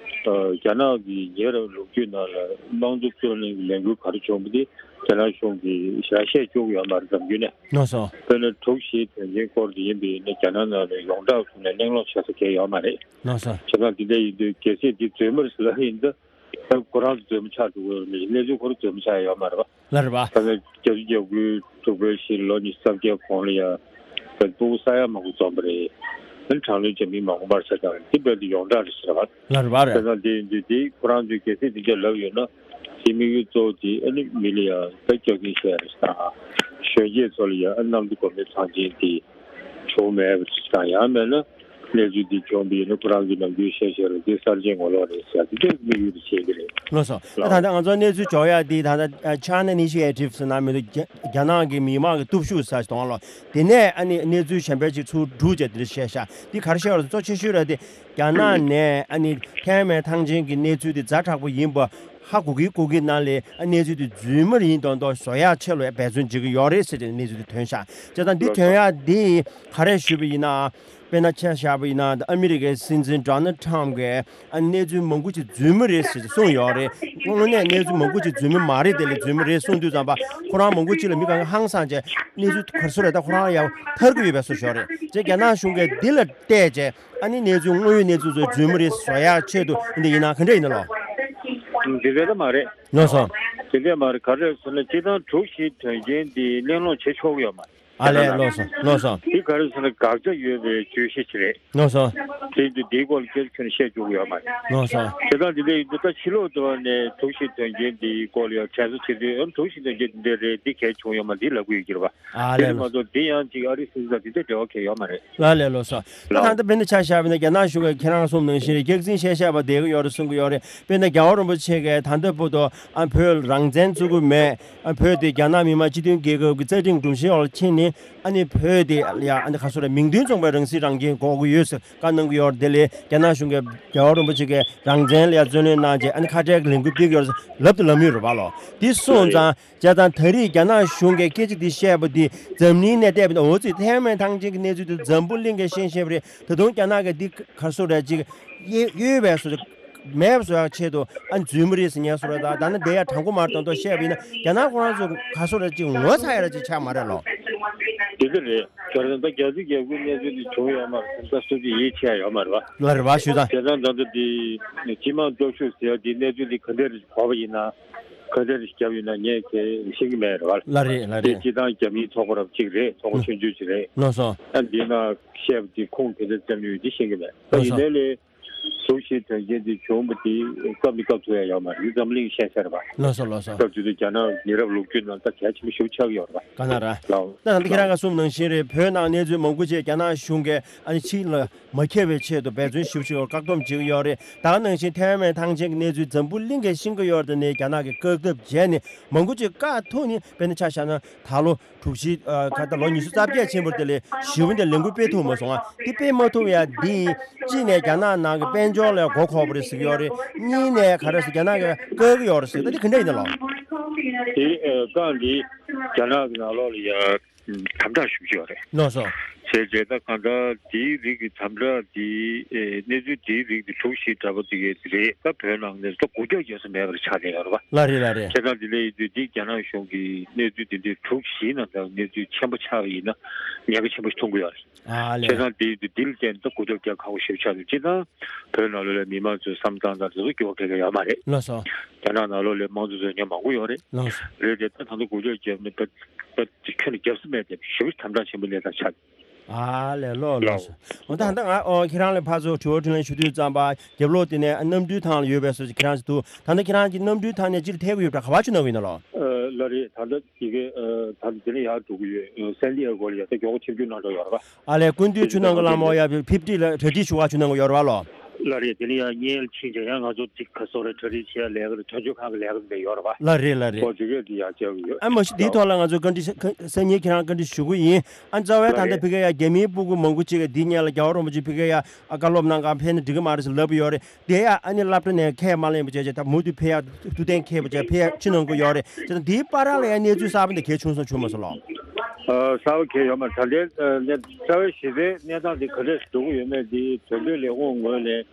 རྒྱ་ནག་གི་ཉེ་རབས་ལོ་རྒྱུས་ནང་ལ་དམངས་གཙོ་རྩོད་ལེན་གྱི་ལས་འགུལ་ག་རེ་བྱུང་བ་དེ་རྒྱ་ནག་གཞུང་གིས་ཞེ་དྲག་བཤད་བཅུག་ཡོད་མ་རེད། འཛམ་བརྒྱུད་ནས། ལགས་སོ། དཔེར་ན་དྲུག་བཞིའི་དོན་རྐྱེན་སྐོར་དེ་ཡིན་པ་ཡིན་ན་རྒྱ་ནག་ནང་ལ་ཡོངས་གྲགས་བཟོས་ནས་གླེང་སློང་བྱེད་ས་གང་ཡང་ཡོད་མ་རེད། ལགས་སོ། བྱས་ཙང་དེ་འདྲ་ཡིན་དུས་གལ་སྲིད་འདི་རྫུན་མ་རེད་ཟེར་ལབ་ཡིན་ད་ད་ཁོ་རང་ཚོ་རྫུན་མ་ཆགས་འགྲོ་གི་ཡོད་མེད་གནས་ཚུལ་ཁོ་རང་རྫུན་མ་ཆགས་ཡོད་མ་རེད་པ། ལགས་རེད་པ། ད་ནི་བརྒྱད་ཅུ་གྱ་དགུའི་དྲུག་པའི་ཕྱི་ལོ་ཉི་ཤུ་རྩ་བརྒྱད་གོང་ལ་ཡང་ད་སྤུ་གུ་ས་ཡ་མང་པོ་འཛོམས་པ་རེད། ད་ནི་དྲག་གནོན་བྱེད་མི་མང་པོ་མར་ཆགས་ཀྱང་རེད། དེ་དཔེ་དེ་ཡོངས་གྲགས་རེད་ཟེར་བ། ལགས་རེད་པ། རེད། བྱས་ཙང་དེ་ཡིན་དུས་དེ་ཁོ་རང་ཚོས་གལ་སྲིད་དེ་འདྲ་ལབ་ཡོད་ན། དེ་དམིགས་ཡུལ་གཙོ་བོ་དེ་ཨ་ནི་མི་ལ་ཡང་ད་སྐྱོ་གིན་བཤད་རེད་དང་། གཞོན་སྐྱེས་ཚོ་ལ་ཡང་ཨ་གནམ་བདེ་སྒོ་མོའི་ཚང་ཆེན་དེ་བྱུང་མེད་པ་དང་། ཡང་མེད་ན་གནས་ཚུལ་འདི་བྱུང་བ་ཡིན་ན་ཁོ་རང་ཚོས་ནམ་རྒྱུན་བཤད་བཤད་རེད། འདི་གསར་བརྗེའི་ངོ་ལོག་རེད་ཟེར་ཡ་དེ་འདྲའི་དམིགས་ཡུལ་དུ་བྱེད་ཀྱི་རེད། ལགས་སོ། ད་ལགས། ད་ལྟ་ང་ཚོ་གནས་ཚུལ་འབྱོར་ཡ་འདི་ད་ལྟ་China Initiative ཟེར་ན་མི་འདུག་རྒྱ་རྒྱ་ནག་གི་མི་མང་གི་སྟོབས་ཤུགས་ཟེར་གཏོང་ལོ། དེ་ནས་ཨ་ནི་གནས་ཚུལ་གཞན་པ་ཅིག་ཚུར་བསྒྲུགས་བྱས་དེ་འདྲ་བཤད་ཤག་འདི་ག་རེ་བཤད་པ་རེད། གཙོ་ཆེ་ཤོས་ར་དེ་རྒྱ་ནག་ནས་ཨ་ནི་ཐའེ་ཝན་ཐང་ཆེན་གྱི་གནས་ཚུལ་དེ་ཛ་དྲག་པོ་ཡིན་པ་ཧ་གོ་གི་གོ་གི་ནང་ལས་ཨ་གནས་ཚུལ་དེ་རྫུན་མ་ཡིན་མདོག་མདོག་བཟོ་ཡག་ཆེད་ལ་འབད་བརྩོན་བྱེད་ཀྱི་ཡོད་རེད་ཟེར་ཏེ་གནས་ཚུལ་དེ་ཐོན་ཤག་བྱས་ཙང་འདི་ཐོན་ཡག་འདི་ག་རེ་ཞུས་པ་ཡིན་ན། དཔེར་ན་ཆ་བཞག་པ་ཡིན་ན་ཨ་མི་རི་ཀའི་སྲིད་འཛིན་Donald Trump་གིས་ཨ་གནས་ཚུལ་མང་པོ་ཅིག་རྫུན་མ་རེད་ཟེར་གསུངས་ཡོད་རེད། དངོས་གནས་གནས་ཚུལ་མང་པོ་ཅིག་རྫུན་མ་མ་རེད། དེ་ལས་རྫུན་མ་རེད་གསུངས་དུས་ཙམ་པ་ཁོ་རང་མང་པོ་ཅིག་ལ་མི་གང་ག་ཧང་སངས་བྱས་གནས་ཚུལ་ག་རེ་ཟེར་རེད། ད་ཁོ་རང་ཡང་ཐར་གི་ཡོད་པའི་བཟོ་ཞིག་རེད། བྱས་རྒྱ་ནག་གཞུང་གིས་འདི་ལ་བལྟས་བྱས་ཨ་ནི་གནས་ཚུལ་དངོས་ཡོད་གནས་ཚུལ་ཚོ་རྫུན་མ་རེད་བཟོ་ཡག་ཆེད་དུ་འདི་ཡིན་ན་ག་འདྲ་ཡིན་ན་ལོ། འདི་རེད་ད་མ་རེད། ལགས་སོ། དེ་འདྲ་མ་རེད། ག་རེ་ཟེར་ན་སྤྱིར་བཏང་དྲུག་བཞི་དོན་རྐྱེན་འདི་གླེང་སློང་བྱེད་ཆོག་གི་ཡོད་མ་རེད། ཨ་ལས། ལགས་སོ། ལགས་སོ། དེ་ག་རེ་ཟེར་ན་དགག་བྱ་ཡོད་པའི་བརྗོད་གཞི་ཞིག་རེད། ལགས་སོ། དེ་འདི་འདིའི་སྐོར་ལ་སྐད་ཆ་ཁྱོན་ནས་བཤད་བཅུག་གི་ཡོད་མ་རེད། ལགས་སོ། བྱས་ཙང་འདི་འདྲ་ཡིན་དུས་ད་ཕྱི་ལོགས་དུ་བ་ནས་དྲུག་བཞི་དོན་རྐྱེན་འདིའི་སྐོར་ལ་ཡང་དྲན་གསོ་བྱེད་དུས་ཨ་དྲུག་བཞི་དོན་རྐྱེན་འདི་འདྲ་རེད། འདི་གས་བྱུང་ཡོད་མ་རེད། འདི་ལབ་གི་ཡོད་ཀྱི་རེད་པ། ཨ་ལས། དེ་ལས་མ་གཏོགས་འདི་ཡང་ཅིག་ཨ་རིའི་སྲིད་འཛིན་དང་དེ་འདྲ་འབྲེལ་བ་གང་ཡང་ཡོད་མ་རེད། ལགས་ལས། ལགས་སོ། ད་ལགས། ད་ལྟ་དཔེར་ན་ཆ་བཞག་པ་ཡིན་ན་རྒྱ་ནག་གཞུང་གིས་ཁྱེད་རང་གསུངས་ནང་བཞིན་རེད། སྐྱག་རྫུན་བཤད་བཤད་པ་བསྡད་ཀྱི་ཡོད་རེད་གསུང་གི་ཡོད་རེད། དཔེར་ན་རྒྱལ་བ་རིན་པོ་ཆེ་གིས་ད་ལྟ་བར་དུ་ཨ་བོད་རང་བཙན་རྩོད་ཀྱི་མེད། ཨ་བོད་དེ་རྒྱ་ནག་མི་དམངས་སྤྱི་མཐུན་རྒྱལ་ཁབ་ཀྱི་རྩ་ཁྲིམས་སྒྲོམ་གཞིའི་འོག་ལ་ཕྱིན་ནས་ཨ་ནི་བོད་དེ་ཡ་ཨ་ནི་ག་ཚོད་རེད། མིང་དོན་མཚུངས་པའི་རང་སྲིད་རང་སྐྱོང་དགོས་ཀྱི་ཡོད་ཟེར་བཀའ་གནང་གི་ཡོད་རེད། དེ་ལས་རྒྱ་ནག་གཞུང་གིས་རྒྱལ་བ་རིན་པོ་ཆེ་གིས་རང་བཙན་ལ་ཡ་བརྩོན་ལེན་གནང་བྱས་ཨ་ནི་ཁ་བྲལ་གྱི་ལས་འགུལ་སྤེལ་གྱི་ཡོད་རེད་ཟེར་ལབ་དང་ལབ་ཡོད་རེད་པ་ལོ། དེ་སོང་ཙང་། བྱས་ཙང་ད་རེས་རྒྱ་ནག་གཞུང་གིས་སྐད་ཆ་འདི་བཤད་པ་འདི་འཛམ་གླིང་ནས་བལྟས་པ་ཡིན་ན་འོ་ཙི་ཐའེ་ཝན་ཐང་ཆེན་གྱི་གནས་ཚུལ་དེ་འཛམ་བུ་གླིང་གིས་ཤེས་ཤེས་པ་རེད། ད་དུང་རྒྱ་ནག་གིས་འདི་ག་རེ་ཟེར་རེད། ཅིག་གཡོ་གཡོ་བའི་བཟོ་མེད་པ་བཟོ་ཡག་ཆེད་དུ་ཨ་རྫུན་མ་རེད་ཟེར་མཁན་བཟོ་འདྲ་དང་། ད་ནི་འདི་ཡང་དྲང་པོ་མ་རེད་མདོག་མདོག་བཤད་པ་ཡིན་ན་རྒྱ་ནག་ཁོ་རང་ཚོ་ག་རེ་ཟེར་རེད། ཅིག་ངོ་ཚ་ཡག་ར་ཅིག་ཆགས་མ་རེད་ལོ། དེ་འདྲ་རེད། ཁྱོད་རང་ད་རྒྱ་ཆེ་རྒྱ་ཁུལ་གནས་ཚུལ་འདི་བྱུང་ཡོད་མ་རེད། ད་སུ་གཅིག་ཡིད་ཆེས་ཡོད་མ་རེད་པ། ལགས་རེད་པ། ཞུ་དང་། བྱས་ཙང་ད་ལྟ་འདི་སྤྱི་དམངས་སྟོབས་ཤུགས་ཟེར་ཡ་འདི་གནས་ཚུལ་འདི་ག་འདྲ་རེད་གོ་བ་ཡིན་ན། ག་འདྲ་རེ་བརྒྱབ་ཡོད་ན་ངས་ཁྱེད་ཤེས་ཀྱི་མེད་རེད་བ། ལགས་རེད། ལགས་རེད། དེ་སྤྱི་བཏང་རྒྱ་མིའི་ཚོགས་པ་རབ་གཅིག་རེད། ཚོགས་པ་ཆུང་ཆུང་ཅིག་རེད། ལགས་སོ། ཨ་འདི་ན་བཤད་པ་དེ་ཁུངས་དེ་འདྲ་བཙན་ཡོད་དེ་ཤེས་ཀྱི་མེད། ད་ལགས་ཡིན་སོ། ནའི་ལས་དྲུག་བཞི་དོན་རྐྱེན་དེ་བྱུང་བ་དེ་སྐབས་ནས་སྐབས་ཐུག་ཡ་ཡོད་མ་རེད། འཛམ་གླིང་ཤེས་ས་རེད་བ། ལགས་སོ། ལགས་སོ། སྐབས་དེ་དུས་རྒྱ་ནག་མི་རབས་ལོ་རྒྱུས་ནང་ད་གལ་ཆེན་པོ་ཞེ་པོ་ཆགས་ཀྱི་ཡོད་རེད་བ། ག་ན་ར། ལགས། ད་ད་ཁྱེད་རང་ག་གསུངས་ནང་བཞིན་རེད། བོད་ནང་གནས་ཚུལ་མང་པོ་ཅིག་རྒྱ་ནག་གཞུང་གིས་ཨ་ནི་ཕྱི་ལ། མ་ཁྱབ་པའི་ཆེད་དུ་འབད་བརྩོན་ཞེ་པོ་ཅིག་བཀག་སྡོམ་བྱེད་ཀྱི་ཡོད་རེད། ད་ག་ནང་བཞིན་ཐའེ་ཝན་ཐང་ཆེན་གྱི་གནས་ཚུལ་འཛམ་བུ་གླིང་གིས་ཤེས་ཀྱི་ཡོད་རེད། དེ་ནས་རྒྱ་ནག་གིས་བཀག་ཐབས་བྱས་ནས་མང་པོ་ཅིག་བཀག་ཐུབ་ནས། དཔེར་ན་ཆ་བཞག་ན་ད་ལོ་དྲུག་བཞི་ཨ་ག་ད་ལོ་ཉི་ཤུ་རྩ་བརྒྱད་ཕྱིན་པ་དེ་ལས་ཞེ་པོ་འདི་ལས་འགུལ་སྤེལ་ཐུབ་མ་སོང་ཨ། འདི་སྤེལ་མ་ཐུབ་ཡ་འདི་གཅིག་ནས་རྒྱ་ནག་ནང་གི་དཔལ་འབྱོར་ལ་མགོ་འཁོར་བ་རེད་ཟེར་གྱི་ཡོད་རེད། གཉིས་ནས་ག་རེ་ཟེར་རྒྱ་ནག་གིས་བཀག་གི་ཡོད་རེད་ཟེར། ད་འདི་ག་འདྲ་ཡིན་ན་ལོ། དེ་ཨ་བཀག་འདི་རྒྱ་ནག་གི་ནང་ལོགས་ལ་ཡ། དམ་དྲག་ཞུ་གི་ཡོད་རེད། ལགས་སོ། བྱས་རྗེས་ད་གང་ལྟར་དེའི་རིགས་ཀྱི་དམ་དྲག་དེ་ཨེ་གནས་ཚུལ་དེའི་རིགས་དེ་དྲུག་བཞི་འདྲ་པོ་དེ་གའི་རེད། ད་བོད་ནང་ནས་ད་འགུལ་སྐྱོད་རྒྱག་ས་མེད་པ་རེད་ཆགས་བསྡད་ཡོད་རེད་པ། ལགས་རེད། ལགས་རེད། བྱས་ཙང་དེ་འདྲ་ཡིན་དུས་འདི་རྒྱ་ནག་གཞུང་གིས་གནས་ཚུལ་དེ་འདྲའི་དྲུག་བཞིའི་ནང་ལ་གནས་ཚུལ་ཆེན་པོ་ཆགས་པ་ཡིན་ན་ཉེན་ཁ་ཆེན་པོ་ཞིག་མཐོང་གི་ཡོད་རེད། ཨ་ལས། བྱས་ཙང་དེ་ཡིན་དུས་འདི་ལ་བརྟེན་ད་འགུལ་སྐྱོད་རྒྱག་ཁག་པོ་ཞེ་པོ་ཆགས་འདུག་སྤྱིར་བཏང་བོད་ནང་ལོགས་ལ་མི་མང་ཚོའི་བསམ་སྟངས་དང་དེ་ཚོ་འགྱུར་བ་ག་གེ་ཡོད་མ་རེད། ལགས་སོ། རྒྱ་ནག་ནང་ལོགས་ལ་དམངས་གཙོ་རྩོད་མཁན་མང་པོ་ཡོད་རེད། ལགས་སོ། རེད་དེ་ད་ད་ལྟ་འགུལ་སྐྱོད་བརྒྱབ་ནས་ད་ད་ཁྱོན་ནས་བརྒྱབ་ས་མེད་དེ་ཞེ་པོ་དམ་དྲག་ཆེན་པོ་གནས་སྟངས་ཆགས། ཨ་ལས། ལགས་ལགས་སོ། འོ་ད་ད་ང་ཨོ་ཁྱེད་རང་ལ་ཕར་ཚུར་དྲི་བ་དྲིས་ལན་ཞུ་དུས་ཙམ་པ་རྒྱབ་ལོགས་དེ་ནས་གནམ་གྲུའི་ཐང་ལ་ཡོད་པའི་བཟོ་ཅིག་ཁྱེད་རང་ཅིག་འདུག་ད་ལྟ་ཁྱེད་རང་གི་གནམ་གྲུའི་ཐང་ནས་སྤྱིར་ཐད་ཀྱི་ཡོད་པ་ག་པར་ཕྱིན་གནང་གི་ཡིན་ན་ལོ། ཨ་ལགས་རེད། ད་ལྟ་དེ་གའི་ཨ་ད་ལྟ་དེ་ནས་ཡར་འགྲོ་གི་ཡོད། སན་ཏི་ཨེ་གོ་ལ་ཡ་ད་མགྱོགས་པོ་ཆིབས་བསྒྱུར་གནང་འགྲོ་ཡོད་རེད་པ། ཨ་ལས། སྐུ་མདུན་ཆུ་ནང་གི་བླ་མ་ཡ་ཕིབ་ཏི་ལ་གྲ་སྒྲིག་ཞུ་བ་ཆུ་ནང་གི་ཡོད་རེད་པ་ལོ། ལགས་རེད། དེ་ནས་ཡང་བརྙན་ཕྱིན་བྱས་ཡང་ང་ཚོ་ཅིག་ག་སོག་རེད། གྲ་སྒྲིག་བྱེད་ཡ་ལས་ཀ་རེད། དོན་གཅོད་ཁང་གི་ལས་ཀ་འདི་ཡོད་རེད་པ། ལགས་རེད། ལགས་རེད། ཨོ་དེ་གས་འདི་ཡར་བཅར་གི་ཡོད། ཨ་མ་གཞི་འདིའི་ཐོག་ལ་ང་ཚོ་བཀའ་འདྲི་ཤ་ཁ་སང་ཉིན་ཁྱེད་རང་བཀའ་འདྲི་ཞུ་གི་ཡིན། ཨ་རྩ་བའི་ད་ལྟ་ལགས་རེད། ཕ་གི་ཡ་རྒྱ་མིའི་སྤུ་གུ་མང་པོ་ཅིག་གིས་འདི་སྔོན་ལ་རྒྱལ་བ་རིན་པོ་ཆེ་ཕ་གི་ཡ་ཨ་བཀའ་སློབ་གནང་ག་ཕེབས་ན་འགྲིག་གི་མ་རེད་ཟེར་ལབ་ཡོད་རེད། དེ་ཡ་ཨ་ནི་སློབ་གྲྭ་ནས་ཁས་མ་ལེན་པ་བྱས་བྱས་ད་མུ་མཐུད་ཕེབས་ཡ་ཐུགས་གཏན་འཁེལ་བ་བྱས་ཕེབས་ཡ་ཕྱིན་གནང་གི་ཡོད་རེད། བྱས་ཙང་འདིའི་བར་ལ་ཡ་གནས་ཚུལ་གསར་པ་འདི་གལ་བྱུང་སོང་བྱུང་མ་སོང་ལོ། ཨ་གསར་པ་གལ་ཡོད་མ་རེད། ད་ལྟའི་ཨ་གནས་རྩ་བའི་གཞི་རྩའི་གནས་སྟངས་འདི་ག་འདྲས་འགྲོ་གི་ཡོད་མེད་འདི་དོན་གཅོད་ལས་ཁུངས་ངོས་ནས།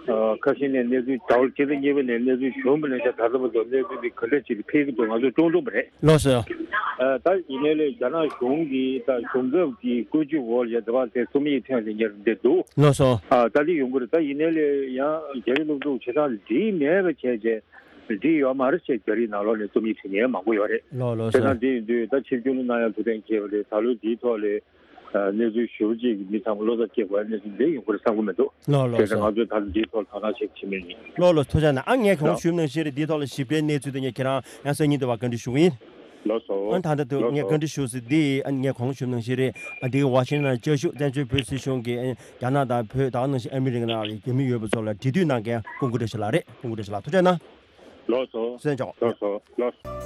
ཨ་ཁ་ཤས་ནས་གནས་ཚུལ་ཟླ་བ་གཅིག་དང་གཉིས་པ་ནས་གནས་ཚུལ་བྱུང་བ་ནས་བྱས་ད་ལྟ་བར་དུ་གནས་ཚུལ་འདི་ག་འདྲ་ཅིག་ཕེབས་ཀྱི་འདུག་ང་ཚོས་མཐོང་ཐུབ་པ་རེད། ལགས་སོ། ཨ་ད་ཡིན་ནའི་ལས་རྒྱ་ནག་གཞུང་གིས་ད་གཞུང་ཚབ་ཀྱི་བཀོད་ཇུས་འོག་ལ་ཡ་འདི་བ་དེ་རྩོམ་ཡིག་ཐོན་ནས་ཉར་བསྡད་འདུག་ལགས་སོ། ཨ་ད་འདི་ཡོང་གི་རེད། ད་ཡིན་ནའི་ལས་ཡང་རྒྱ་རིགས་སློབ་ཕྲུག་བྱེད་སྟངས་འདི་འགྲིག་མེད་པ་བྱས་བྱས་འགྲིག་ཡོད་མ་རེད་ཅེས་རྒྱ་རིགས་ནང་ལོགས་ནས་རྩོམ་ཡིག་བྲིས་མཁན་མང་པོ་ཡོད་རེད། ལགས་ལགས་བྱས་སོ། ཙང་འདི་ཡིན་དུས་ད་ཆིབས་བསྒྱུར་གནང་ཡ་ཐུགས་གཏན་འཁེལ་བ་རེད། ད་ལོ་འདིའི་ཐོག་ལས། གནས་ཚུལ་ཞེ་པོ་ཅིག་གིས་མི་ཚང་མ་བློ་འཚབ་སྐྱེ་དགོས་པའི་གནས་ཚུལ་འདི་ཡོང་གི་རེད་བསམ་གྱི་མི་འདུག་ལགས་ལགས་བྱས་ཙང་ང་ཚོས་ད་ལྟ་འདིའི་ཐོག་ལ་དོ་སྣང་བྱེད་ཀྱི་མེད་ཡིན། ལགས་ལགས་ཐུགས་རྗེ་གནང་། ཨ་ངས་གོང་ཞུས་ནང་བཞིན་རེད། འདིའི་ཐོག་ལ་ཞིབ་ཕྲའི་གནས་ཚུལ་དེ་ངས་ཁྱེད་རང་ཡང་སང་ཉིན་དུ་བ་བཀའ་འདྲི་ཞུ་གི་ཡིན། ལགས་སོ། ཨ་ད་ལྟ་དུ་ལགས་སོ། ངས་བཀའ་འདྲི་ཞུ་ཟིན་འདི་ཨ་ངས་གོང་ཞུས་ནང་བཞིན་རེད། ཨ་འདི་ཝ་ཤིང་ཊོན་བཅའ་བཞུགས་བཙན་བྱོལ་བོད་སྲིད་གཞུང་གིས་རྒྱ་ནག་དང་བོད་ད་ག་ནང་བཞིན་ཨ་མི་རི་ཀ་ནང་ལ་རྒྱ་མི་ཡོད་པ་ཚོ་ལ་འབྲེལ་མཐུད་གནང་མཁན་ཀུན་གྱི་བཀྲ་ཤིས་ལགས་རེད། ཀུན་གྱི་བཀྲ་ཤིས་ལགས་ཐུགས་རྗེ་གནང་། ལགས་སོ། གསན་ཆོག་ལགས་སོ། ལགས་སོ།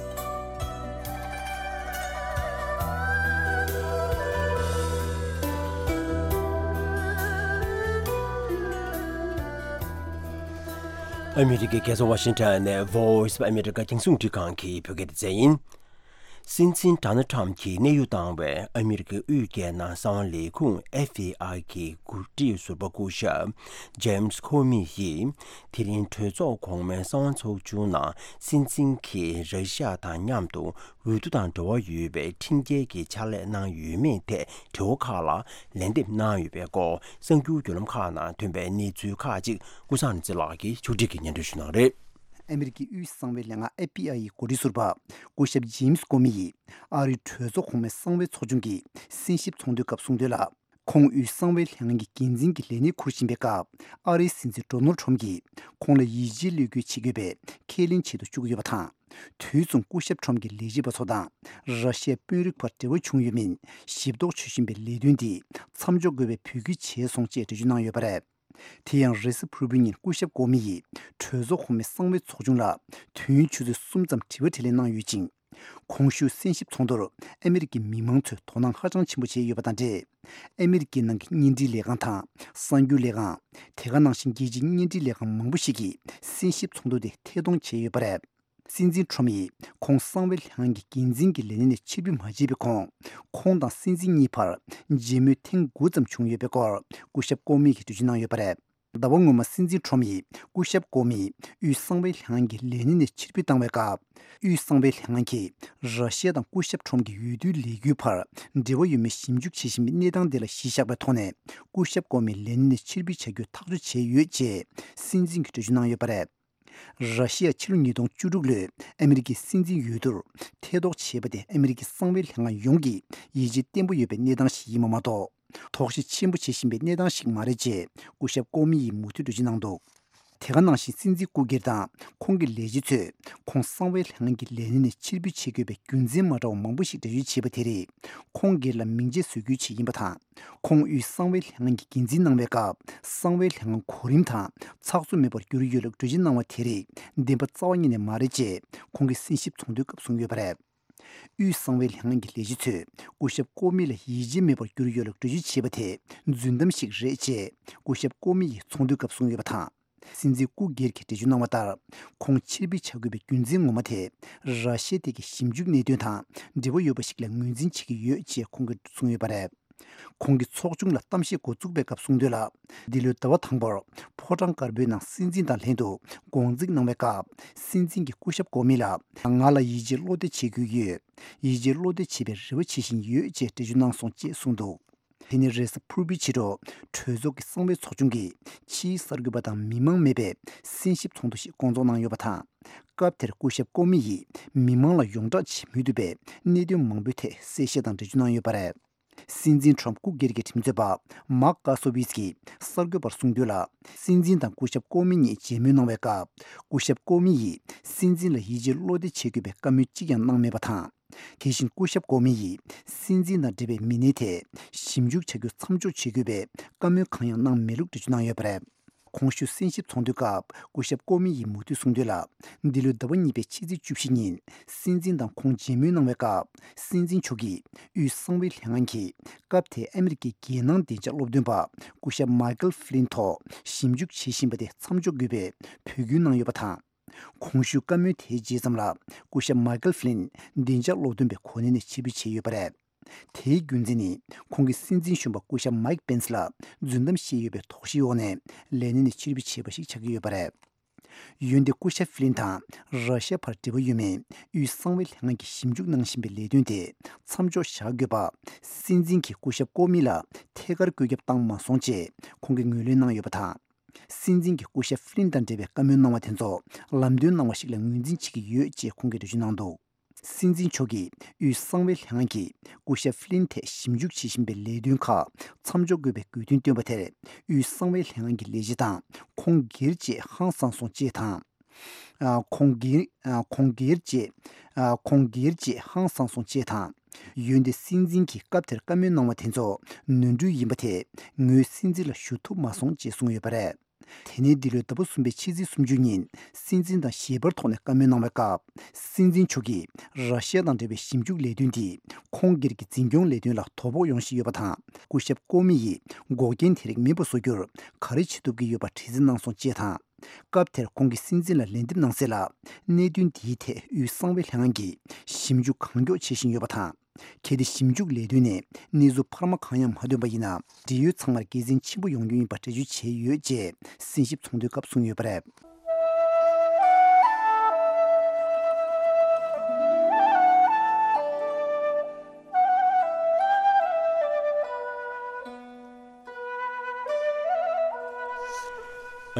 ཨ་མི་རི་ཀའི་རྒྱལ་ས་ཝ་ཤིང་ཊོན་ནས་Voice of America རྒྱང་སྲིང་རླུང་འཕྲིན་ཁང་གི་བོད་སྐད་སྡེ་ཚན་ཡིན། སྲིད་འཛིན་ཌོ་ནལ་ཊམ་གྱིས་གནས་དབྱུང་བཏང་བའི་ཨ་མི་རི་ཀའི་དབུས་རྒྱལ་ནང་གསང་བ་ལས་ཁུངས་ཨེཕ་བྷི་ཨའི་གི་འགོ་ཁྲིད་ཟུར་པ་སྐུ་ཞབས་ཇེམ་སི་ཁོ་མི་ཡིས་དེ་རིང་གྲོས་ཚོགས་གོང་མའི་གསང་བ་ཚོགས་ཆུང་ནང་སྲིད་འཛིན་གྱིས་ར་ཤི་ཡ་དང་མཉམ་དུ་འོས་བསྡུ་དང་འབྲེལ་བ་ཡོད་པའི་ཁྲིམས་འགལ་གྱི་ཕྱག་ལས་གནང་ཡོད་མེད་ཐད་དྲི་བ་ཁག་ལ་ལན་འདེབས་གནང་ཡོད་པའི་སྐོར་གསར་འགྱུར་བརྒྱུད་ལམ་ཁག་ནང་ཐོན་པའི་གནས་ཚུལ་ཁག་ཅིག་ཀུན་བཟང་རིག་འཛིན་ལགས་ཀྱིས་ཕྱོགས་སྒྲིག་གིས་སྙན་སྒྲོན་ཞུ་གནང་རེད། ཨ་མི་རི་ཀའི་དབུས་གསང་བའི་ལྷན་ཁང་ཨེཕ་བྷི་ཨའི་ཡི་འགོ་ཁྲིད་ཟུར་པ་སྐུ་ཞབས་ཇེམ་སི་ཀོ་མི་ཡིས་ཨ་རིའི་གྲོས་ཚོགས་གོང་མའི་གསང་བའི་ཚོགས་ཆུང་གི་གསན་ཞིབ་ཚོགས་འདུའི་སྐབས་གསུངས་དོན་ལ། ཁོང་དབུས་གསང་བའི་ལྷན་ཁང་གི་འགན་འཛིན་གྱི་ལས་གནས་འཁུར་བཞིན་པའི་སྐབས་ཨ་རིའི་སྲིད་འཛིན་ཌོ་ནལ་ཊམ་གྱིས་ཁོང་ལ་ཡིད་ཆེས་བློས་འགེལ་བྱེད་དགོས་པའི་ཁས་ལེན་བྱེད་དུ་བཅུག་ཡོད་པ་དང་། དུས་མཚུངས་སྐུ་ཞབས་ཊམ་གྱི་ལས་བྱེད་པ་ཚོ་དང་ར་ཤི་ཡའི་དཔོན་རིགས་བར་འབྲེལ་བ་བྱུང་ཡོད་མིན་ཞིབ་རྟོག་བྱེད་བཞིན་པའི་ལས་དོན་འདི་མཚམས་འཇོག་དགོས་པའི་འབོད་སྐུལ་བྱས་སོང་ཅེས་འགྲེལ་བརྗོད་གནང་ཡོད་པ་རེད། དེ་ཡང་རེས་གཟའ་ཕུར་བུའི་ཉིན་སྐུ་ཞབས་ཀོ་མི་ཡིས་གྲོས་ཚོགས་གོང་མའི་གསང་བའི་ཚོགས་ཆུང་ལ་དུས་ཡུན་ཆུ་ཚོད་གསུམ་ཙམ་དྲི་བ་དྲིས་ལན་གནང་ཡོད་ཅིང་། གོང་ཞུས་གསན་ཞིབ་ཚོགས་འདུར་ཨ་མི་རི་ཀའི་མི་མང་ཚོས་དོ་སྣང་ཧ་ཅང་ཆེན་པོ་བྱས་ཡོད་པ་དང་འབྲེལ། ཨ་མི་རི་ཀའི་ནང་གི་བརྙན་འཕྲིན་ལས་ཁང་དང་གསར་འགྱུར་ལས་ཁང་། དེ་ག་ནང་བཞིན་རྒྱལ་སྤྱིའི་བརྙན་འཕྲིན་ལས་ཁང་མང་པོ་ཞིག་གིས་གསན་ཞིབ་ཚོགས་འདུ་དེ་ཐད་གཏོང་བྱས་ཡོད་པ་རེད། སྲིད་འཛིན་ཊམ་ཡིས་ཁོང་གསང་བའི་ལྷན་ཁང་གི་འགན་འཛིན་གྱི་ལས་གནས་ནས་ཕྱིར་འབུད་མ་བྱས་པའི་གོང་། ཁོང་དང་སྲིད་འཛིན་གཉིས་བར་མཇལ་མོལ་ཐེངས་དགུ་ཙམ་བྱུང་ཡོད་པའི་སྐོར་སྐུ་ཞབས་ཀོ་མི་ཡིས་འགྲེལ་བརྗོད་གནང་ཡོད་པ་རེད། ཟླ་བ་སྔོན་མ་སྲིད་འཛིན་ཊམ་ཡིས་སྐུ་ཞབས་ཀོ་མི་དབུས་གསང་བའི་ལྷན་ཁང་གི་ལས་གནས་ནས་ཕྱིར་འབུད་བཏང་བའི་སྐབས། དབུས་གསང་བའི་ལྷན་ཁང་གིས་ར་ཤི་ཡ་དང་སྐུ་ཞབས་ཊམ་གྱི་འོས་བསྡུའི་ལས་འགུལ་བར་འབྲེལ་བ་ཡོད་མེད་ཞིབ་འཇུག་བྱེད་བཞིན་པའི་གནས་སྟངས་དེ་ལ་གཞི་བཞག་པའི་ཐོག་ནས་སྐུ་ཞབས་ཀོ་མི་ལས་གནས་ནས་ཕྱིར་འབུད་བྱ་རྒྱུ་ཐག་གཅོད་བྱས་ཡོད་ཅེས་སྲིད་འཛིན་གྱིས་འགྲེལ་བརྗོད་གནང་ཡོད་པ་རེད། ར་ཤི་ཡ་ཕྱི་ལོ་ཉིས་སྟོང་བཅུ་དྲུག་ལོའི་ཨ་མི་རི་ཀའི་སྲིད་འཛིན་འོས་བསྡུར་ཐེ་གཏོགས་བྱས་པ་དེ་ཨ་མི་རི་ཀའི་གསང་བའི་ལྷན་ཁང་ཡོངས་ཀྱིས་ཡིད་ཆེས་བརྟན་པོ་ཡོད་པའི་གནས་སྟངས་ཤིག་ཡིན་པ་མ་གཏོགས། དོགས་གཞི་ཆེན་པོ་བྱེད་བཞིན་པའི་གནས་སྟངས་ཤིག་མ་རེད་ཅེས་སྐུ་ཞབས་ཀོ་མི་ཡིས་མུ་མཐུད་འགྲེལ་བརྗོད་གནང་འདུག་དེ་ག་ནང་བཞིན་སྲིད་འཛིན་སྐུ་སྒེར་དང་ཁོང་གི་ལས་བྱེད་ཚོས་ཁོང་གསང་བའི་ལྷན་ཁང་གི་ལས་གནས་ནས་ཕྱིར་འབུད་བྱེད་དགོས་པའི་རྒྱུ་མཚན་མ་འདྲ་བ་མང་པོ་ཞིག་འགྲེལ་བརྗོད་བྱས་པ་དེ་རིགས་ཁོང་སྒེར་ལ་མིང་ཆད་བཟོ་རྒྱུའི་ཆེད་ཡིན་པ་དང་། ཁོང་དབུས་གསང་བའི་ལྷན་ཁང་གི་འགན་འཛིན་གནང་བའི་སྐབས་གསང་བའི་ལྷན་ཁང་གོ་རིམ་དང་ཚགས་ཚུད་མེད་པར་གྱུར་ཡོད་ལུགས་འགྲེལ་བརྗོད་གནང་བ་དེ་རིགས་བདེན་པ་རྩ་བ་ཉིད་ནས་མ་རེད་ཅེས་ཁོང་གིས་གསན་ཞིབ་ཚོགས་འདུའི་སྐབས་གསུངས་ཡོད་པ་རེད། དབུས་གསང་བའི་ལྷན་ཁང་གི་ལས་བྱེད་ཚོས་སྐུ་ཞབས་ཀོ་མི་ལ་ཡིད་ཆེས་མེད་པར་གྱུར་ཡོད་ལུགས་འགྲེལ་བརྗོད་བྱས་པ་དེ་རྫུན་གཏམ་ཞིག་རེད་ཅེས་སྐུ་ཞབས་ཀོ་མི་ཡིས་ཚོགས་འདུའི་སྐབས་གསུངས་ཡོད་པ་དང་། སྲིད་འཛིན་སྐུ་སྒེར་གྱིས་འགྲེལ་བརྗོད་གནང་བ་ལྟར། ཁོང་ཕྱིར་འབུད་བྱ་དགོས་པའི་རྒྱུ་མཚན་ངོ་མ་དེ། ར་ཤི་ཡ་དེ་གའི་ཞིབ་འཇུག་གནད་དོན་དང་འབྲེལ་བ་ཡོད་པ་ཞིག་ལ་ངོས་འཛིན་བྱེད་ཀྱི་ཡོད་ཅེས་ཁོང་གིས་གསུངས་ཡོད་པ་རེད། ཁོང་གིས་ཚོགས་ཆུང་ལ་གཏམ་བཤད་འགོ་བཙུགས་པའི་སྐབས་གསུངས་དོན་ལ། འདི་ལོའི་ཟླ་བ་དང་པོར་ཕོ་བྲང་དཀར་པོའི་ནང་སྲིད་འཛིན་དང་ལྷན་དུ་དགོང་འཛིན་གནང་བའི་སྐབས། སྲིད་འཛིན་གྱིས་སྐུ་ཞབས་ཀོ་མི་ལ། ང་ལ་ཡིད་ཆེས་བློ་གཏད་བྱེད་དགོས་ཡོད། ཡིད་ཆེས་བློ་གཏད་བྱེད་པའི་རེ་བ་བྱེད་བཞིན་ཡོད་ཅེས་འགྲེལ་བརྗོད་གནང་སོང་ཅེས་གསུངས་འདུག་དེ་ནི་རེས་གཟའ་ཕུར་བུའི་ཕྱི་དྲོ། གྲོས་ཚོགས་ཀྱི་གསང་བའི་ཚོགས་ཆུང་གིས་ཕྱིའི་གསར་འགོད་པ་དང་མི་མང་མེད་པའི་གསན་ཞིབ་ཚོགས་འདུ་ཞིག་བསྐོང་ཚོགས་གནང་ཡོད་པ་དང་། སྐབས་དེར་སྐུ་ཞབས་ཀོ་མི་ཡིས་མི་མང་ལ་ཡོངས་བསྒྲགས་བྱེད་མུས་ཐུབ་པའི་གནད་དོན་མང་པོའི་ཐད་གསལ་བཤད་དང་འགྲེལ་བརྗོད་གནང་ཡོད་པ་རེད། སྲིད་འཛིན་ཊམ་སྐུ་སྒེར་གྱི་ཁྲིམས་རྩོད་པ་མཱག་ཀ་སོ་བྷི་སི་ཀིས་གསར་འགོད་པར་གསུངས་དོན་ལ། སྲིད་འཛིན་དང་སྐུ་ཞབས་ཀོ་མི་གཉིས་མཇལ་མོལ་གནང་བའི་སྐབས། སྐུ་ཞབས་ཀོ་མི་ཡིས་སྲིད་འཛིན་ལ་ཡིད་ཆེས་བློ་གཏད་བྱེད་དགོས་པའི་བཀའ་མོལ་གཅིག་ཀྱང་གནང་མེད་པ་དང་། དེ་བཞིན་སྐུ་ཞབས་ཀོ་མི་ཡིས་སྲིད་འཛིན་དང་འབྲེལ་བའི་མི་སྣའི་ཐད་ཞིབ་འཇུག་བྱ་རྒྱུ་མཚམས་འཇོག་བྱེད་དགོས་པའི་བཀའ་མོལ་གང་ཡང་གནང་མེད་ལུགས་འགྲེལ་བརྗོད་གནང་ཡོད་པ་རེད། གོང་ཞུས་གསན་ཞིབ་ཚོགས་འདུའི་སྐབས་སྐུ་ཞབས་ཀོ་མི་ཡིས་མུ་མཐུད་གསུངས་དོན་ལ། འདི་ལོའི་ཟླ་བ་གཉིས་པའི་ཕྱི་ཚེས་བཅུ་བཞི་ཉིན་སྲིད་འཛིན་དང་ཁོང་མཇལ་མོལ་གནང་བའི་སྐབས། སྲིད་འཛིན་མཆོག་གིས་དབུས་གསང་བའི་ལྷན་ཁང་གིས་སྐབས་དེའི་ཨ་མི་རི་ཀའི་རྒྱལ་ནང་བདེ་འཇགས་སློབ་སྟོན་པ་སྐུ་ཞབས་མཱི་ཀལ་ཧྥི་ལིན་ཐོག་ཞིབ་འཇུག་བྱེད་བཞིན་པ་དེ་མཚམས་འཇོག་དགོས་པའི་འབོད་སྐུལ་གནང་ཡོད་པ་དང་། གོང་ཞུས་བཀའ་མོལ་དེའི་རྗེས་ཙམ་ལ་སྐུ་ཞབས་མཱི་ཀལ་ཧྥི་ལིན་བདེ་འཇགས་སློབ་སྟོན་པའི་གོ་གནས་ནས་ཕྱིར་འབུད་བྱས་ཡོད་པ་རེད། དེའི་རྒྱུ་མཚན་ནི་ཁོང་གིས་སྲིད་འཛིན་གཞོན་པ་སྐུ་ཞབས་མཱིག་པེན་སི་ལ་རྫུན་གཏམ་བཤད་ཡོད་པའི་དོགས་གཞིའི་འོག་ནས་ལས་གནས་ནས་ཕྱིར་འབུད་བྱས་པ་ཞིག་ཆགས་ཀྱི་ཡོད་པ་རེད། འོན་ཏེ་སྐུ་ཞབས་ཧྥི་ལིན་དང་ར་ཤ་ཡ་བར་འབྲེལ་བ་ཡོད་མེད་དབུས་གསང་བའི་ལྷན་ཁང་གིས་ཞིབ་འཇུག་གནང་བཞིན་པའི་ལས་དོན་དེ་མཚམས་འཇོག་བཞག་དགོས་པ། སྲིད་འཛིན་གྱིས་སྐུ་ཞབས་ཀོ་མི་ལ་ཐད་ཀར་བཀོད་ཁྱབ་བཏང་མ་སོང་ཅེས་ཁོང་གིས་ངོས་ལེན་གནང་ཡོད་པ་དང་། སྲིད་འཛིན་གྱིས་སྐུ་ཞབས་ཧྥི་ལིན་དང་འབྲེལ་བའི་བཀའ་མོལ་གནང་བ་དེ་ཚོ་ལམ་སྟོན་གནང་བ་ཞིག་ལ་ངོས་འཛིན་བྱེད་ཀྱི་ཡོད་ཅེས་ཁོང་གིས་འགྲེལ་བརྗོད་གནང་འདུག་སྲིད་འཛིན་མཆོག་གིས་དབུས་གསང་བའི་ལྷན་ཁང་གིས་སྐུ་ཞབས་ཧྥི་ལིན་ཐད་ཞིབ་འཇུག་བྱེད་བཞིན་པའི་ལས་དོན་ཁག་མཚམས་འཇོག་དགོས་པའི་དགོས་འདུན་བཏོན་པ་དེར། དབུས་གསང་བའི་ལྷན་ཁང་གི་ལས་བྱེད་དང་ཁོང་སྒེར་བཅས་ཧང་སངས་སོང་ཅེས་དང་། ཨ། ཁོང་སྒེར། ཨ། ཁོང་སྒེར་བཅས། ཨ། ཁོང་སྒེར་བཅས་ཧང་སངས་སོང་ཅེས་དང་། འོན་ཏེ་སྲིད་འཛིན་གྱིས་སྐབས་དེར་བཀའ་མོལ་གནང་བ་དེ་ཚོ་ནོར་འཁྲུལ་ཡིན་པ་དེས་ངོས་སྲིད་འཛིན་ལ་ཞུ་ཐུབ་མ་སོང་ཅེས་གསུངས་ཡོད་པ་རེད། དེ་ནས་འདི་ལོའི་ཟླ་བ་གསུམ་པའི་ཕྱི་ཚེས་སུམ་ཅུ་ཉིན་སྲིད་འཛིན་དང་ཞལ་པར་ཐོག་ནས་བཀའ་མོལ་གནང་བའི་སྐབས། སྲིད་འཛིན་མཆོག་གིས་ར་ཤི་ཡ་དང་འབྲེལ་བའི་ཞིབ་འཇུག་ལས་དོན་འདིས་ཁོང་སྒེར་གྱི་འཛིན་སྐྱོང་ལས་དོན་ལ་དོ་ཕོག་ཡོང་བཞིན་ཡོད་པ་དང་། སྐུ་ཞབས་ཀོ་མི་ཡིས་འགོག་རྐྱེན་དེ་རིགས་མེད་པ་བཟོ་རྒྱུར་ག་རེ་བྱེད་ཐུབ་ཀྱི་ཡོད་པ་དྲི་རྩད་གནང་སོང་ཅེས་དང་། སྐབས་དེར་ཁོང་གིས་སྲིད་འཛིན་ལ་ལན་འདེབས་གནང་གསལ་ལ། གནད་དོན་འདིའི་ཐད་དབུས་གསང་བའི་ལྷན་ཁང་གིས་ཞིབ་འཇུག་གང་མགྱོགས་བྱེད་བཞིན་ཡོད་པ་དང་། གལ་ཏེ་ཞིབ་འཇུག་ལས་དོན་ནས་གནས་ཚུལ་འཕར་མ་གང་ཡང་མ་ཐོན་པ་ཡིན་ན། འབྲེལ་ཡོད་ཚང་མར་དགེ་མཚན་ཆེན་པོ་ཡོང་རྒྱུ་ཡིན་པ་འགྲེལ་བརྗོད་བྱས་ཡོད་ཅེས་གསན་ཞིབ་ཚོགས་འདུའི་སྐབས་གསུངས་ཡོད་པ་རེད།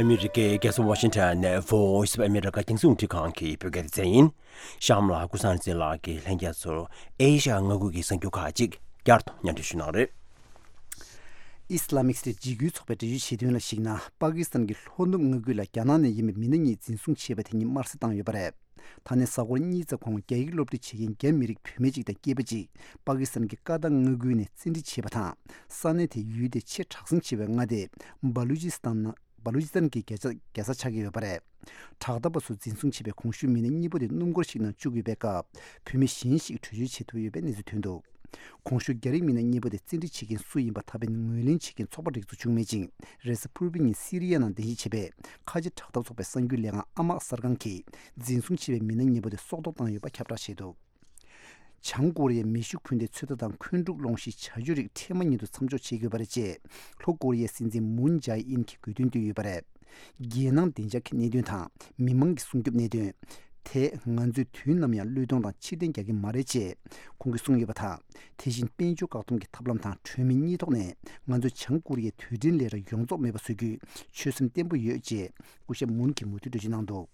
ཨ་མི་རི་ཀའི་རྒྱལ་ས་ཝ་ཤིང་ཊོན་ནས་Voice of America རྒྱང་སྲིང་རླུང་འཕྲིན་ཁང་གི་བོད་སྐད་སྡེ་ཚན་ཡིན། གཤམ་ལ་ཀུན་བཟང་བསྟན་འཛིན་ལགས་ཀྱིས་ལྷན་རྒྱས་ཚོར་ཨེ་ཤ་ཡ་མངའ་ཁུལ་གྱི་གསར་འགྱུར་ཁག་ཅིག་བསྐྱར་དུ་སྙན་སྒྲོན་ཞུ་གནང་རེད། ཨི་སི་ལ་མིག་སི་ཊེཊ་འཇིགས་སྐུལ་ཚོགས་པས་འགྲེལ་བརྗོད་བྱས་དོན་ལ་གཞིགས་ན། པ་ཀི་སི་ཐན་གྱི་ལྷོ་ནུབ་མངའ་ཁུལ་ལ་རྒྱ་ནག་ནས་ཡིན་པའི་མི་སྣ་གཉིས་འཛིན་བཟུང་བྱས་པ་དེ་ཉིད་དམར་གསོད་བཏང་ཡོད་པ་རེད། ད་ནས་གཟའ་འཁོར་གཉིས་ཙམ་གོང་རྒྱ་ཡིག་སློབ་ཁྲིད་བྱེད་མཁན་རྒྱ་མི་རིགས་བུད་མེད་ཅིག་དང་སྐྱེས་པ་གཅིག་པ་ཀི་སི་ཐན་གྱི་ཀ་ཏང་མངའ་ཁུལ་ནས་བཙན་ཁྲིད་བྱས་པ་དང་། ས་གནས་དེའི་ཡུལ་དེ་ཆེས་དྲག་ཟིང་ཆེ་བའི་མངའ་སྡེ་སྦ་ལུ་ཅི་སི་ཐན་ནང་། སྦ་ལུ་ཅི་སི་ཐན་གྱི་རྒྱལ་ས་རྒྱལ་ས་ཆགས་ཀྱི་ཡོད་པ་རེད། དྲག་འཐབ་པ་ཚོ་འཛིན་བཟུང་བྱས་པའི་གོང་ཞུས་མི་སྣ་གཉིས་པོ་དེ་སྣུམ་འཁོར་ཞིག་ནང་བཅུག་ཡོད་པའི་སྐབས། བུད་མེད་གཞན་ཞིག་བྲོས་བྱོལ་བྱེད་ཐུབ་ཡོད་པའི་གནས་ཚུལ་ཐོན་འདུག་གོང་ཞུས་རྒྱ་རིགས་མི་སྣ་གཉིས་པོ་དེ་བཙན་ཁྲིད་བྱེད་མཁན་སུ་ཡིན་པ་ད་ཕན་ངོས་ལེན་བྱེད་མཁན་ཚོགས་པ་རིགས་ཚོ་བྱུང་མེད་ཅིང་། རེས་གཟའ་ཕུར་བུའི་ཉིན་སི་རི་ཡ་ནང་རྟེན་གཞི་བྱས་པའི་ཁ་ཆེ་དྲག་འཐབ་ཚོགས་པའི་གསར་འགྱུར་ལས་ཁང་ཨ་མག་གསར་ཁང་གིས་འཛིན་བཟུང་བྱས་པའི་མི་སྣ་གཉིས་པོ་དེ་སྲོག་ཐོག་བཏང་ཡོད་པ་ཁྱབ་བསྒྲགས་བྱས་འདུག་བྱང་ཀོ་རི་ཡས་མེ་ཤུགས་འཕུར་མདའི་ཚོད་ལྟ་དང་འཁོན་འཁྲུག་སློང་གཞིའི་བྱ་སྤྱོད་རིགས་འཕྲལ་མ་ཉིད་དུ་མཚམས་འཇོག་བྱེད་དགོས་པ་རེད་ཅེས་ལྷོ་ཀོ་རི་ཡའི་སྲིད་འཛིན་མུན་ཇའེ་ཨིན་གྱིས་དགོས་འདུན་བཏོན་ཡོད་པ་རེད། རྒྱལ་ནང་བདེ་འཇགས་ཀྱི་གནད་དོན་དང་མི་མང་གི་སྲུང་སྐྱོབ་གནད་དོན་དེ་ང་ཚོས་དུས་ནམ་ཡང་བློས་གཏོང་དང་ཕྱིར་འཐེན་རྒྱག་གི་མ་རེད་ཅེས་ཁོང་གིས་གསུངས་ཡོད་པ་དང་། དེ་བཞིན་དཔལ་འབྱོར་བཀག་སྡོམ་གྱི་ཐབས་ལམ་དང་གྲོས་མོལ་གཉིས་ཐོག་ནས་ང་ཚོས་བྱང་ཀོ་རི་ཡའི་དུས་དྲན་ལས་ར་ཡོངས་རྫོགས་མེད་པ་བཟོ་རྒྱུའི་ཆོད་སེམས་བརྟན་པོ་ཡོད་ཅེས་སྐུ་ཞབས་མུན་གྱིས་མུ་མཐུད་འགྲེལ་བརྗོད་གནང་འདུག་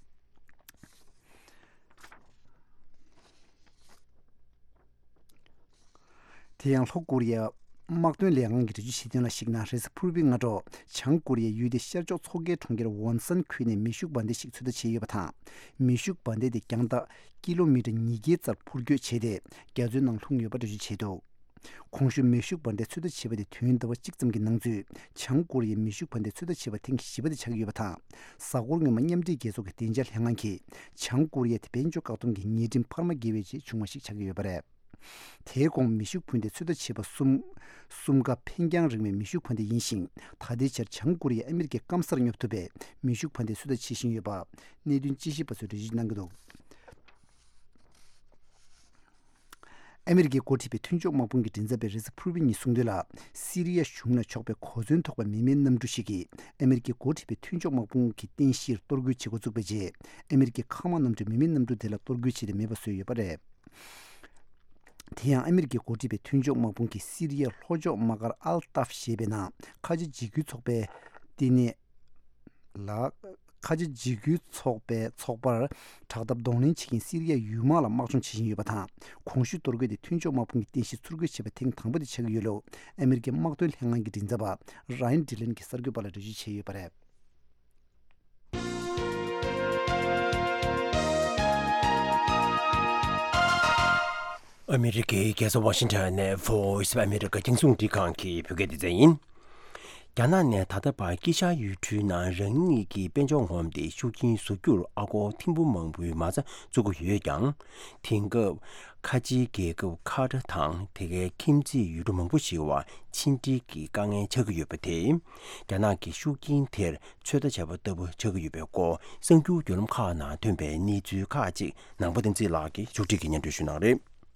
དེ་ཡང་ལྷོ་ཀོ་རི་ཡའི་དམག་དོན་ལས་ཁང་གིས་འགྲེལ་བརྗོད་བྱས་དོན་ལ་གཞིགས་ན། རེས་གཟའ་ཕུར་བུའི་སྔ་དྲོ་བྱང་ཀོ་རི་ཡའི་ཡུལ་དེའི་ཤར་ཕྱོགས་མཚོ་ཁའི་གྲོང་ཁྱེར་ཝོན་སན་ཁུལ་ནས་མེ་ཤུགས་འབར་མདེལ་ཞིག་ཚོད་ལྟ་བྱས་ཡོད་པ་དང་། མེ་ཤུགས་འབར་མདེལ་དེ་རྒྱང་ཐག་ཀི་ལོ་མི་ཊར་ཉིས་བརྒྱའི་རྩར་འཕུར་སྐྱོད་བྱས་ཏེ། རྒྱ་མཚོའི་ནང་ལྷུང་ཡོད་པ་འགྲེལ་བརྗོད་བྱས་འདུག་གོང་ཞུས་མེ་ཤུགས་འབར་མདེལ་ཚོད་ལྟ་བྱས་པ་དེ་དུས་ཡུན་ཟླ་བ་གཅིག་ཙམ་གྱི་ནང་ཚུད་བྱང་ཀོ་རི་ཡའི་མེ་ཤུགས་འབར་མདེལ་ཚོད་ལྟ་བྱས་པ་ཐེངས་བཞི་པ་དེ་ཆགས་ཀྱི་ཡོད་པ་དང་། གཟའ་འཁོར་སྔོན་མ་མཉམ་འབྲེལ་རྒྱལ་ཚོགས་ཀྱི་བདེ་འཇགས་ལྷན་ཁང་གིས་བྱང་ཀོ་རི་ཡ་དེ་དཔལ་འབྱོར་བཀག་སྡོམ་གྱི་ཉེས་ཁྲིམས་འཕར་མ་འགལ་བའི་རྗེས་བྱུང་བ་ཞིག་ཆགས་ཀྱི་ཡོད་པ་རེད། དེའི་གོང་མེ་ཤུགས་འཕུར་མདའི་ཚོད་ལྟ་བྱས་པ་གསུམ། གསུམ་ཀ་འཕེན་རྐྱང་རིང་བའི་མེ་ཤུགས་འཕུར་མདའ་ཡིན་ཞིང་། ད་ལྟའི་ཆར་བྱང་ཀོ་རི་ཡས་ཨ་མི་རི་ཀའི་སྐམ་སར་སྙོབ་ཐུབ་པའི་མེ་ཤུགས་འཕུར་མདའི་ཚོད་ལྟ་བྱེད་བཞིན་ཡོད་པ་གནད་དོན་དཔྱད་ཞིབ་པ་ཚོས་འགྲེལ་བརྗོད་གནང་གི་འདུག་ཨ་མི་རི་ཀས་འགོ་ཁྲིད་པའི་མཐུན་ཕྱོགས་དམག་དཔུང་གི་མགྲིན་ཚབ་པས་རེས་གཟའ་ཕུར་བུའི་ཉིན་གསུངས་དོན་ལ། སི་རི་ཡ་གཞུང་ལ་ཕྱོགས་པའི་གོ་མཚོན་ཐོགས་པའི་མི་མེད་གནམ་གྲུ་ཞིག་གིས་ཨ་མི་རི་ཀས་འགོ་ཁྲིད་པའི་མཐུན་ཕྱོགས་དམག་དཔུང་གི་རྟེན་གཞིར་གཏོར་རྒོལ་བྱེད་འགོ་བཙུགས་པའི་རྗེས། ཨ་མི་རི་ཀའི་མཁའ་དམག་གནམ་གྲུས་མི་མེད་གནམ་གྲུ་དེ་ལ་གཏོར་རྒོལ་བྱས་ཏེ་མེད་པ་བཟོས་ཡོད་པ་རེད། དེ་ཡང་ཨ་མི་རི་ཀས་འགོ་ཁྲིད་པའི་མཐུན་ཕྱོགས་དམག་དཔུང་གིས་སི་རི་ཡའི་ལྷོ་ཕྱོགས་དམག་སྒར་ཨལ་ཏཱབ་ཞེས་པའི་ནང་ཁ་ཆེ་འཇིགས་སྐུལ་ཚོགས་པའི་ལྟེ་གནས་ལ། ཁ་ཆེ་འཇིགས་སྐུལ་ཚོགས་པའི་ཚོགས་པར་དྲག་འཐབ་གདོང་ལེན་བྱེད་མཁན་སི་རི་ཡའི་ཡུལ་དམག་ལ་དམག་སྦྱོང་བྱེད་བཞིན་ཡོད་པ་དང་། གོང་ཞུས་གཏོར་རྒོལ་དེ་མཐུན་ཕྱོགས་དམག་དཔུང་གི་རྟེན་གཞི་ཚུར་རྒོལ་བྱས་པ་ཐེངས་དང་པོ་དེ་ཆགས་ཀྱི་ཡོད་ལུགས་ཨ་མི་རི་ཀའི་དམག་དོན་ལྷན་ཁང་གི་མགྲིན་ཚབ་པ་ར་ཡན་ཌི་ལན་གྱིས་གསར་འགོད་པ་ལ་འགྲེལ་བརྗོད་བྱས་ཡོད་པ་རེད། ཨ་མི་རི་ཀའི་རྒྱལ་ས་ཝ་ཤིང་ཊོན་ནས་Voice of America རྒྱང་སྲིང་རླུང་འཕྲིན་ཁང་གི་བོད་སྐད་སྡེ་ཚན་ཡིན། རྒྱ་ནག་ནས་ད་ལྟ་བར་དཀྱིལ་ཤར་ཡུལ་གྲུའི་ནང་རང་ཉིད་ཀྱི་དཔལ་འབྱོར་ངོམ་སྟེ་ཤུགས་རྐྱེན་བཟོ་རྒྱུར་ཨ་སྒོར་ཐེར་འབུམ་མང་པོའི་མ་རྩ་བཙུགས་ཀྱི་ཡོད་ཀྱང་། དེང་སྐབས་ཁ་ཆེའི་རྒྱལ་ཁབ་ཁ་ཏར་དང་དེ་གའི་ཁྱིམ་མཚེས་ཡུལ་གྲུ་མང་པོ་ཞིག་བར་ཕྱི་འབྲེལ་གྱི་དཀའ་ངལ་ཆགས་ཀྱི་ཡོད་པ་དེས། རྒྱ་ནག་གི་ཤུགས་རྐྱེན་དེར་ཚོད་ལྟ་བྱས་པ་ལྟ་བུ་ཆགས་ཀྱི་ཡོད་པའི་སྐོར་གསར་འགྱུར་བརྒྱུད་ལམ་ཁག་ནང་ཐོན་པའི་གནས་ཚུལ་ཁག་ཅིག་ནང་པ་བསྟན་འཛིན་ལགས་ཀྱིས་མཇུག་སྒྲིལ་གྱིས་སྙན་སྒྲོན་ཞུ་གནང་རེད།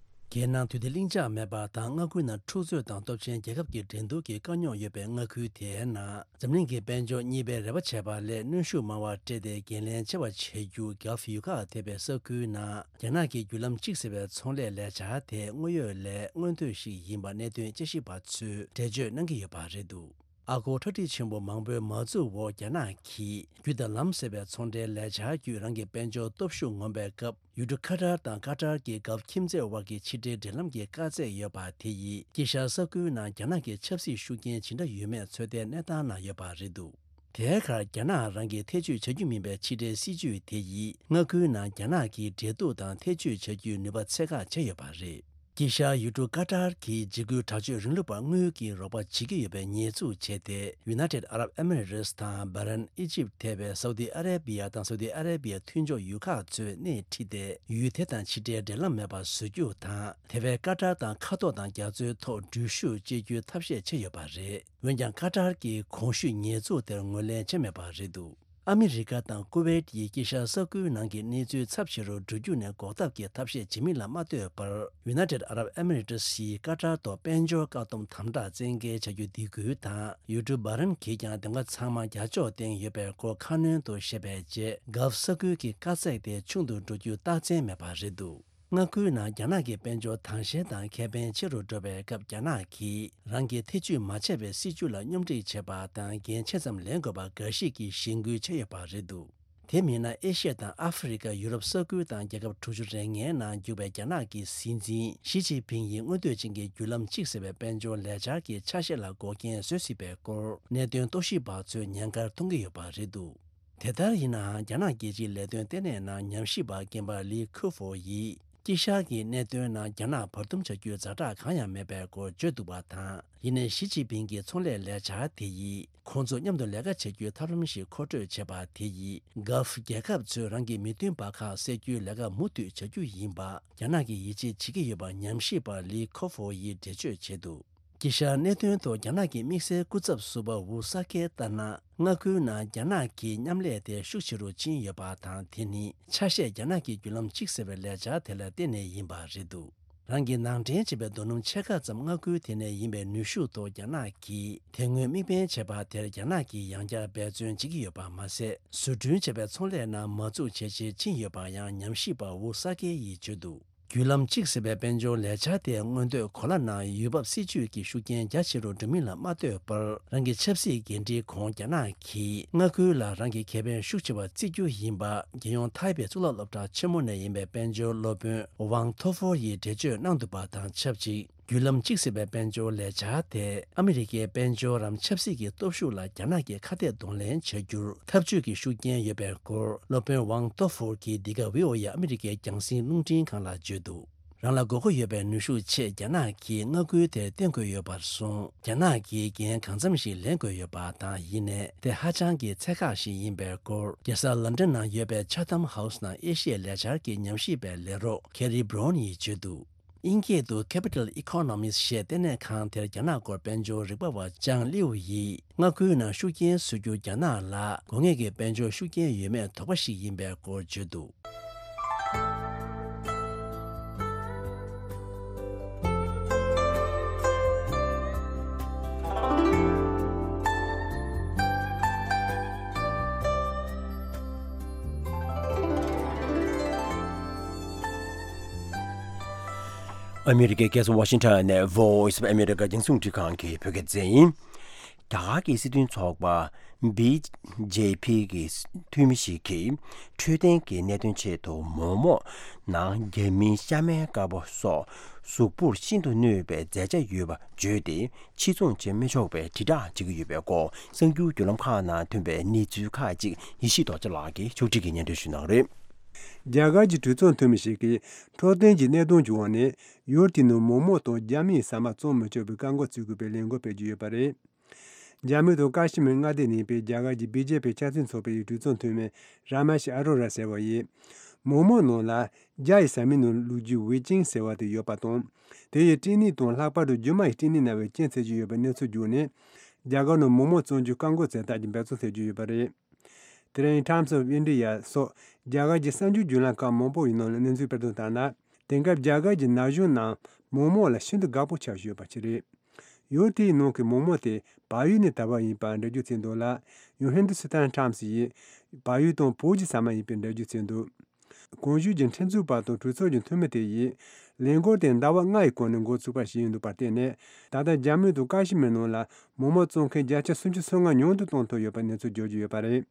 རྒྱལ་ནང་དུས་བདེ་ལྷིང་འཇགས་མེད་པ་དང་མངའ་ཁུལ་ནང་འཁྲུག་རྩོད་དང་སྟོབས་ཆེན་རྒྱལ་ཁབ་ཀྱི་འགྲན་བསྡུར་གྱི་དཀའ་རྙོག་ཡོད་པའི་མངའ་ཁུལ་དེའི་ནང་འཛམ་གླིང་གི་དཔལ་འབྱོར་གཉིས་པའི་རེ་བ་བྱས་པ་ལས་གནོན་ཤུགས་མང་བ་སྤྲད་དེ་འགན་ལེན་ཆེ་བ་བྱེད་རྒྱུ་Gulf ཡུལ་ཁག་ཐེ་བའི་ས་ཁུལ་ནང་རྒྱ་ནག་གི་བརྒྱུད་ལམ་གཅིག་ཟེར་བའི་ཚོང་ལས་ལས་འཆར་དེ་དངོས་ཡོད་ལས་མངོན་ཐོས་ཤིག་ཡིན་པ་གནད་དོན་དཔྱད་ཞིབ་པ་ཚོས་འགྲེལ་བརྗོད་གནང་གི་ཡོད་པ་རེད་འདུག་ཨ་སྒོར་ཁྲག་ཁྲིག་ཆེན་པོ་མང་པོའི་མ་འཛུགས་འོག་རྒྱ་ནག་གིས་རྒྱུ་དང་ལམ་ཟེར་བའི་ཚོང་འབྲེལ་ལས་འཆར་བརྒྱུད་རང་གི་དཔལ་འབྱོར་སྟོབས་ཤུགས་ངོམ་པའི་སྐབས། ཡུལ་གྲུ་ཁ་ཏར་དང་ཀ་ཏར་གྱི་གྷལཕ་ཁྱིམ་མཚེས་དབར་གྱི་ཕྱི་འབྲེལ་འབྲེལ་ལམ་གྱི་དཀའ་ཚེགས་ཡོད་པ་དེ་ཡིས་དཀྱིལ་ཤར་ས་ཁུལ་ནང་རྒྱ་ནག་གི་ཆབ་སྲིད་ཤུགས་རྐྱེན་ཇི་འདྲ་ཡོད་མེད་ཚོད་ལྟའི་གནས་སྟངས་ནང་ཡོད་པ་རེད་འདུག་དེའི་ཁར་རྒྱ་ནག་རང་གིས་ཐེ་བྱུས་བྱ་རྒྱུ་མིན་པའི་ཕྱི་འབྲེལ་སྲིད་ཇུས་དེ་ཡིས་མངའ་ཁུལ་ནང་རྒྱ་ནག་གི་འབྲེལ་གཏུག་དང་ཐེ་བྱུས་བྱ་རྒྱུའི་ནུས་པ་ཚད་བཀག་བྱས་ཡོད་པ་རེད། དཀྱིལ་ཤར་ཡུལ་གྲུ་ཀ་ཏར་གྱིས་འཇིགས་སྐུལ་དྲག་སྤྱོད་རིང་ལུགས་པར་དངུལ་གྱི་རོགས་པ་བྱེད་ཀྱི་ཡོད་པའི་ཉེས་འཛུགས་བྱས་ཏེ། ཡུ་ནའི་ཊེཌ་ཨ་རབ་ཨེ་མི་རེ་ཊི་དང་བྷ་རེན། ཨི་ཇིབ་ཐེ་བའི་སའུ་ཏི་ཨ་རེ་བི་ཡ་དང་སའུ་ཏི་ཨ་རེ་བི་ཡའི་མཐུན་ཕྱོགས་ཡུལ་ཁག་ཚོས་སྣེ་ཁྲིད་དེ། ཡུལ་དེ་དང་ཕྱི་འབྲེལ་འབྲེལ་ལམ་མེད་པར་བཟོ་རྒྱུ་དང་། དེ་བས་ཀ་ཏར་དང་མཁའ་ཐོག་དང་རྒྱ་མཚོའི་ཐོག་འགྲུལ་བཞུད་བྱེད་རྒྱུའི་ཐབས་ཤེས་བྱས་ཡོད་པ་རེད། འོན་ཀྱང་ཀ་ཏར་གྱིས་གོང་ཞུས་ཉེས་འཛུགས་དེར་ངོས་ལེན་བྱས་མེད་པ་རེད་འདུག་ཨ་མི་རི་ཀ་དང་ཀུ་ཝེད་ཡིས་དཀྱིལ་ཤར་ས་ཁུལ་ནང་གི་གནས་ཚུལ་ཚབས་ཆེ་རུ་འགྲོ་རྒྱུ་ནས་འགོག་ཐབས་ཀྱི་ཐབས་ཤེས་བྱེད་མིན་ལ་མ་ལྟོས་པར། ཡུ་ནའི་ཊེཌ་ཨ་རབ་ཨེ་མི་རེ་ཊི་ཡིས་ཀ་ཏར་ཐོག་དཔལ་འབྱོར་བཀག་སྡོམ་དམ་དྲག་བཙན་འགེལ་བྱ་རྒྱུ་འདེད་སྐུལ་དང་། ཡུལ་གྲུ་བྷ་རེན་གྱིས་ཀྱང་དེ་ག་ཚང་མ་རྒྱ་ཕྱོགས་སྟེང་ཡོད་པའི་སྐོར་ཁ་སྣོན་དུ་བཤད་པའི་རྗེས། གྷལཕ་ས་ཁུལ་གྱི་དཀའ་ཚེགས་དེ་ཆུང་དུ་འགྲོ་རྒྱུའི་རྟགས་མཚན་མེད་པ་རེད་འདུག་མངའ་ཁུལ་ནང་རྒྱ་ནག་གི་དཔལ་འབྱོར་དྭངས་ཤེལ་དང་ཁེ་ཕན་ཆེ་རུ་འགྲོ་བའི་སྐབས། རྒྱ་ནག་གིས་རང་གིས་ཐེ་བྱུས་མ་བྱས་པའི་སྲིད་ཇུས་ལ་སྙོམ་སྒྲིག་བྱེད་པ་དང་འགན་ཆེ་ཙམ་ལེན་དགོས་པ་འགའ་ཞིག་གིས་གཞེན་སྐུལ་བྱས་ཡོད་པ་རེད་འདུག་དེ་མིན་ན། ཨེ་ཤི་ཡ་དང་ཨ་ཧྥེ་རི་ཁ། ཡུ་རོབ་ས་ཁུལ་དང་རྒྱལ་ཁབ་དྲུག་ཅུ་རེ་ལྔའི་ནང་རྒྱུག་པའི་རྒྱ་ནག་གི་སྲིད་འཛིན་ཞི་ཅིན་ཕིང་ཡིས་མངོན་འདོད་ཅན་གྱི་བརྒྱུད་ལམ་གཅིག་ཟེར་བའི་དཔལ་འབྱོར་ལས་འཆར་གྱི་ཆ་ཤས་ལ་འགོག་རྐྱེན་བཟོ་སྲིད་པའི་སྐོར་གནད་དོན་རྟོག་ཞིབ་པ་ཚོས་ཉེན་ཁར་མཐོང་གི་ཡོད་པ་རེད་འདུག་དེ་ལྟར་ཡིན་ནའང་། རྒྱ་ནག་རྒྱལ་སྤྱིའི་ལས་དོན་ལྟེ་གནས་ནང་ཉམས་ཞིབ་པ་རྒན་པ་ལི་ཁུ་ཧྥོ་ཡིས། དཀྱིལ་ཤར་གྱི་གནད་དོན་ནང་རྒྱ་ནག་བར་འདུམ་བྱ་རྒྱུའི་ཛ་དྲག་གང་ཡང་མེད་པའི་སྐོར་བརྗོད་འདུག་པ་དང་། ཡིན་ནའི་ཞི་ཅིན་ཕིང་གི་ཚོང་ལས་ལས་འཆར་དེ་ཡིས། ཁོང་ཚོ་མཉམ་དུ་ལས་ཀ་བྱེད་རྒྱུའི་ཐབས་ལམ་ཞིག་མཁོ་སྤྲོད་བྱས་པ་དེ་ཡིས། གྷལཕ་རྒྱལ་ཁབ་ཚོས་རང་གི་མི་མཐུན་པ་ཁག་སེལ་རྒྱུའི་ལས་ཀ་མུ་མཐུད་བྱ་རྒྱུ་ཡིན་པ། རྒྱ་ནག་གིས་ཡིད་ཆེས་བྱེད་ཀྱི་ཡོད་པ་ཉམས་ཞིབ་པ་ལི་ཁོ་ཧྥོ་ཡིས་འགྲེལ་བརྗོད་བྱས་འདུག་དཀྱིལ་ཤར་གནད་དོན་ཐོག་རྒྱ་ནག་གི་དམིགས་བསལ་སྐུ་ཚབ་ཟུར་པ་ཝུ་སཱ་ཀེས་ལྟར་ན། མངའ་ཁུལ་ནང་རྒྱ་ནག་གི་མཉམ་ལས་དེ་ཤུགས་ཆེ་རུ་ཕྱིན་ཡོད་པ་དང་། དེ་ནི་ཆ་ཤས་རྒྱ་ནག་གི་བརྒྱུད་ལམ་གཅིག་ཟེར་བའི་ལས་འཆར་དེ་ལ་བརྟེན་ནས་ཡིན་པ་རེད་འདུག་རང་གིས་ནང་འདྲེན་བྱས་པའི་རྡོ་སྣུམ་ཕྱེད་ཀ་ཙམ་མངའ་ཁུལ་དེ་ནས་ཡིན་པའི་ནུས་ཤུགས་ཐོག་རྒྱ་ནག་གིས་དེ་སྔོན་དམིགས་འབེན་བྱས་པ་དེར་རྒྱ་ནག་གིས་ཡང་བསྐྱར་འབད་བརྩོན་བྱེད་ཀྱི་ཡོད་པ་མ་ཟད། བཟོ་སྐྲུན་བྱས་པའི་ཚོང་ལས་ནང་མ་བཙུགས་བྱས་རྗེས་ཕྱིན་ཡོད་པ་ཡང་ཉམས་ཞིབ་པ་ཝུ་སཱ་ཀེ་ཡིས་བརྗོད་འདུག་བརྒྱུད་ལམ་གཅིག་ཟེར་བའི་དཔལ་འབྱོར་ལས་འཆར་དེ་མངོན་འདོད་གོ་ལ་ནང་ཡུལ་བབ་སྲིད་ཇུས་ཀྱི་ཤུགས་རྐྱེན་རྒྱ་ཆེ་རུ་འགྲོ་མིན་ལ་མ་ལྟོས་པར། རང་གི་ཆབ་སྲིད་འགན་འཁྲིའི་གོང་རྒྱ་ནག་གིས་མངའ་ཁུལ་ལ་རང་གི་ཁེ་ཕན་ཤུགས་ཆེ་བ་བརྩི་རྒྱུ་ཡིན་པ། རྒྱལ་ཡོངས་ཐའེ་པེ་གཙུག་ལག་སློབ་གྲྭ་ཆེན་མོ་ནས་ཡིན་པའི་དཔལ་འབྱོར་སློབ་དཔོན་ཝང་ཐོ་ཧྥོར་ཡིས་འགྲེལ་བརྗོད་གནང་འདུག་པ་དང་ཆབས་ཅིག་བརྒྱུད་ལམ་གཅིག་ཟེར་བའི་དཔལ་འབྱོར་ལས་འཆར་དེ་ཨ་མི་རི་ཀའི་དཔལ་འབྱོར་རམ་ཆབ་སྲིད་ཀྱི་སྟོབས་ཤུགས་ལ་རྒྱ་ནག་གིས་ཁ་གཏད་གདོང་ལེན་བྱ་རྒྱུར་འཐབ་ཇུས་ཀྱི་ཤུགས་རྐྱེན་ཡོད་པའི་སྐོར་སློབ་དཔོན་ཝང་ཏོ་ཧྥོར་གྱིས་འདི་ག་ཝི་ཨོ་ཨེ་ཨ་མི་རི་ཀའི་རྒྱང་སྲིང་རླུང་འཕྲིན་ཁང་ལ་བརྗོད་འདུག་རང་ལ་དགོས་མཁོ་ཡོད་པའི་ནུས་ཤུགས་ཆེད་རྒྱ་ནག་གིས་མངའ་ཁུལ་དེར་བརྟེན་དགོས་ཡོད་པར་སོང་། རྒྱ་ནག་གིས་འགན་གང་འཚམ་ཞིག་ལེན་དགོས་ཡོད་པ་དང་། ཡིན་ནའི་དེ་ཧ་ཅང་གི་ཚད་བཀག་ཞིག་ཡིན་པའི་སྐོར་རྒྱལ་ས་ལན་ཌན་ནང་ཡོད་པའི་ཆ་ཐམ་ཧའུ་སི་ནང་ཨེ་ཤི་ཡའི་ལས་འཆར་གྱི་ཉམས་ཞིབ་པའི་ལས་རོགས་ཁེ་རི་བྷི་རོན་ཡིས་བརྗོད་འདུག་དབྱིན་སྐད་དུ་Capital Economics ཞེས་ལྟེ་གནས་ཁང་དེར་རྒྱ་ནག་སྐོར་དཔལ་འབྱོར་རིག་པ་བ་ཅང་ལིའུ་ཡིས། མངའ་ཁུལ་ནང་ཤུགས་རྐྱེན་བཟོ་རྒྱུ་རྒྱ་ནག་ལ་དགོས་ངེས་ཀྱི་དཔལ་འབྱོར་ཤུགས་རྐྱེན་ཡོད་མེད་དོགས་པ་ཞིག་ཡིན་པའི་སྐོར་བརྗོད་འདུག་ཨ་མི་རི་ཀའི་རྒྱལ་ས་ཝ་ཤིང་ཊོན་ནས་Voice of America རྒྱང་སྲིང་རླུང་འཕྲིན་ཁང་གི་བོད་སྐད་སྡེ་ཚན་ཡིན། རྒྱ་གར་གྱི་སྲིད་དོན་ཚོགས་པ་བི་ཇེ་པི་གི་འཐུས་མི་ཞིག་གིས་འཕྲོད་བསྟེན་གྱི་གནད་དོན་ཆེད་དུ་མོག་མོག་ནང་རྒྱ་མིའི་ཤ་མའི་དཀར་པོ་སོགས་གཟུགས་པོར་ཤིན་ཏུ་གནོད་པའི་རྫས་ཆ་ཡོད་པ་བརྗོད་དེ། ཕྱིར་ཚོང་བྱེད་མི་ཆོག་པའི་དྲིལ་བསྒྲགས་བྱེད་ཀྱི་ཡོད་པའི་སྐོར། གསར་འགྱུར་བརྒྱུད་ལམ་ཁག་ནང་ཐོན་པའི་གནས་ཚུལ་ཁག་ཅིག་ཡེ་ཤེས་རྡོ་རྗེ་ལགས་ཀྱིས་ཕྱོགས་སྒྲིག་གིས་སྙན་སྒྲོན་ཞུ་གནང་རེད། རྒྱ་གར་གྱི་གྲོས་ཚོགས་འཐུས་མི་ཞིག་གིས་འཕྲོད་བསྟེན་གྱི་གནད་དོན་གྱི་འོག་ནས་ཡུལ་དེའི་ནང་མོག་མོག་དང་རྒྱ་མིའི་ཟ་མ་བཙོང་མི་ཆོག་པའི་བཀག་འགོག་བྱེད་དགོས་པའི་ལས་འགུལ་སྤེལ་གྱི་ཡོད་པ་རེད། རྒྱ་མི་དང་ཀ་ཤི་མིར་མངའ་སྡེ་གཉིས་པའི་རྒྱ་གར་གྱི་བི་ཇེ་པི་ཆབ་སྲིད་ཚོགས་པའི་གྲོས་ཚོགས་འཐུས་མི་ར་མ་ཤི་ཨ་རོ་ར་ཟེར་བ་ཡིས། མོག་མོག་ནང་ལ་རྒྱ་ཡི་ཟ་མའི་ནང་བླུགས་རྒྱུའི་ཝེ་ཅིང་ཟེར་བ་དེ་ཡོད་པ་དང་། དེ་ཡི་སྐྲན་ནད་དང་ལྷག་པར་དུ་རྒྱུ་མ་ཡི་སྐྲན་ནད་ན་བའི་རྐྱེན་བྱེད་ཀྱི་ཡོད་པའི་གནས་ཚུལ་བརྒྱུད་ནས། རྒྱ་གར་ནང་མོག་མོག་བཙོང་རྒྱུ་བཀག་འགོག་བྱེད་ཐབས་ཀྱི་འབད་བརྩོན་བྱེད་ཀྱི་ཡོད་པ་རེད། དེ་རིང་Times of India སོགས་རྒྱ་གར་གྱི་གསར་འགྱུར་བརྒྱུད་ལམ་ཁག་མང་པོ་ཡི་ནང་ལ་གནས་ཚུལ་སྤེལ་དོན་ལྟར་ན། དེང་སྐབས་རྒྱ་གར་གྱི་ན་གཞོན་རྣམས་མོག་མོག་ལ་ཤིན་ཏུ་དགའ་པོ་ཆགས་བཞིན་ཡོད་པ་ཞིག་རེད། ཡུལ་དེའི་ནང་གི་མོག་མོག་དེ་བལ་ཡུལ་ནས་དར་བ་ཡིན་པར་འགྲེལ་བརྗོད་བྱས་འདུག་ལ། ཡང་Hindustan Times ཡིས་བལ་ཡུལ་དང་བོད་ཀྱི་ཟ་མ་ཡིན་པའི་འགྲེལ་བརྗོད་བྱས་འདུག་གོང་ཞུས་ཀྱི་ཁྲིམས་རྩོད་པ་དང་གྲོས་ཚོགས་ཀྱི་འཐུས་མི་དེ་ཡིས་ལས་འགུལ་དེ་ཟླ་བ་ལྔ་ཡི་གོང་ནས་འགོ་ཚུགས་པ་ཞིག་ཡིན་འདུག་པར་བརྟེན་ནས། ད་ལྟ་རྒྱ་མི་དང་ཀ་ཤི་མིར་ནང་ལ་མོག་མོག་བཙོང་མཁན་བརྒྱ་ཆ་སུམ་ཅུ་སོ་ལྔ་ཉུང་དུ་གཏོང་ཐུབ་ཡོད་པའི་གནས་ཚུལ་བརྗོད་ཀྱི་ཡོད་པ་རེད།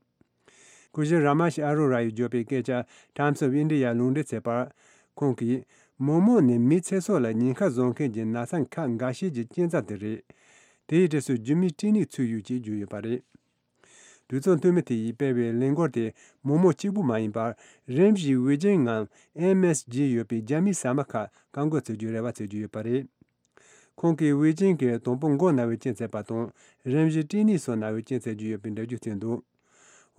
སྐུ་ཞབས་ར་མ་ཤི་ཨ་རོ་ར་ཡིས་བརྗོད་པའི་སྐད་ཆ་Times of India ལུང་འདྲེན་བྱས་པར། ཁོང་གིས། མོག་མོག་ནི་མིའི་ཚེ་སྲོག་ལ་ཉེན་ཁ་བཟོ་མཁན་གྱི་ན་ཚ་ཁག་འགའ་ཤས་ཀྱི་རྐྱེན་རྩ་དེ་རེད། དེའི་གྲས་སུ་རྒྱུ་མའི་སྐྲན་ནད་ཚུད་ཡོད་ཅེས་བརྗོད་ཡོད་པ་རེད། གྲོས་ཚོགས་འཐུས་མི་དེ་ཡིས་སྤེལ་བའི་ལས་འགུལ་དེ་མོག་མོག་གཅིག་པུ་མ་ཡིན་པར། རིམས་བཞིའི་ཝེ་ཇིན་ངམ་ཨེམ་ཨེས་ཇི་ཡོད་པའི་རྒྱ་མིའི་ཟ་མ་ཁག་བཀག་འགོག་བྱེད་རྒྱུའི་རེ་བ་བྱེད་ཀྱི་ཡོད་པ་རེད། ཁོང་གིས་ཝེ་ཇིན་གྱིས་དང་པོ་མགོ་ན་བའི་རྐྱེན་བྱས་པ་དང་། རིམས་བཞིའི་སྐྲན་ནད་སོགས་ན་བའི་རྐྱེན་བྱེད་ཀྱི་ཡོད་པའི་འགྲེལ་བརྗོད་བྱས་འདུག་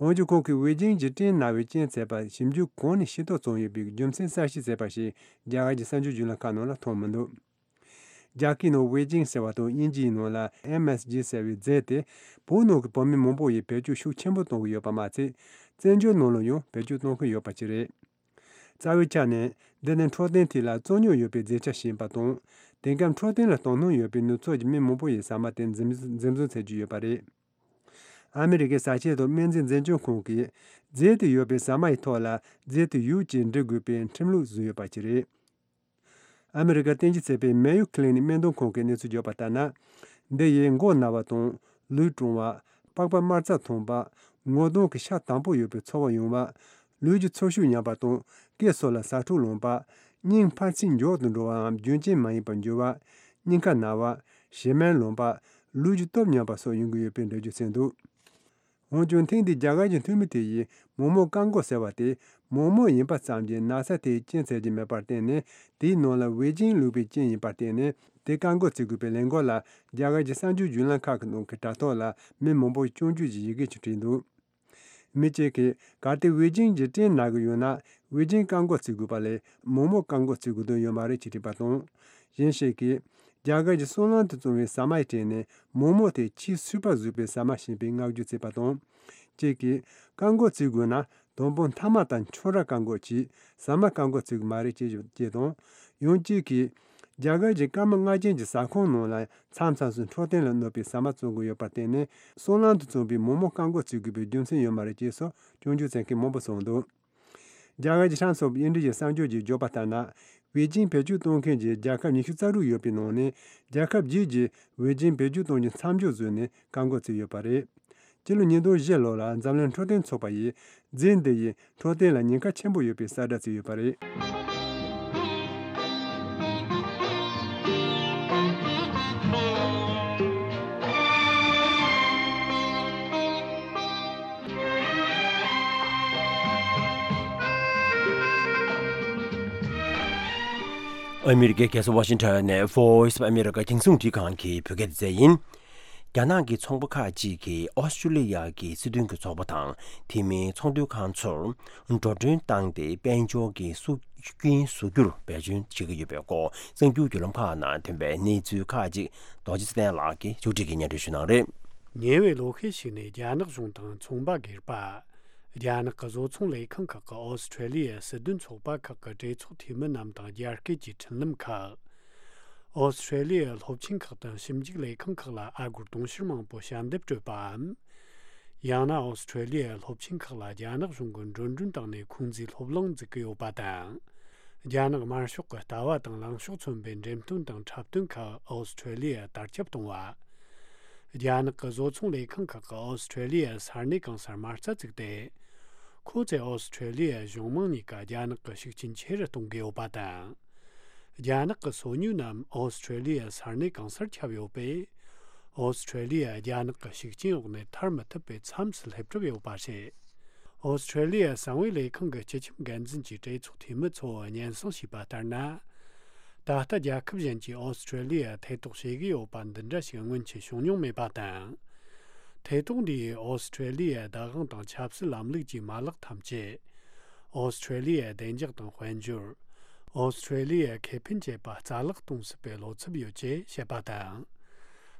འོན་ཀྱང་། ཁོང་གིས་ཝེ་ཇིན་གྱི་སྐྲན་ན་བའི་རྐྱེན་བྱས་པ་ཞིབ་འཇུག་གང་ནས་ཤེས་རྟོགས་བྱུང་ཡོད་པའི་རྒྱུ་མཚན་གསལ་བཤད་བྱས་པ་ཞིག་རྒྱ་གར་གྱི་གསར་འགྱུར་བརྒྱུད་ལམ་ཁག་ནང་ལ་མཐོང་མི་འདུག་རྒྱ་སྐད་ནང་ཝེ་ཇིན་ཟེར་བ་དང་། དབྱིན་ཇིའི་ནང་ལ་ཨེམ་ཨེས་ཇི་ཟེར་བའི་རྫས་དེ། བོད་ནང་གི་བོད་མི་མང་པོ་ཡིས་བེད་སྤྱོད་ཤུགས་ཆེན་པོ་གཏོང་གི་ཡོད་པ་མ་ཚད། བཙན་བྱོལ་ནང་ལ་ཡང་བེད་སྤྱོད་གཏོང་གི་ཡོད་པ་ཅིག་རེད། རྩ་བའི་ཆ་ནས། འདི་ནི་འཕྲོད་བསྟེན་ཐད་ལ་རྩོད་རྙོག་ཡོད་པའི་རྫས་ཆ་ཞིག་ཡིན་པ་དང་། དེང་སྐབས་འཕྲོད་བསྟེན་ལ་དོ་སྣང་ཡོད་པའི་ནུབ་ཕྱོགས་ཀྱི་མི་མང་པོ་ཡིས་ཟ་མ་དེ་འཛེམ་འཛེམ་བཟུང་བྱེད་ཀྱི་ཡོད་པ་རེད། ཨ་མི་རི་ཀའི་ཟ་ཆས་དང་སྨན་རྫས་འཛིན་སྐྱོང་ཁང་གིས། རྫས་དེ་ཡོད་པའི་ཟ་མ་ཡི་ཐོག་ལ་རྫས་དེ་ཡོད་ཅེས་འབྲི་དགོས་པའི་ཁྲིམས་ལུགས་བཟོས་ཡོད་པ་ཅིག་རེད། ཨ་མི་རི་ཀར་རྟེན་གཞི་བྱས་པའི་Mayo Clinic སྨན་དོན་ཁང་གིས་གནས་ཚུལ་བརྗོད་པ་ལྟར་ན། འདི་ཡིས་མགོ་ན་བ་དང་། ལུས་གྲང་བ། པགས་པ་དམར་རྩ་ཐོན་པ། ངོ་གདོང་གི་ཤ་དྭངས་པོ་ཡོད་པའི་ཚོར་བ་ཡོང་བ། ལུས་ཀྱི་ཚོར་ཤུགས་ཉམས་པ་དང་། སྐེ་སོགས་ལ་ཟ་འཕྲུག་ལངས་པ། སྙིང་འཕར་ཚད་མགྱོགས་དུ་འགྲོ་བའམ་རྒྱུན་ཆད་མ་ཡིན་པར་འགྱུར་བ། སྙིང་ཁ་ན་བ། བྱེ་སྨན་ལངས་པ། ལུས་ཀྱི་སྟོབས་ཉམས་པ་སོགས་ཡོང་གི་ཡོད་པའི་འགྲེལ་བརྗོད་བྱས་འདུག་འོན་ཀྱང་། ཐེངས་འདིའི་རྒྱ་གར་གྱི་འཐུས་མི་དེ་ཡིས་མོག་མོག་བཀག་འགོག་ཟེར་བ་དེ། མོག་མོག་ཡིན་པ་ཙམ་གྱིས་ན་ཚ་དེའི་རྐྱེན་བྱེད་ཀྱི་མེད་པར་བརྟེན་ནས། དེའི་ནང་ལ་ཝེ་ཇིན་བླུགས་པའི་རྐྱེན་ཡིན་པར་བརྟེན་ནས། དེ་བཀག་འགོག་བྱེད་དགོས་པའི་ལས་འགུལ་ལ། རྒྱ་གར་གྱི་གསར་འགྱུར་བརྒྱུད་ལམ་ཁག་གི་ནང་གི་དྲ་ཐོག་ལ་མི་མང་པོས་སྐྱོན་བརྗོད་ཀྱི་ཡི་གེ་ཅིག་བྲིས་འདུག་མི་གཅིག་གིས། གལ་ཏེ་ཝེ་ཇིན་གྱི་སྐྲན་ན་གི་ཡོད་ན། ཝེ་ཇིན་བཀག་འགོག་བྱེད་དགོས་པ་ལས། མོག་མོག་བཀག་འགོག་བྱེད་དགོས་དོན་ཡོད་མ་རེད་ཅེས་བྲིས་པ་དང་། གཞན་ཞིག་གིས། རྒྱ་གར་གྱི་སོལ་རླངས་དུ་བཙོངས་པའི་ཟ་མའི་གྲས་ནས། མོག་མོག་དེ་ཆེས་སུས་པ་བཟོས་པའི་ཟ་མ་ཞིག་ཡིན་པའི་བསྔགས་བརྗོད་བྱས་པ་དང་། གཅིག་གིས། བཀག་འགོག་བྱེད་དགོས་ན། དང་པོ་མཐའ་མ་དང་ཁྱོད་རང་བཀག་འགོག་གྱིས། ཟ་མ་བཀག་འགོག་བྱེད་དགོས་མ་རེད་ཅེས་བརྗོད་དང་། ཡང་གཅིག་གིས། རྒྱ་གར་གྱི་སྐར་མ་ལྔ་ཅན་གྱི་ཟ་ཁང་ནང་ལ་མཚམས་མཚམས་སུ་འཕྲོད་བསྟེན་ལ་གནོད་པའི་ཟ་མ་བཙོང་གི་ཡོད་པར་བརྟེན་ནས། སོལ་རླངས་དུ་བཙོངས་པའི་མོག་མོག་བཀག་འགོག་བྱེད་དགོས་པའི་རྒྱུ་མཚན་ཡོད་མ་རེད་ཅེས་སོགས་སྐྱོན་བརྗོད་བྱེད་མཁན་མང་པོ་གསུངས་འདུག་རྒྱ་གར་གྱི་Times of India གསར་འགྱུར་གྱིས་བརྗོད་པ་ལྟར་ན། ཝེ་ཇིན་བེད་སྤྱོད་གཏོང་མཁན་གྱི་རྒྱལ་ཁབ་ཉི་ཤུ་རྩ་དྲུག་ཡོད་པའི་ནང་ནས། རྒྱལ་ཁབ་བརྒྱད་ཀྱིས་ཝེ་ཇིན་བེད་སྤྱོད་གཏོང་རྒྱུ་མཚམས་འཇོག་བཟོས་ནས་བཀག་འགོག་བྱས་ཡོད་པ་རེད། སྤྱི་ལོ་ཉིས་སྟོང་བཞི་ལོ་ལ་འཛམ་གླིང་འཕྲོད་བསྟེན་ཚོགས་པ་ཡིས། རྫས་འདི་ཡིས་འཕྲོད་བསྟེན་ལ་ཉེན་ཁ་ཆེན་པོ་ཡོད་པའི་གསལ་བསྒྲགས་བྱས་ཡོད་པ་རེད། ཨ་མི་རི་ཀའི་རྒྱལ་ས་ཝ་ཤིང་ཊོན་ནས་Voice of America རྒྱང་སྲིང་རླུང་འཕྲིན་ཁང་གི་བོད་སྐད་སྡེ་ཚན་ཡིན། རྒྱ་ནག་གི་ཚོང་པ་ཁག་ཅིག་གིས་ཨོ་སི་ཀྲི་ལི་ཡ་གི་སྲིད་དོན་གྱི་ཚོགས་པ་དང་། དེ་མིན་ཚོང་དོན་ཁང་ཚོར་འགྲོ་གྲོན་བཏང་སྟེ། དཔལ་འབྱོར་གྱི་སྲོག་རྐྱེན་བཟོ་རྒྱུར་འབད་བརྩོན་བྱེད་ཀྱི་ཡོད་པའི་སྐོར། གསར་འགྱུར་བརྒྱུད་ལམ་ཁག་ནང་ཐོན་པའི་གནས་ཚུལ་ཁག་ཅིག་རྡོ་རྗེ་ཚེ་བརྟན་ལགས་ཀྱིས་ཕྱོགས་སྒྲིག་གིས་སྙན་སྒྲོན་ཞུ་གནང་རེད། ཉེ་བའི་ལོ་ཤས་ཤིག་ནས། རྒྱ་ནག་གཞུང་དང་ཚོང་པ་སྒེར་པ། རྒྱ་ནག་གི་བཟོ་ཚོང་ལས་ཁང་ཁག་གིས་ཨོ་སི་ཀྲི་ལི་ཡའི་སྲིད་དོན་ཚོགས་པ་ཁག་གི་གྲོས་ཚོགས་འཐུས་མི་རྣམས་དང་། རྒྱ་སྐད་ཀྱི་འཕྲིན་ལམ་ཁག་ཨོ་སི་ཀྲི་ལི་ཡའི་སློབ་ཆེན་ཁག་དང་ཞིབ་འཇུག་ལས་ཁང་ཁག་ལ་ཨ་སྒོར་དུང་ཕྱུར་མང་པོ་ཞལ་འདེབས་སྤྲོད་པའམ། ཡང་ན་ཨོ་སི་ཀྲི་ལི་ཡའི་སློབ་ཆེན་ཁག་ལ་རྒྱ་ནག་གཞུང་གིས་འགྲོ་གྲོན་བཏང་ནས། ཁོང་ཚོའི་སློབ་གླིང་འཛུགས་ཀྱི་ཡོད་པ་དང་། རྒྱ་ནག་དམར་ཤོག་གི་ལྟ་བ་དང་ལངས་ཕྱོགས་མཚོན་པའི་འགྲེམས་སྟོན་དང་འཁྲབ་སྟོན་ཁག་ཨོ་སི་ཀྲི་ལི་ཡར་དར་ཁྱབ་གཏོང་བ། རྒྱ་ནག་གི་བཟོ་ཚོང་ལས་ཁང་ཁག་གིས་ཨོ་སི་ཀྲི་ལི་ཡར་ས་གནས་གང་སར་མ་རྩ་བཙུགས་ཏེ། ཁོ་ཚོས་ཨོ་སི་ཀྲི་ལི་ཡའི་གཞུང་མང་གཉིས་ཀ་རྒྱ་ནག་གི་ཤུགས་རྐྱེན་ཆེ་རུ་གཏོང་གི་ཡོད་པ་དང་། རྒྱ་ནག་གི་སོ་ཉུལ་རྣམས་ཨོ་སི་ཀྲི་ལི་ཡའི་ས་གནས་གང་སར་ཁྱབ་ཡོད་པས། ཨོ་སི་ཀྲི་ལི་ཡ་རྒྱ་ནག་གི་ཤུགས་རྐྱེན་འོག་ནས་ཐར་མི་ཐུབ་པའི་མཚམས་སུ་སླེབས་གྲབས་ཡོད་པ་རེད། ཨོ་སི་ཀྲི་ལི་ཡའི་གསང་བའི་ལས་ཁང་གི་སྤྱི་ཁྱབ་འགན་འཛིན་གྱིས་གྲོས་ཚོགས་འཐུས་མི་ཚོར་སྙན་སེང་ཞུས་པ་ལྟར་ན། ད་ལྟ་རྒྱལ་ཁབ་གཞན་གྱིས་ཨོ་སི་ཀྲི་ལི་ཡར་ཐེ་གཏོགས་བྱེད་ཀྱི་ཡོད་པ་འདི་འདྲ་ཞིག་སྔོན་ཆད་བྱུང་མྱོང་མེད་པ་དང་། ཐེ་གཏོགས་འདི་ཡིས་ཨོ་སི་ཀྲི་ལི་ཡའི་བདག་དབང་དང་ཆབ་སྲིད་ལམ་ལུགས་ཀྱི་མ་ལག་ཐམས་ཅད། ཨོ་སི་ཀྲི་ལི་ཡའི་བདེ་འཇགས་དང་དཔལ་འབྱོར། ཨོ་སི་ཀྲི་ལི་ཡའི་ཁེ་ཕན་བཅས་པ་རྩ་བརླག་གཏོང་སྲིད་པའི་བློ་འཚབ་ཡོད་ཅེས་བཤད་པ་དང་།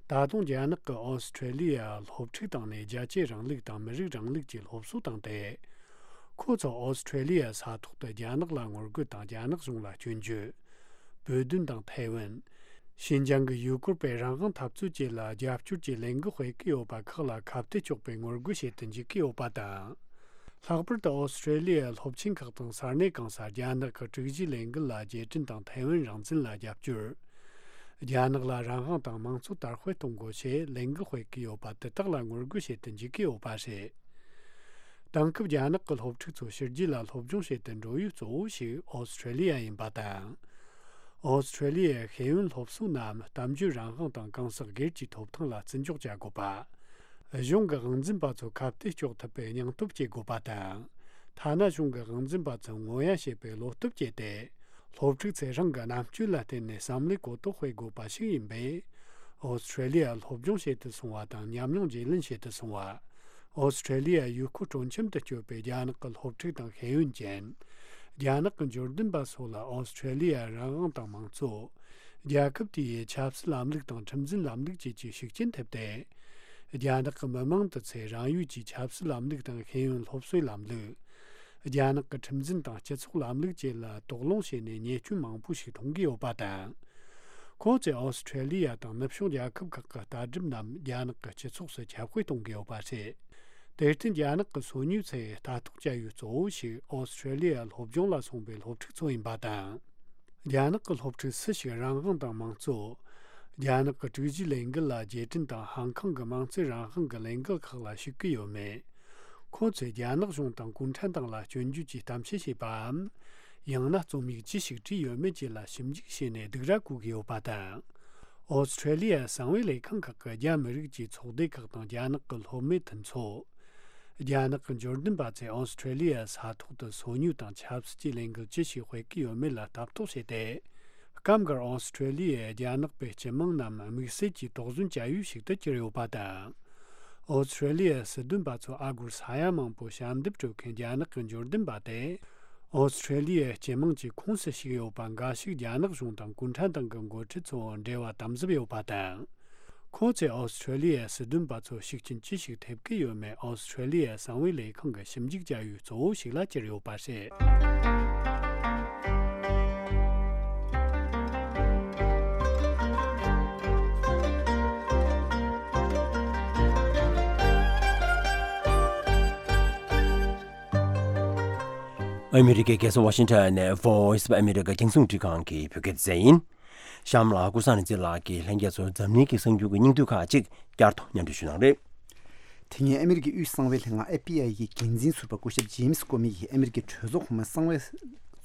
ད་དུང་རྒྱ་ནག་གིས་ཨོ་སི་ཀྲི་ལི་ཡར་སློབ་ཕྲུག་བཏང་ནས་རྒྱལ་གཅེས་རིང་ལུགས་དང་མི་རིགས་རིང་ལུགས་ཀྱི་སློབ་གསོ་བཏང་སྟེ། ཁོ་ཚོ་ཨོ་སི་ཀྲི་ལི་ཡའི་ས་ཐོག་ཏུ་རྒྱ་ནག་ལ་ངོ་རྒོལ་དང་རྒྱ་ནག་གཞུང་ལ་སྐྱོན་བརྗོད། བོད་དོན་དང་ཐའེ་ཝན། ཤིན་ཅང་གི་ཡུལ་སྐོར་པའི་རང་དབང་འཐབ་རྩོད་བཅས་ལ་རྒྱབ་སྐྱོར་གྱི་ལས་འགུལ་སྤེལ་གྱི་ཡོད་པ་ཁག་ལ་ཁ་གཏད་གཅོག་པའི་ངོ་རྒོལ་བྱེད་དུ་འཇུག་གི་ཡོད་པ་དང་། ལྷག་པར་དུ་ཨོ་སི་ཀྲེ་ལི་ཡའི་སློབ་ཆེན་ཁག་དང་ས་གནས་གང་སར་རྒྱ་ནག་གི་དྲུག་གཞིའི་ལས་འགུལ་ལ་རྗེས་དྲན་དང་ཐའེ་ཝན་རང་བཙན་ལ་རྒྱབ་སྐྱོར། རྒྱ་ནག་ལ་རང་དབང་དང་དམངས་གཙོ་དར་སྤེལ་གཏོང་དགོས་ཞེས་ལས་འགུལ་སྤེལ་གྱི་ཡོད་པ་དེ་དག་ལ་ངོ་རྒོལ་བྱེད་དུ་འཇུག་གི་ཡོད་པ་རེད། དེང་སྐབས་རྒྱ་ནག་གི་སློབ་ཕྲུག་ཚོ་ཕྱི་རྒྱལ་ལ་སློབ་སྦྱོང་བྱེད་དུ་འགྲོ་ཡུལ་གཙོ་བོ་ཞིག་ཨོ་སི་ཀྲེ་ལི་ཡ་ཡིན་པ་དང་། ཨོ་སི་ཀྲེ་ལི་ཡའི་ཤེས་ཡོན་སློབ་གསོ་རྣམས་གཏམ་བརྗོད་རང་དབང་དང་གང་ཟག་སྒེར་གྱི་ཐོབ་ཐང་ལ་བརྩི་འཇོག་བྱ་དགོས་པ། གཞུང་གི་དབང་འཛིན་པ་ཚོ་ཁ་གཏད་གཅོག་ཐུབ་པའི་སྙིང་སྟོབས་སྐྱེད་དགོས་པ་དང་། ཐ་ན་གཞུང་གི་དབང་འཛིན་པ་ཚོ་ངོ་ཡ་བྱེད་པའི་བློ་སྟོབས་སྐྱེད་དེ། སློབ་ཕྲུག་ཚོས་རང་གི་རྣམ་དཔྱོད་ལ་བརྟེན་ནས་བསམ་བློའི་གོ་རྟོགས་སྤེལ་དགོས་པ་ཞིག་ཡིན་པས། ཨོ་སི་ཀྲེ་ལི་ཡར་སློབ་སྦྱོང་བྱེད་དུ་སོང་བ་དང་ཉམས་མྱོང་བརྗེ་ལེན་བྱེད་དུ་སོང་བ། ཨོ་སི་ཀྲེ་ལི་ཡའི་ཡུལ་སྐོར་སྤྲོ་འཆམ་དུ་བསྐྱོད་པའི་རྒྱ་ནག་གི་སློབ་ཕྲུག་དང་ཤེས་ཡོན་ཅན། རྒྱ་ནག་གི་འབྱོར་ལྡན་པ་སོགས་ལ་ཨོ་སི་ཀྲེ་ལི་ཡའི་རང་དབང་དང་དམངས་གཙོ། རྒྱལ་ཁབ་དེའི་ཆབ་སྲིད་ལམ་ལུགས་དང་ཁྲིམས་འཛིན་ལམ་ལུགས་བཅས་ཀྱི་ཤུགས་རྐྱེན་ཐེབས་ཏེ། རྒྱ་ནག་གི་མི་མང་དུ་ཚོས་རང་ཡུལ་གྱི་ཆབ་སྲིད་ལམ་ལུགས་དང་ཤེས་ཡོན་སློབ་གསོའི་ལམ་ལུགས། རྒྱ་ནག་གི་ཁྲིམས་འཛིན་དང་སྤྱི་ཚོགས་ལམ་ལུགས་བཅས་ལ་དོགས་སློང་བྱས་ནས་ཉེས་སྐྱོན་མང་པོ་ཞིག་མཐོང་གི་ཡོད་པ་དང་། ཁོང་ཚོས་ཨོ་སི་ཁྲེ་ལི་ཡ་དང་ནུབ་ཕྱོགས་རྒྱལ་ཁབ་ཁག་གི་ལྟ་གྲུབ་རྣམས་རྒྱ་ནག་གི་སྤྱི་ཚོགས་སུ་ཁྱབ་སྤེལ་གཏོང་གི་ཡོད་པ་རེད། དེར་བརྟེན་རྒྱ་ནག་གི་སོ་ཉུལ་ཚོས་ལྟ་རྟོག་བྱ་ཡུལ་གཙོ་བོ་ཞིག་ཨོ་སི་ཁྲེ་ལི་ཡར་སློབ་སྦྱོང་ལ་སོང་པའི་སློབ་ཕྲུག་ཚོ་ཡིན་པ་དང་། རྒྱ་ནག་གི་སློབ་ཕྲུག་སུ་ཞིག་རང་དབང་དང་དམངས་གཙོ། རྒྱ་ནག་གི་དྲུག་གཞིའི་ལས་འགུལ་ལ་རྗེས་དྲན་དང་ཧང་ཁང་གི་དམངས་གཙོའི་རང་དབང་གི་ལས་འགུལ་ཁག་ལ་ཞུགས་ཀྱི་ཡོད་མེད། ཁོང་ཚོས་རྒྱ་ནག་གཞུང་དང་གུང་ཁྲན་ཏང་ལ་སྐྱོན་བརྗོད་ཀྱི་གཏམ་བཤད་བྱས་པའམ། ཡང་ན་རྩོམ་ཡིག་ཅི་ཞིག་བྲིས་ཡོད་མེད་བཅས་ལ་ཞིབ་འཇུག་བྱས་ནས་སྡིགས་ར་བསྐུལ་གྱི་ཡོད་པ་དང་། ཨོ་སི་ཁྲེ་ལི་ཡའི་གསང་བའི་ལས་ཁང་ཁག་གིས་རྒྱ་མི་རིགས་ཀྱི་ཚོགས་སྡེ་ཁག་དང་རྒྱ་ནག་གི་སློབ་མའི་མཐུན་ཚོགས། རྒྱ་ནག་གི་འབྱོར་ལྡན་པ་ཚོས་ཨོ་སི་ཁྲེ་ལི་ཡའི་ས་ཐོག་ཏུ་སོ་ཉུལ་དང་ཆབ་སྲིད་ཀྱི་ལས་འགུལ་ཅི་ཞིག་སྤེལ་གྱི་ཡོད་མེད་ལ་ལྟ་རྟོག་བྱས་ཏེ། སྐབས་འགར་ཨོ་སི་ཁྲེ་ལི་ཡས་རྒྱ་ནག་པའི་སྤྱི་དམངས་རྣམས་དམིགས་བསལ་གྱི་དོགས་ཟོན་བྱ་ཡུལ་ཞིག་ཏུ་གྱུར་ཡོད་པ་དང་། ཨོ་སི་ཁྲེ་ལི་ཡའི་སྲིད་དོན་པ་ཚོ་ཨ་སྒོར་ས་ཡ་མང་པོ་ཞབས་འདེབས་སྤྲོད་མཁན་རྒྱ་ནག་གི་འབྱོར་ལྡན་པ་དེ། ཨོ་སི་ཁྲེ་ལི་ཡའི་སྤྱི་དམངས་ཀྱི་ཁོངས་སུ་ཞུགས་ཡོད་པ་འགའ་ཞིག་རྒྱ་ནག་གཞུང་དང་གུང་ཁྲན་ཏང་གི་འགོ་ཁྲིད་ཚོ་འབྲེལ་བ་དམ་ཟབ་ཡོད་པ་དང་། ཁོང་ཚོས་ཨོ་སི་ཁྲེ་ལི་ཡའི་སྲིད་དོན་པ་ཚོར་ཤུགས་རྐྱེན་ཅི་ཞིག་ཐེབས་ཀྱི་ཡོད་མེད་ཨོ་སི་ཁྲེ་ལི་ཡའི་གསང་བའི་ལས་ཁང་གི་ཞིབ་འཇུག་བྱ་ཡུལ་གཙོ་བོ་ཞིག་ལ་གྱུར་ཡོད་པ་རེད། ཨ་མི་རི་ཀའི་རྒྱལ་ས་ཝ་ཤིང་ཊོན་ནས་Voice of America རྒྱང་སྲིང་འཕྲིན་ཁང་གི་བོད་སྐད་སྡེ་ཚན་ཡིན། གཤམ་ལ་ཀུན་བཟང་རིག་འཛིན་ལགས་ཀྱིས་ལྷན་རྒྱས་ཚོར་འཛམ་གླིང་གི་གསར་འགྱུར་གྱི་སྙིང་བསྡུས་ཁག་ཅིག་བསྐྱར་དུ་སྙན་སྒྲོན་ཞུ་གནང་རེད། དེ་སྔོན་ཨ་མི་རི་ཀའི་དབུས་གསང་བའི་ལྷན་ཁང་ཨེཕ་བི་ཨའི་གི་འགན་འཛིན་ཟུར་པ་སྐུ་ཞབས་ཇེམ་སི་ཀོ་མི་ཡིས་ཨ་མི་རི་ཀའི་གྲོས་ཚོགས་གོང་མའི་གསང་བའི་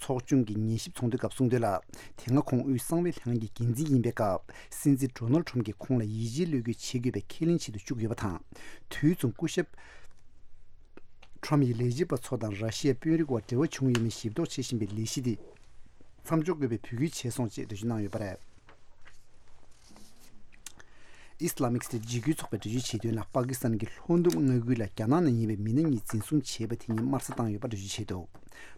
ཚོགས་ཆུང་གི་ཉན་ཞིབ་ཚོགས་འདུའི་སྐབས་གསུངས་དོན་ལ། དེ་སྔ་ཁོང་དབུས་གསང་བའི་ལྷན་ཁང་གི་འགན་འཛིན་ཡིན་པའི་སྐབས་སྲིད་འཛིན་ཌོ་ནལ་ཊམ་གྱིས་ཁོང་ལ་ཡིད་ཆེས་བློས་འགེལ་བྱེད་དགོས་པའི་ཁས་ལེན་བྱེད་དུ་བཅུག་ཡོད་པ་དང་། དུས་མཚུངས་སྐུ་ཞབས་ཊམ་ཡིས་ལས་བྱེད་པ་ཚོ་དང་ར་ཤི་ཡའི་དཔོན་རིགས་བར་འབྲེལ་བ་བྱུང་ཡོད་མེད་ཞིབ་རྟོག་བྱེད་བཞིན་པའི་ལས་གཞི་དེ་མཚམས་འཇོག་དགོས་པའི་འབོད་སྐུལ་བྱས་སོང་ཅེས་འགྲེལ་བརྗོད་གནང་ཡོད་པ་རེད། ཨིས་ལ་མིག་སི་ཊེཊ་འཇིགས་སྐུལ་ཚོགས་པས་འགྲེལ་བརྗོད་བྱས་དོན་ལ། པ་ཀི་སི་ཐན་གྱི་ལྷོ་ནུབ་མངའ་ཁུལ་ལ་རྒྱ་ནག་ནས་ཡིན་པའི་མི་སྣ་གཉིས་འཛིན་བཟུང་བྱས་པ་དེ་ཉིད་དམར་གསོད་བཏང་ཡོད་པ་འགྲེལ་བརྗོད་བྱས་འདུག་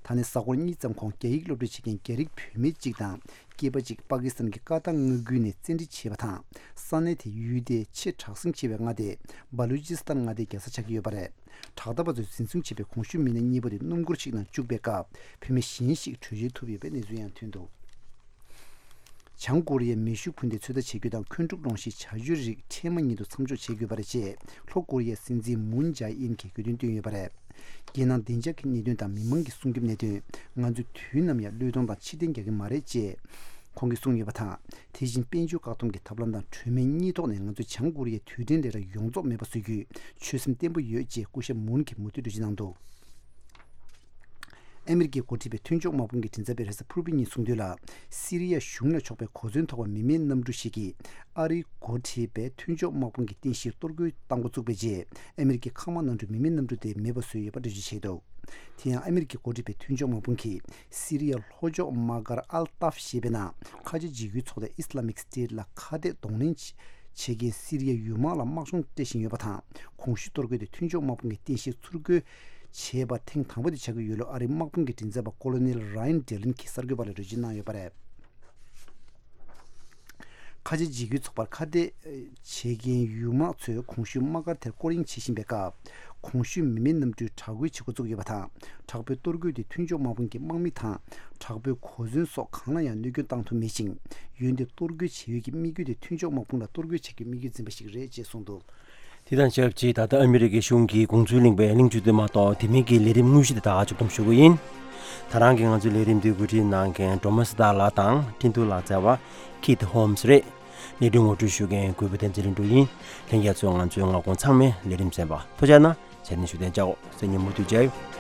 ད་ནི་གཟའ་འཁོར་གཉིས་ཙམ་གོང་རྒྱ་ཡིག་སློབ་ཁྲིད་བྱེད་མཁན་རྒྱ་རིགས་བུད་མེད་ཅིག་དང་སྐྱེས་པ་ཅིག་པ་ཀི་སི་ཐན་གྱི་ཀ་ཏར་མངའ་ཁུལ་ནས་བཙན་ཁྲིད་བྱས་པ་དང་། ས་གནས་དེའི་ཡུལ་དེའི་ཆེས་དྲག་ཟིང་ཆེ་བའི་མངའ་སྡེ་སྦ་ལུ་ཅི་སི་ཐན་མངའ་སྡེའི་རྒྱལ་ས་ཆགས་ཀྱི་ཡོད་པ་རེད། དྲག་འཐབ་པ་ཚོས་འཛིན་བཟུང་བྱས་པའི་གོང་ཞུས་མི་སྣ་གཉིས་པོ་དེ་སྣུམ་འཁོར་ཞིག་ནང་བཅུག་པའི་སྐབས་བུད་མེད་གཞན་ཞིག་བྲོས་བྱོལ་ཐུབ་ཡོད་པའི་གནས་ཚུལ་ཡང་ཐོན་འདུག་བྱང་ཀོ་རི་ཡས་མེ་ཤུགས་འཕུར་མདེལ་ཚོད་ལྟ་བྱེད་རྒྱུ་དང་འཁོན་འཁྲུག་སློང་གཞིའི་བྱ་སྤྱོད་རིགས་འཕྲལ་མ་ཉིད་དུ་མཚམས་འཇོག་བྱེད་དགོས་པ་རེད་ཅེས་ལྷོ་ཀོ་རི་ཡའི་སྲིད་འཛིན་མུན་ཇཱ་ཨིན་གྱིས་དགོས་འདུན་བཏོན་ཡོད་པ་རེད། རྒྱལ་ནང་བདེ་འཇགས་ཀྱི་གནད་དོན་དང་མི་མང་གི་སྲུང་སྐྱོབ་གནད་དོན། ང་ཚོས་དུས་ནམ་ཡང་བློས་གཏོང་དང་ཕྱིར་འཐེན་རྒྱག་གི་མ་རེད་ཅེས་ཁོང་གིས་གསུངས་ཡོད་པ་དང་། དེ་བཞིན་དཔལ་འབྱོར་བཀག་སྡོམ་གྱི་ཐབས་ལམ་དང་གྲོས་མོལ་གཉིས་ཐོག་ནས་ང་ཚོས་བྱང་ཀོ་རི་ཡའི་དུས་དྲན་ལས་ར་ཡོངས་རྫོགས་མེད་པ་བཟོ་རྒྱུའི་ཆོད་སེམས་བརྟན་པོ་ཡོད་ཅེས་སྐུ་ཞབས་མུན་གྱིས་མུ་མཐུད་འགྲེལ་བརྗོད་གནང་འདུག་ཨ་མི་རི་ཀའི་འགོ་ཁྲིད་པའི་མཐུན་ཕྱོགས་དམག་དཔུང་གི་མགྲིན་ཚབ་པས་རེས་གཟའ་ཕུར་བུའི་ཉིན་གསུངས་དོན་ལ། སི་རི་ཡ་གཞུང་ལ་ཕྱོགས་པའི་གོ་མཚོན་ཐོགས་པ་མི་མེད་གནམ་གྲུ་ཞིག་གིས་ཨ་རིའི་འགོ་ཁྲིད་པའི་མཐུན་ཕྱོགས་དམག་དཔུང་གི་རྟེན་གཞིར་གཏོར་རྒོལ་བཏང་འགོ་བཙུགས་པའི་རྗེས། ཨ་མི་རི་ཀའི་མཁའ་དམག་གནམ་གྲུས་མི་མེད་གནམ་གྲུ་དེ་མེད་པ་བཟོས་ཡོད་པ་འགྲེལ་བརྗོད་བྱས་འདུག་དེ་ཡང་ཨ་མི་རི་ཀའི་འགོ་ཁྲིད་པའི་མཐུན་ཕྱོགས་དམག་དཔུང་གིས་སི་རི་ཡའི་ལྷོ་ཕྱོགས་དམག་སྒར་ཨལ་ཏཱབ་ཞེས་པའི་ནང་ཁ་ཆེ་འཇིགས་སྐུལ་ཚོགས་སྡེ་ཨིས་ལ་མིག་སི་ཊེཊ་ལ་ཁ་གཏད་གདོང་ལེན་བྱེད་མཁན་སི་རི་ཡའི་ཡུལ་དམག་ལ་དམག་སྦྱོང་སྤྲད་བཞིན་ཡོད་པ་དང་། གོང་ཞུས་གཏོར་རྒོལ་དེ་མཐུན་ཕྱོགས་དམག་དཔུང་གི་རྟེན་གཞིར་ཚུར་རྒོལ་བྱས་པ་ཐེངས་དང་པོ་དེ་ཆགས་ཀྱི་ཡོད་ལུགས་ཨ་རིའི་དམག་དཔུང་གི་མགྲིན་ཚབ་པ་ཀོ་ལོ་ནེལ་ར་ཡན་ཌེ་ལིན་གྱིས་གསར་འགོད་པ་ལ་འགྲེལ་བརྗོད་གནང་ཡོད་པ་རེད། ཁ་ཆེ་འཇིགས་སྐུལ་ཚོགས་པར་ཁ་གཏད་བྱེད་མཁན་ཡུལ་དམག་ཚོས་གོང་ཞུས་དམག་སྒར་དེར་སྐོར་གཡེང་བྱེད་བཞིན་པའི་སྐབས། གོང་ཞུས་མི་མེད་གནམ་གྲུས་དྲག་རྒོལ་བྱེད་འགོ་བཙུགས་ཡོད་པ་དང་། དྲག་པོའི་གཏོར་རྒོལ་དེ་མཐུན་ཕྱོགས་དམག་དཔུང་གི་དམག་མི་དང་། དྲག་པོའི་གོ་མཚོན་སོགས་གང་ལ་ཡང་གནོད་སྐྱོན་བཏང་ཐུབ་མེད་ཅིང་། འོན་ཏེ་གཏོར་རྒོལ་བྱེད་ཡུལ་གྱི་དམིགས་ཡུལ་དེ་མཐུན་ཕྱོགས་དམག་དཔུང་ལ་གཏོར་རྒོལ་བྱེད་རྒྱུའི་དམིགས་ཡུལ་འཛིན་པ་ཞིག་རེད་ཅེས་གསུངས་འདུག་དེ་དང་ཆབས་ཅིག་ད་ལྟ་ཨ་མི་རི་ཀའི་གཞུང་གིས་དགོངས་ཚུལ་གླེང་བའི་གླེང་བརྗོད་དེ་མ་གཏོགས་དེ་མིན་གྱི་ལས་རིམ་དངོས་གཞི་དེ་དག་མཇུག་བསྡོམས་ཞུ་གི་ཡིན། ད་རང་གིས་ང་ཚོའི་ལས་རིམ་འདི་གོ་སྒྲིག་གནང་མཁན་སྒྲོལ་མ་སྲི་ཐར་ལགས་དང་འཕྲིན་ཐུང་ལག་རྩལ་བ་ཁིད་ཧོམ་སི་རེད། ལས་རིམ་ངོ་སྤྲོད་ཞུ་མཁན་གུས་པ་བསྟན་འཛིན་ལྷུན་གྲུབ་ཡིན། ལྷན་རྒྱས་ཚོས་ང་ཚོའི་མངའ་ཁོངས་ཚང་མའི་ལས་རིམ་གསན་པ་ཐུགས་རྗེ་གནང་། ཚེ་རིང་ཞུ་དོན་བཅའོ། སེ་ཉིན་མུ་མཐུད་མཇལ་ཡོང་།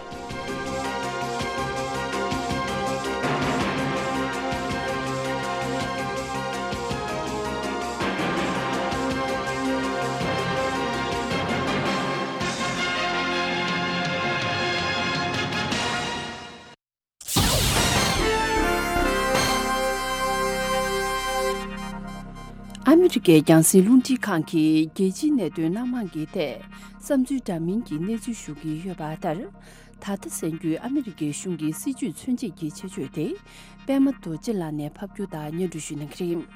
ཨ་མི་རི་ཀའི་རྒྱང་སྲིང་རླུང་འཕྲིན་ཁང་གིས་རྒྱལ་སྤྱིའི་གནད་དོན་སྣ་མང་གི་ཐད་བསམ་ཚུལ་འདྲ་མིན་གྱི་གནས་ཚུལ་ཞུ་གི་ཡོད་པ་ལྟར། ད་ལྟ་གསན་རྒྱུའི་ཨ་མི་རི་ཀའི་གཞུང་གི་སྲིད་ཇུས་མཚོན་བྱེད་ཀྱི་ཆེད་བརྗོད་དེ། པད་མ་རྡོ་རྗེ་ལགས་ནས་ཕབ་སྒྱུར་དང་སྙན་སྒྲོན་ཞུ་གནང་གི་རེད།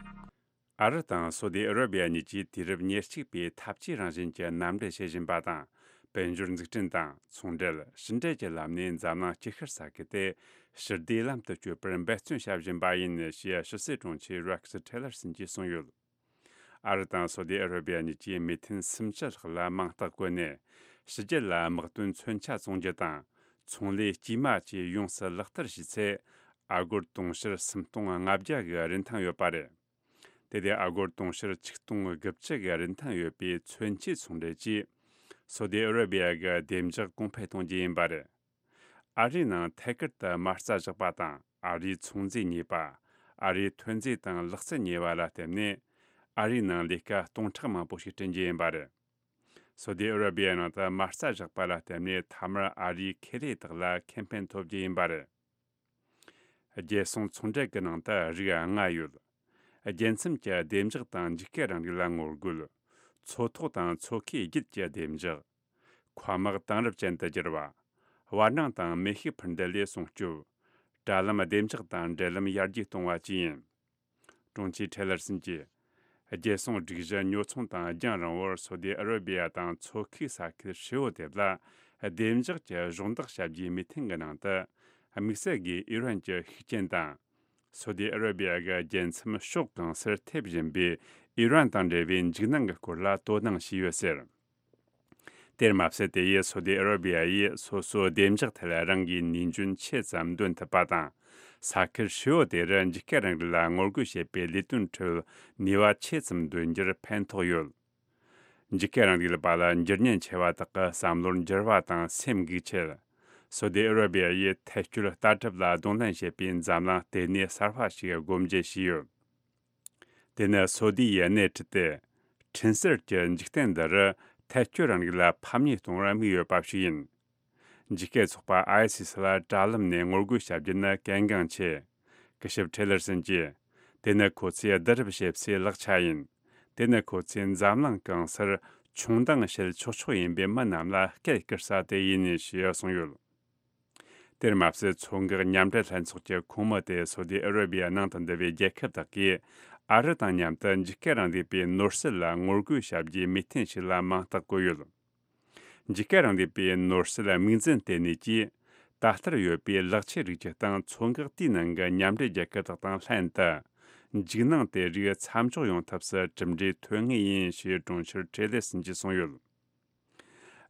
ཨ་རི་དང་སོ་ཏི་ཨ་ར་བི་ཡ་གཉིས་ཀྱིས་དུས་རབས་ཉེར་གཅིག་པའི་འཐབ་ཇུས་རང་བཞིན་གྱི་མཉམ་འབྲེལ་བྱེད་བཞིན་པ་དང་། དཔལ་འབྱོར་འཛུགས་སྐྲུན་དང་ཚོང་འབྲེལ། ཕྱི་འབྲེལ་གྱི་ལམ་ནས་འཛམ་གླིང་སྐྱིད་ཤར་ས་ཁུལ་དེ་ཞི་བདེའི་ལམ་དུ་བསྐྱོད་པར་འབད་བརྩོན་བྱ་བཞིན་པ་ཡིན་ཞེས་ཕྱི་སྲིད་དྲུང་ཆེ་རེག་སི་ཐེ་ལར་སན་གྱིས་གསུངས་ཡོད། ཨ་རི་དང་སོ་ཏི་ཨ་ར་བི་ཡ་གཉིས་ཀྱིས་མི་ཐོན་སུམ་ཅུ་ལྷག་ལ་མིང་རྟགས་བཀོད་ནས། ཕྱི་རྒྱལ་ལ་དམག་དོན་མཚོན་ཆ་བཙོང་རྒྱུ་དང་། ཚོང་ལས་དཀྱུས་མ་བཅས་ཡོངས་སུ་ལག་བསྟར་བྱས་ཚེ། ཨ་སྒོར་དུང་ཕྱུར་སུམ་སྟོང་ལྔ་བརྒྱ་གི་རིན་ཐང་ཡོད་པ་རེད། དེ་དེ་ཨ་སྒོར་དུང་ཕྱུར་ཆིག་སྟོང་དགུ་བཅུ་གི་རིན་ཐང་ཡོད་པའི་མཚོན་ཆའི་ཚོང་འབྲེལ་གྱིས། སོ་ཏི་ཨ་ར་བི་ཡ་གི་བདེ་འཇགས་གོང་འཕེལ་གཏོང་རྒྱུ་ཡིན་པ་རེད། ཨ་རིའི་ནང་ཐད་ཀར་དུ་མ་རྩ་བཞག་པ་དང་། ཨ་རིའི་ཚོང་རྫས་རྙེད་པ། ཨ་རིའི་ཐོན་རྫས་དང་ལག་རྩལ་རྙེད་པ་ལ་བརྟེན་ནས། ཨ་རིའི་ནང་ལས་ཀ་སྟོང་ཕྲག་མང་པོ་ཞིག་བསྐྲུན་རྒྱུ་ཡིན་པ་རེད། སོ་ཏི་ཨ་ར་བི་ཡའི་ནང་དུ་མ་རྩ་བཞག་པ་ལ་བརྟེན་ནས། མཐའ་མར་ཨ་རིའི་ཁེ་ལས་དག་ལ་ཁེ་ཕན་ཐོབ་རྒྱུ་ཡིན་པ་རེད། རྒྱལ་སྲུང་ཚོང་འབྲེལ་གྱི་ནང་དུ་རིགས་ལྔ་ཡོད། རྒྱལ་མཚམས་ཀྱི་བདེ་འཇགས་དང་འཇིགས་སྐུལ་རིང་ལུགས་ལ་ངོ་རྒོལ། མཚོ་ཐོག་དང་མཚོ་ཁའི་རྒྱུད་ཀྱི་བདེ་འཇགས། མཁའ་དམག་དེང་རབས་ཅན་དུ་བསྒྱུར་བ། བར་སྣང་དང་མེ་ཤུགས་འཕུར་མདེལ་ལས་སྲུང་སྐྱོབ། དྲ་ལམ་བདེ་འཇགས་དང་འབྲེལ་ལམ་ཡར་རྒྱས་གཏོང་བ་བཅས་ཡིན། དྲུང་ཆེ་ཐེ་ལར་སན་གྱིས། རྒྱལ་སྲུང་སྒྲིག་གཞི་ཉོ་ཚོང་དང་རྒྱང་རིང་བོར་སོ་ཏི་ཨ་ར་བི་ཡ་དང་མཚོ་ཁུག་ས་ཁུལ་ཧྲིལ་བོ་དེ་ལ་བདེ་འཇགས་ཀྱི་གཞོགས་འདེགས་བྱ་རྒྱུའི་མོས་མཐུན་གྱི་ནང་དུ། དམིགས་བསལ་སྒོས་ཨི་རན་གྱི་ཤུགས་རྐྱེན་དང་། སོ་ཏི་ཨ་ར་བི་ཡ་གི་རྒྱལ་མཚམས་ཕྱོགས་གང་སར་ཐེབས་བཞིན་པའི་ཨི་རན་དང་འབྲེལ་བའི་འཇིགས་སྣང་གི་སྐོར་ལ་དོ་སྣང་བྱས་ཡོད་ཟེར། དེར་མ་ཟད། དེ་ཡིས་སོ་ཏི་ཨ་ར་བི་ཡ་ཡིས་སོ་སོའི་བདེ་འཇགས་ཐད་རང་གིས་ནུས་འཇོན་ཆེ་ཙམ་འདོན་ཐུབ་པ་དང་། ས་ཁུལ་ཧྲིལ་བོ་དེ་རུ་འཇིགས་སྐུལ་རིང་ལུགས་ལ་ངོ་རྒོལ་བྱེད་པའི་ལས་དོན་ཁྲོད་ནུས་པ་ཆེ་ཙམ་འདོན་རྒྱུར་ཕན་ཐོགས་ཡོད། འཇིགས་སྐུལ་རིང་ལུགས་པ་ལ་འགྱུར་ཉེན་ཆེ་བ་དག་གི་བསམ་བློར་འགྱུར་བ་དང་སེམས་འགུག་ཆེད། སོ་ཏི་ཨ་ར་བི་ཡ་ཡིས་ཐལ་སྐྱོད་ལྟ་གྲུབ་ལ་གདོང་ལེན་བྱེད་པའི་འཛམ་གླིང་ལྟེ་གནས་གསར་པ་ཞིག་སྒོ་འབྱེད་བྱས་ཡོད། དེ་ནི་སོ་ཏི་ཡིས་སྣེ་ཁྲིད་དེ། འཕྲིན་གསར་གྱི་འཇིག་རྟེན་འདི་རུ་ཐལ་སྐྱོད་རིང་ལུགས་ལ་ཕམ་ཉེས་གཏོང་བར་དམིགས་ཡོད་པ་ཞིག་ཡིན། འཇིགས་སྐུལ་ཚོགས་པ་ཨའི་སི་སི་ལ་དྲ་ལམ་ནས་ངོ་རྒོལ་བྱ་རྒྱུ་ནི་གལ་འགངས་ཆེ། སྐུ་ཞབས་ཁྲེ་ལར་སན་གྱིས། དེ་ནི་ཁོ་ཚོས་བསྡུ་རུབ་བྱེད་སའི་ལག་ཆ་ཡིན། དེ་ནི་ཁོ་ཚོས་འཛམ་གླིང་གང་སར་ཆུང་མདངས་བཤད་ཆོག་ཆོག་ཡིན་པའི་མི་རྣམས་ལ་སྐད་བསྐུར་ས་དེ་ཡིན་ཞེས་གསུངས་ཡོད། དེར་མ་ཟད། མཚོ་འགག་མཉམ་འབྲེལ་ལྷན་ཚོགས་ཀྱི་ཁོངས་མི་དེ་སོ་ཏི་ཨ་ར་བི་ཡ་ནང་དུ་འདུ་བའི་རྒྱལ་ཁབ་དག་གིས་ཨ་རི་དང་མཉམ་དུ་འཇིགས་སྐུལ་རིང་ལུགས་པའི་ནོར་སྲིད་ལ་ངོ་རྒོལ་བྱ་རྒྱུའི་མོས་མཐུན་ཞིག་ལ་མིང་རྟགས་བཀོད་ཡོད། འཇིགས་སྐུལ་རིང་ལུགས་པའི་ནོར་སྲིད་དམིགས་འཛིན་ལྟེ་གནས་ཀྱིས། ད་ལྟར་ཡོད་པའི་ལག་ཆའི་རིགས་ཀྱི་སྟེང་མཚོ་འགག་དེའི་ནང་གི་མཉམ་འབྲེལ་རྒྱལ་ཁབ་དག་དང་ལྷན་དུ། འཇིགས་སྣང་དེ་རིགས་མཚམས་འཇོག་ཡོང་ཐབས་སུ་གྲུབ་འབྲས་ཐོན་ངེས་ཡིན་ཞེས་གྲོང་ཁྱེར་ཁྲེ་ལེ་སིན་གྱིས་གསུངས་ཡོད།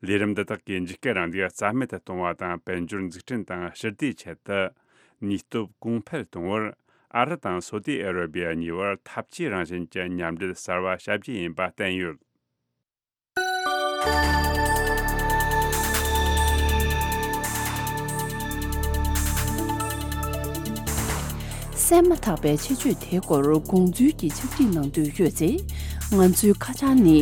ལས་རིམ་འདི་དག་གིས་འཇིགས་སྐུལ་རིང་ལུགས་རྩ་མེད་དུ་གཏོང་བ་དང་། དཔལ་འབྱོར་འཛུགས་སྐྲུན་དང་ཞི་བདེའི་ཆེད་དུ་ནུས་སྟོབས་གོང་འཕེལ་གཏོང་བར། ཨ་རི་དང་སོ་ཏི་ཨ་ར་བི་ཡ་གཉིས་བར་འཐབ་ཇུས་རང་བཞིན་གྱི་མཉམ་འབྲེལ་གསར་བ་བྱ་རྒྱུ་ཡིན་པ་བསྟན་ཡོད། གསན་མ་ཐག་པའི་ཆེད་བརྗོད་དེའི་སྐོར་དགོངས་ཚུལ་གྱི་ཕྱག་བྲིས་གནང་འདོད་ཡོད་ཚེ། ང་ཚོའི་ཁ་བྱང་ནི།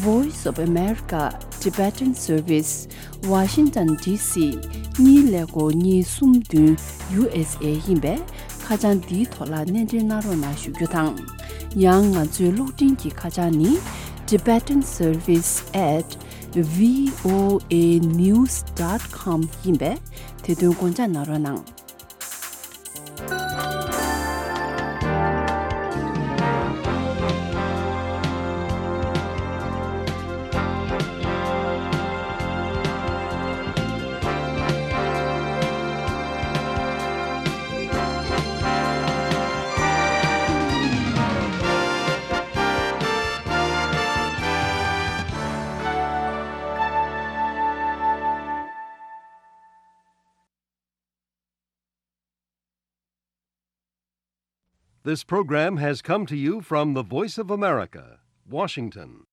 Voice of America Tibetan Service Washington D C གཉིས་ཀླད་ཀོར་གཉིས་གསུམ་བདུན་U S A ཡིན་པས། ཁ་བྱང་འདིའི་ཐོག་ལ་སྣེ་འདྲེན་གནང་རོགས་གནང་ཞུ་རྒྱུ་དང་། ཡང་ང་ཚོའི་གློག་འཕྲིན་གྱི་ཁ་བྱང་ནི། Tibetan Service at V O A news dot com ཡིན་པས། དེ་དོན་དགོངས་འཇགས་གནང་རོགས་གནང་། This program has come to you from the Voice of America, Washington.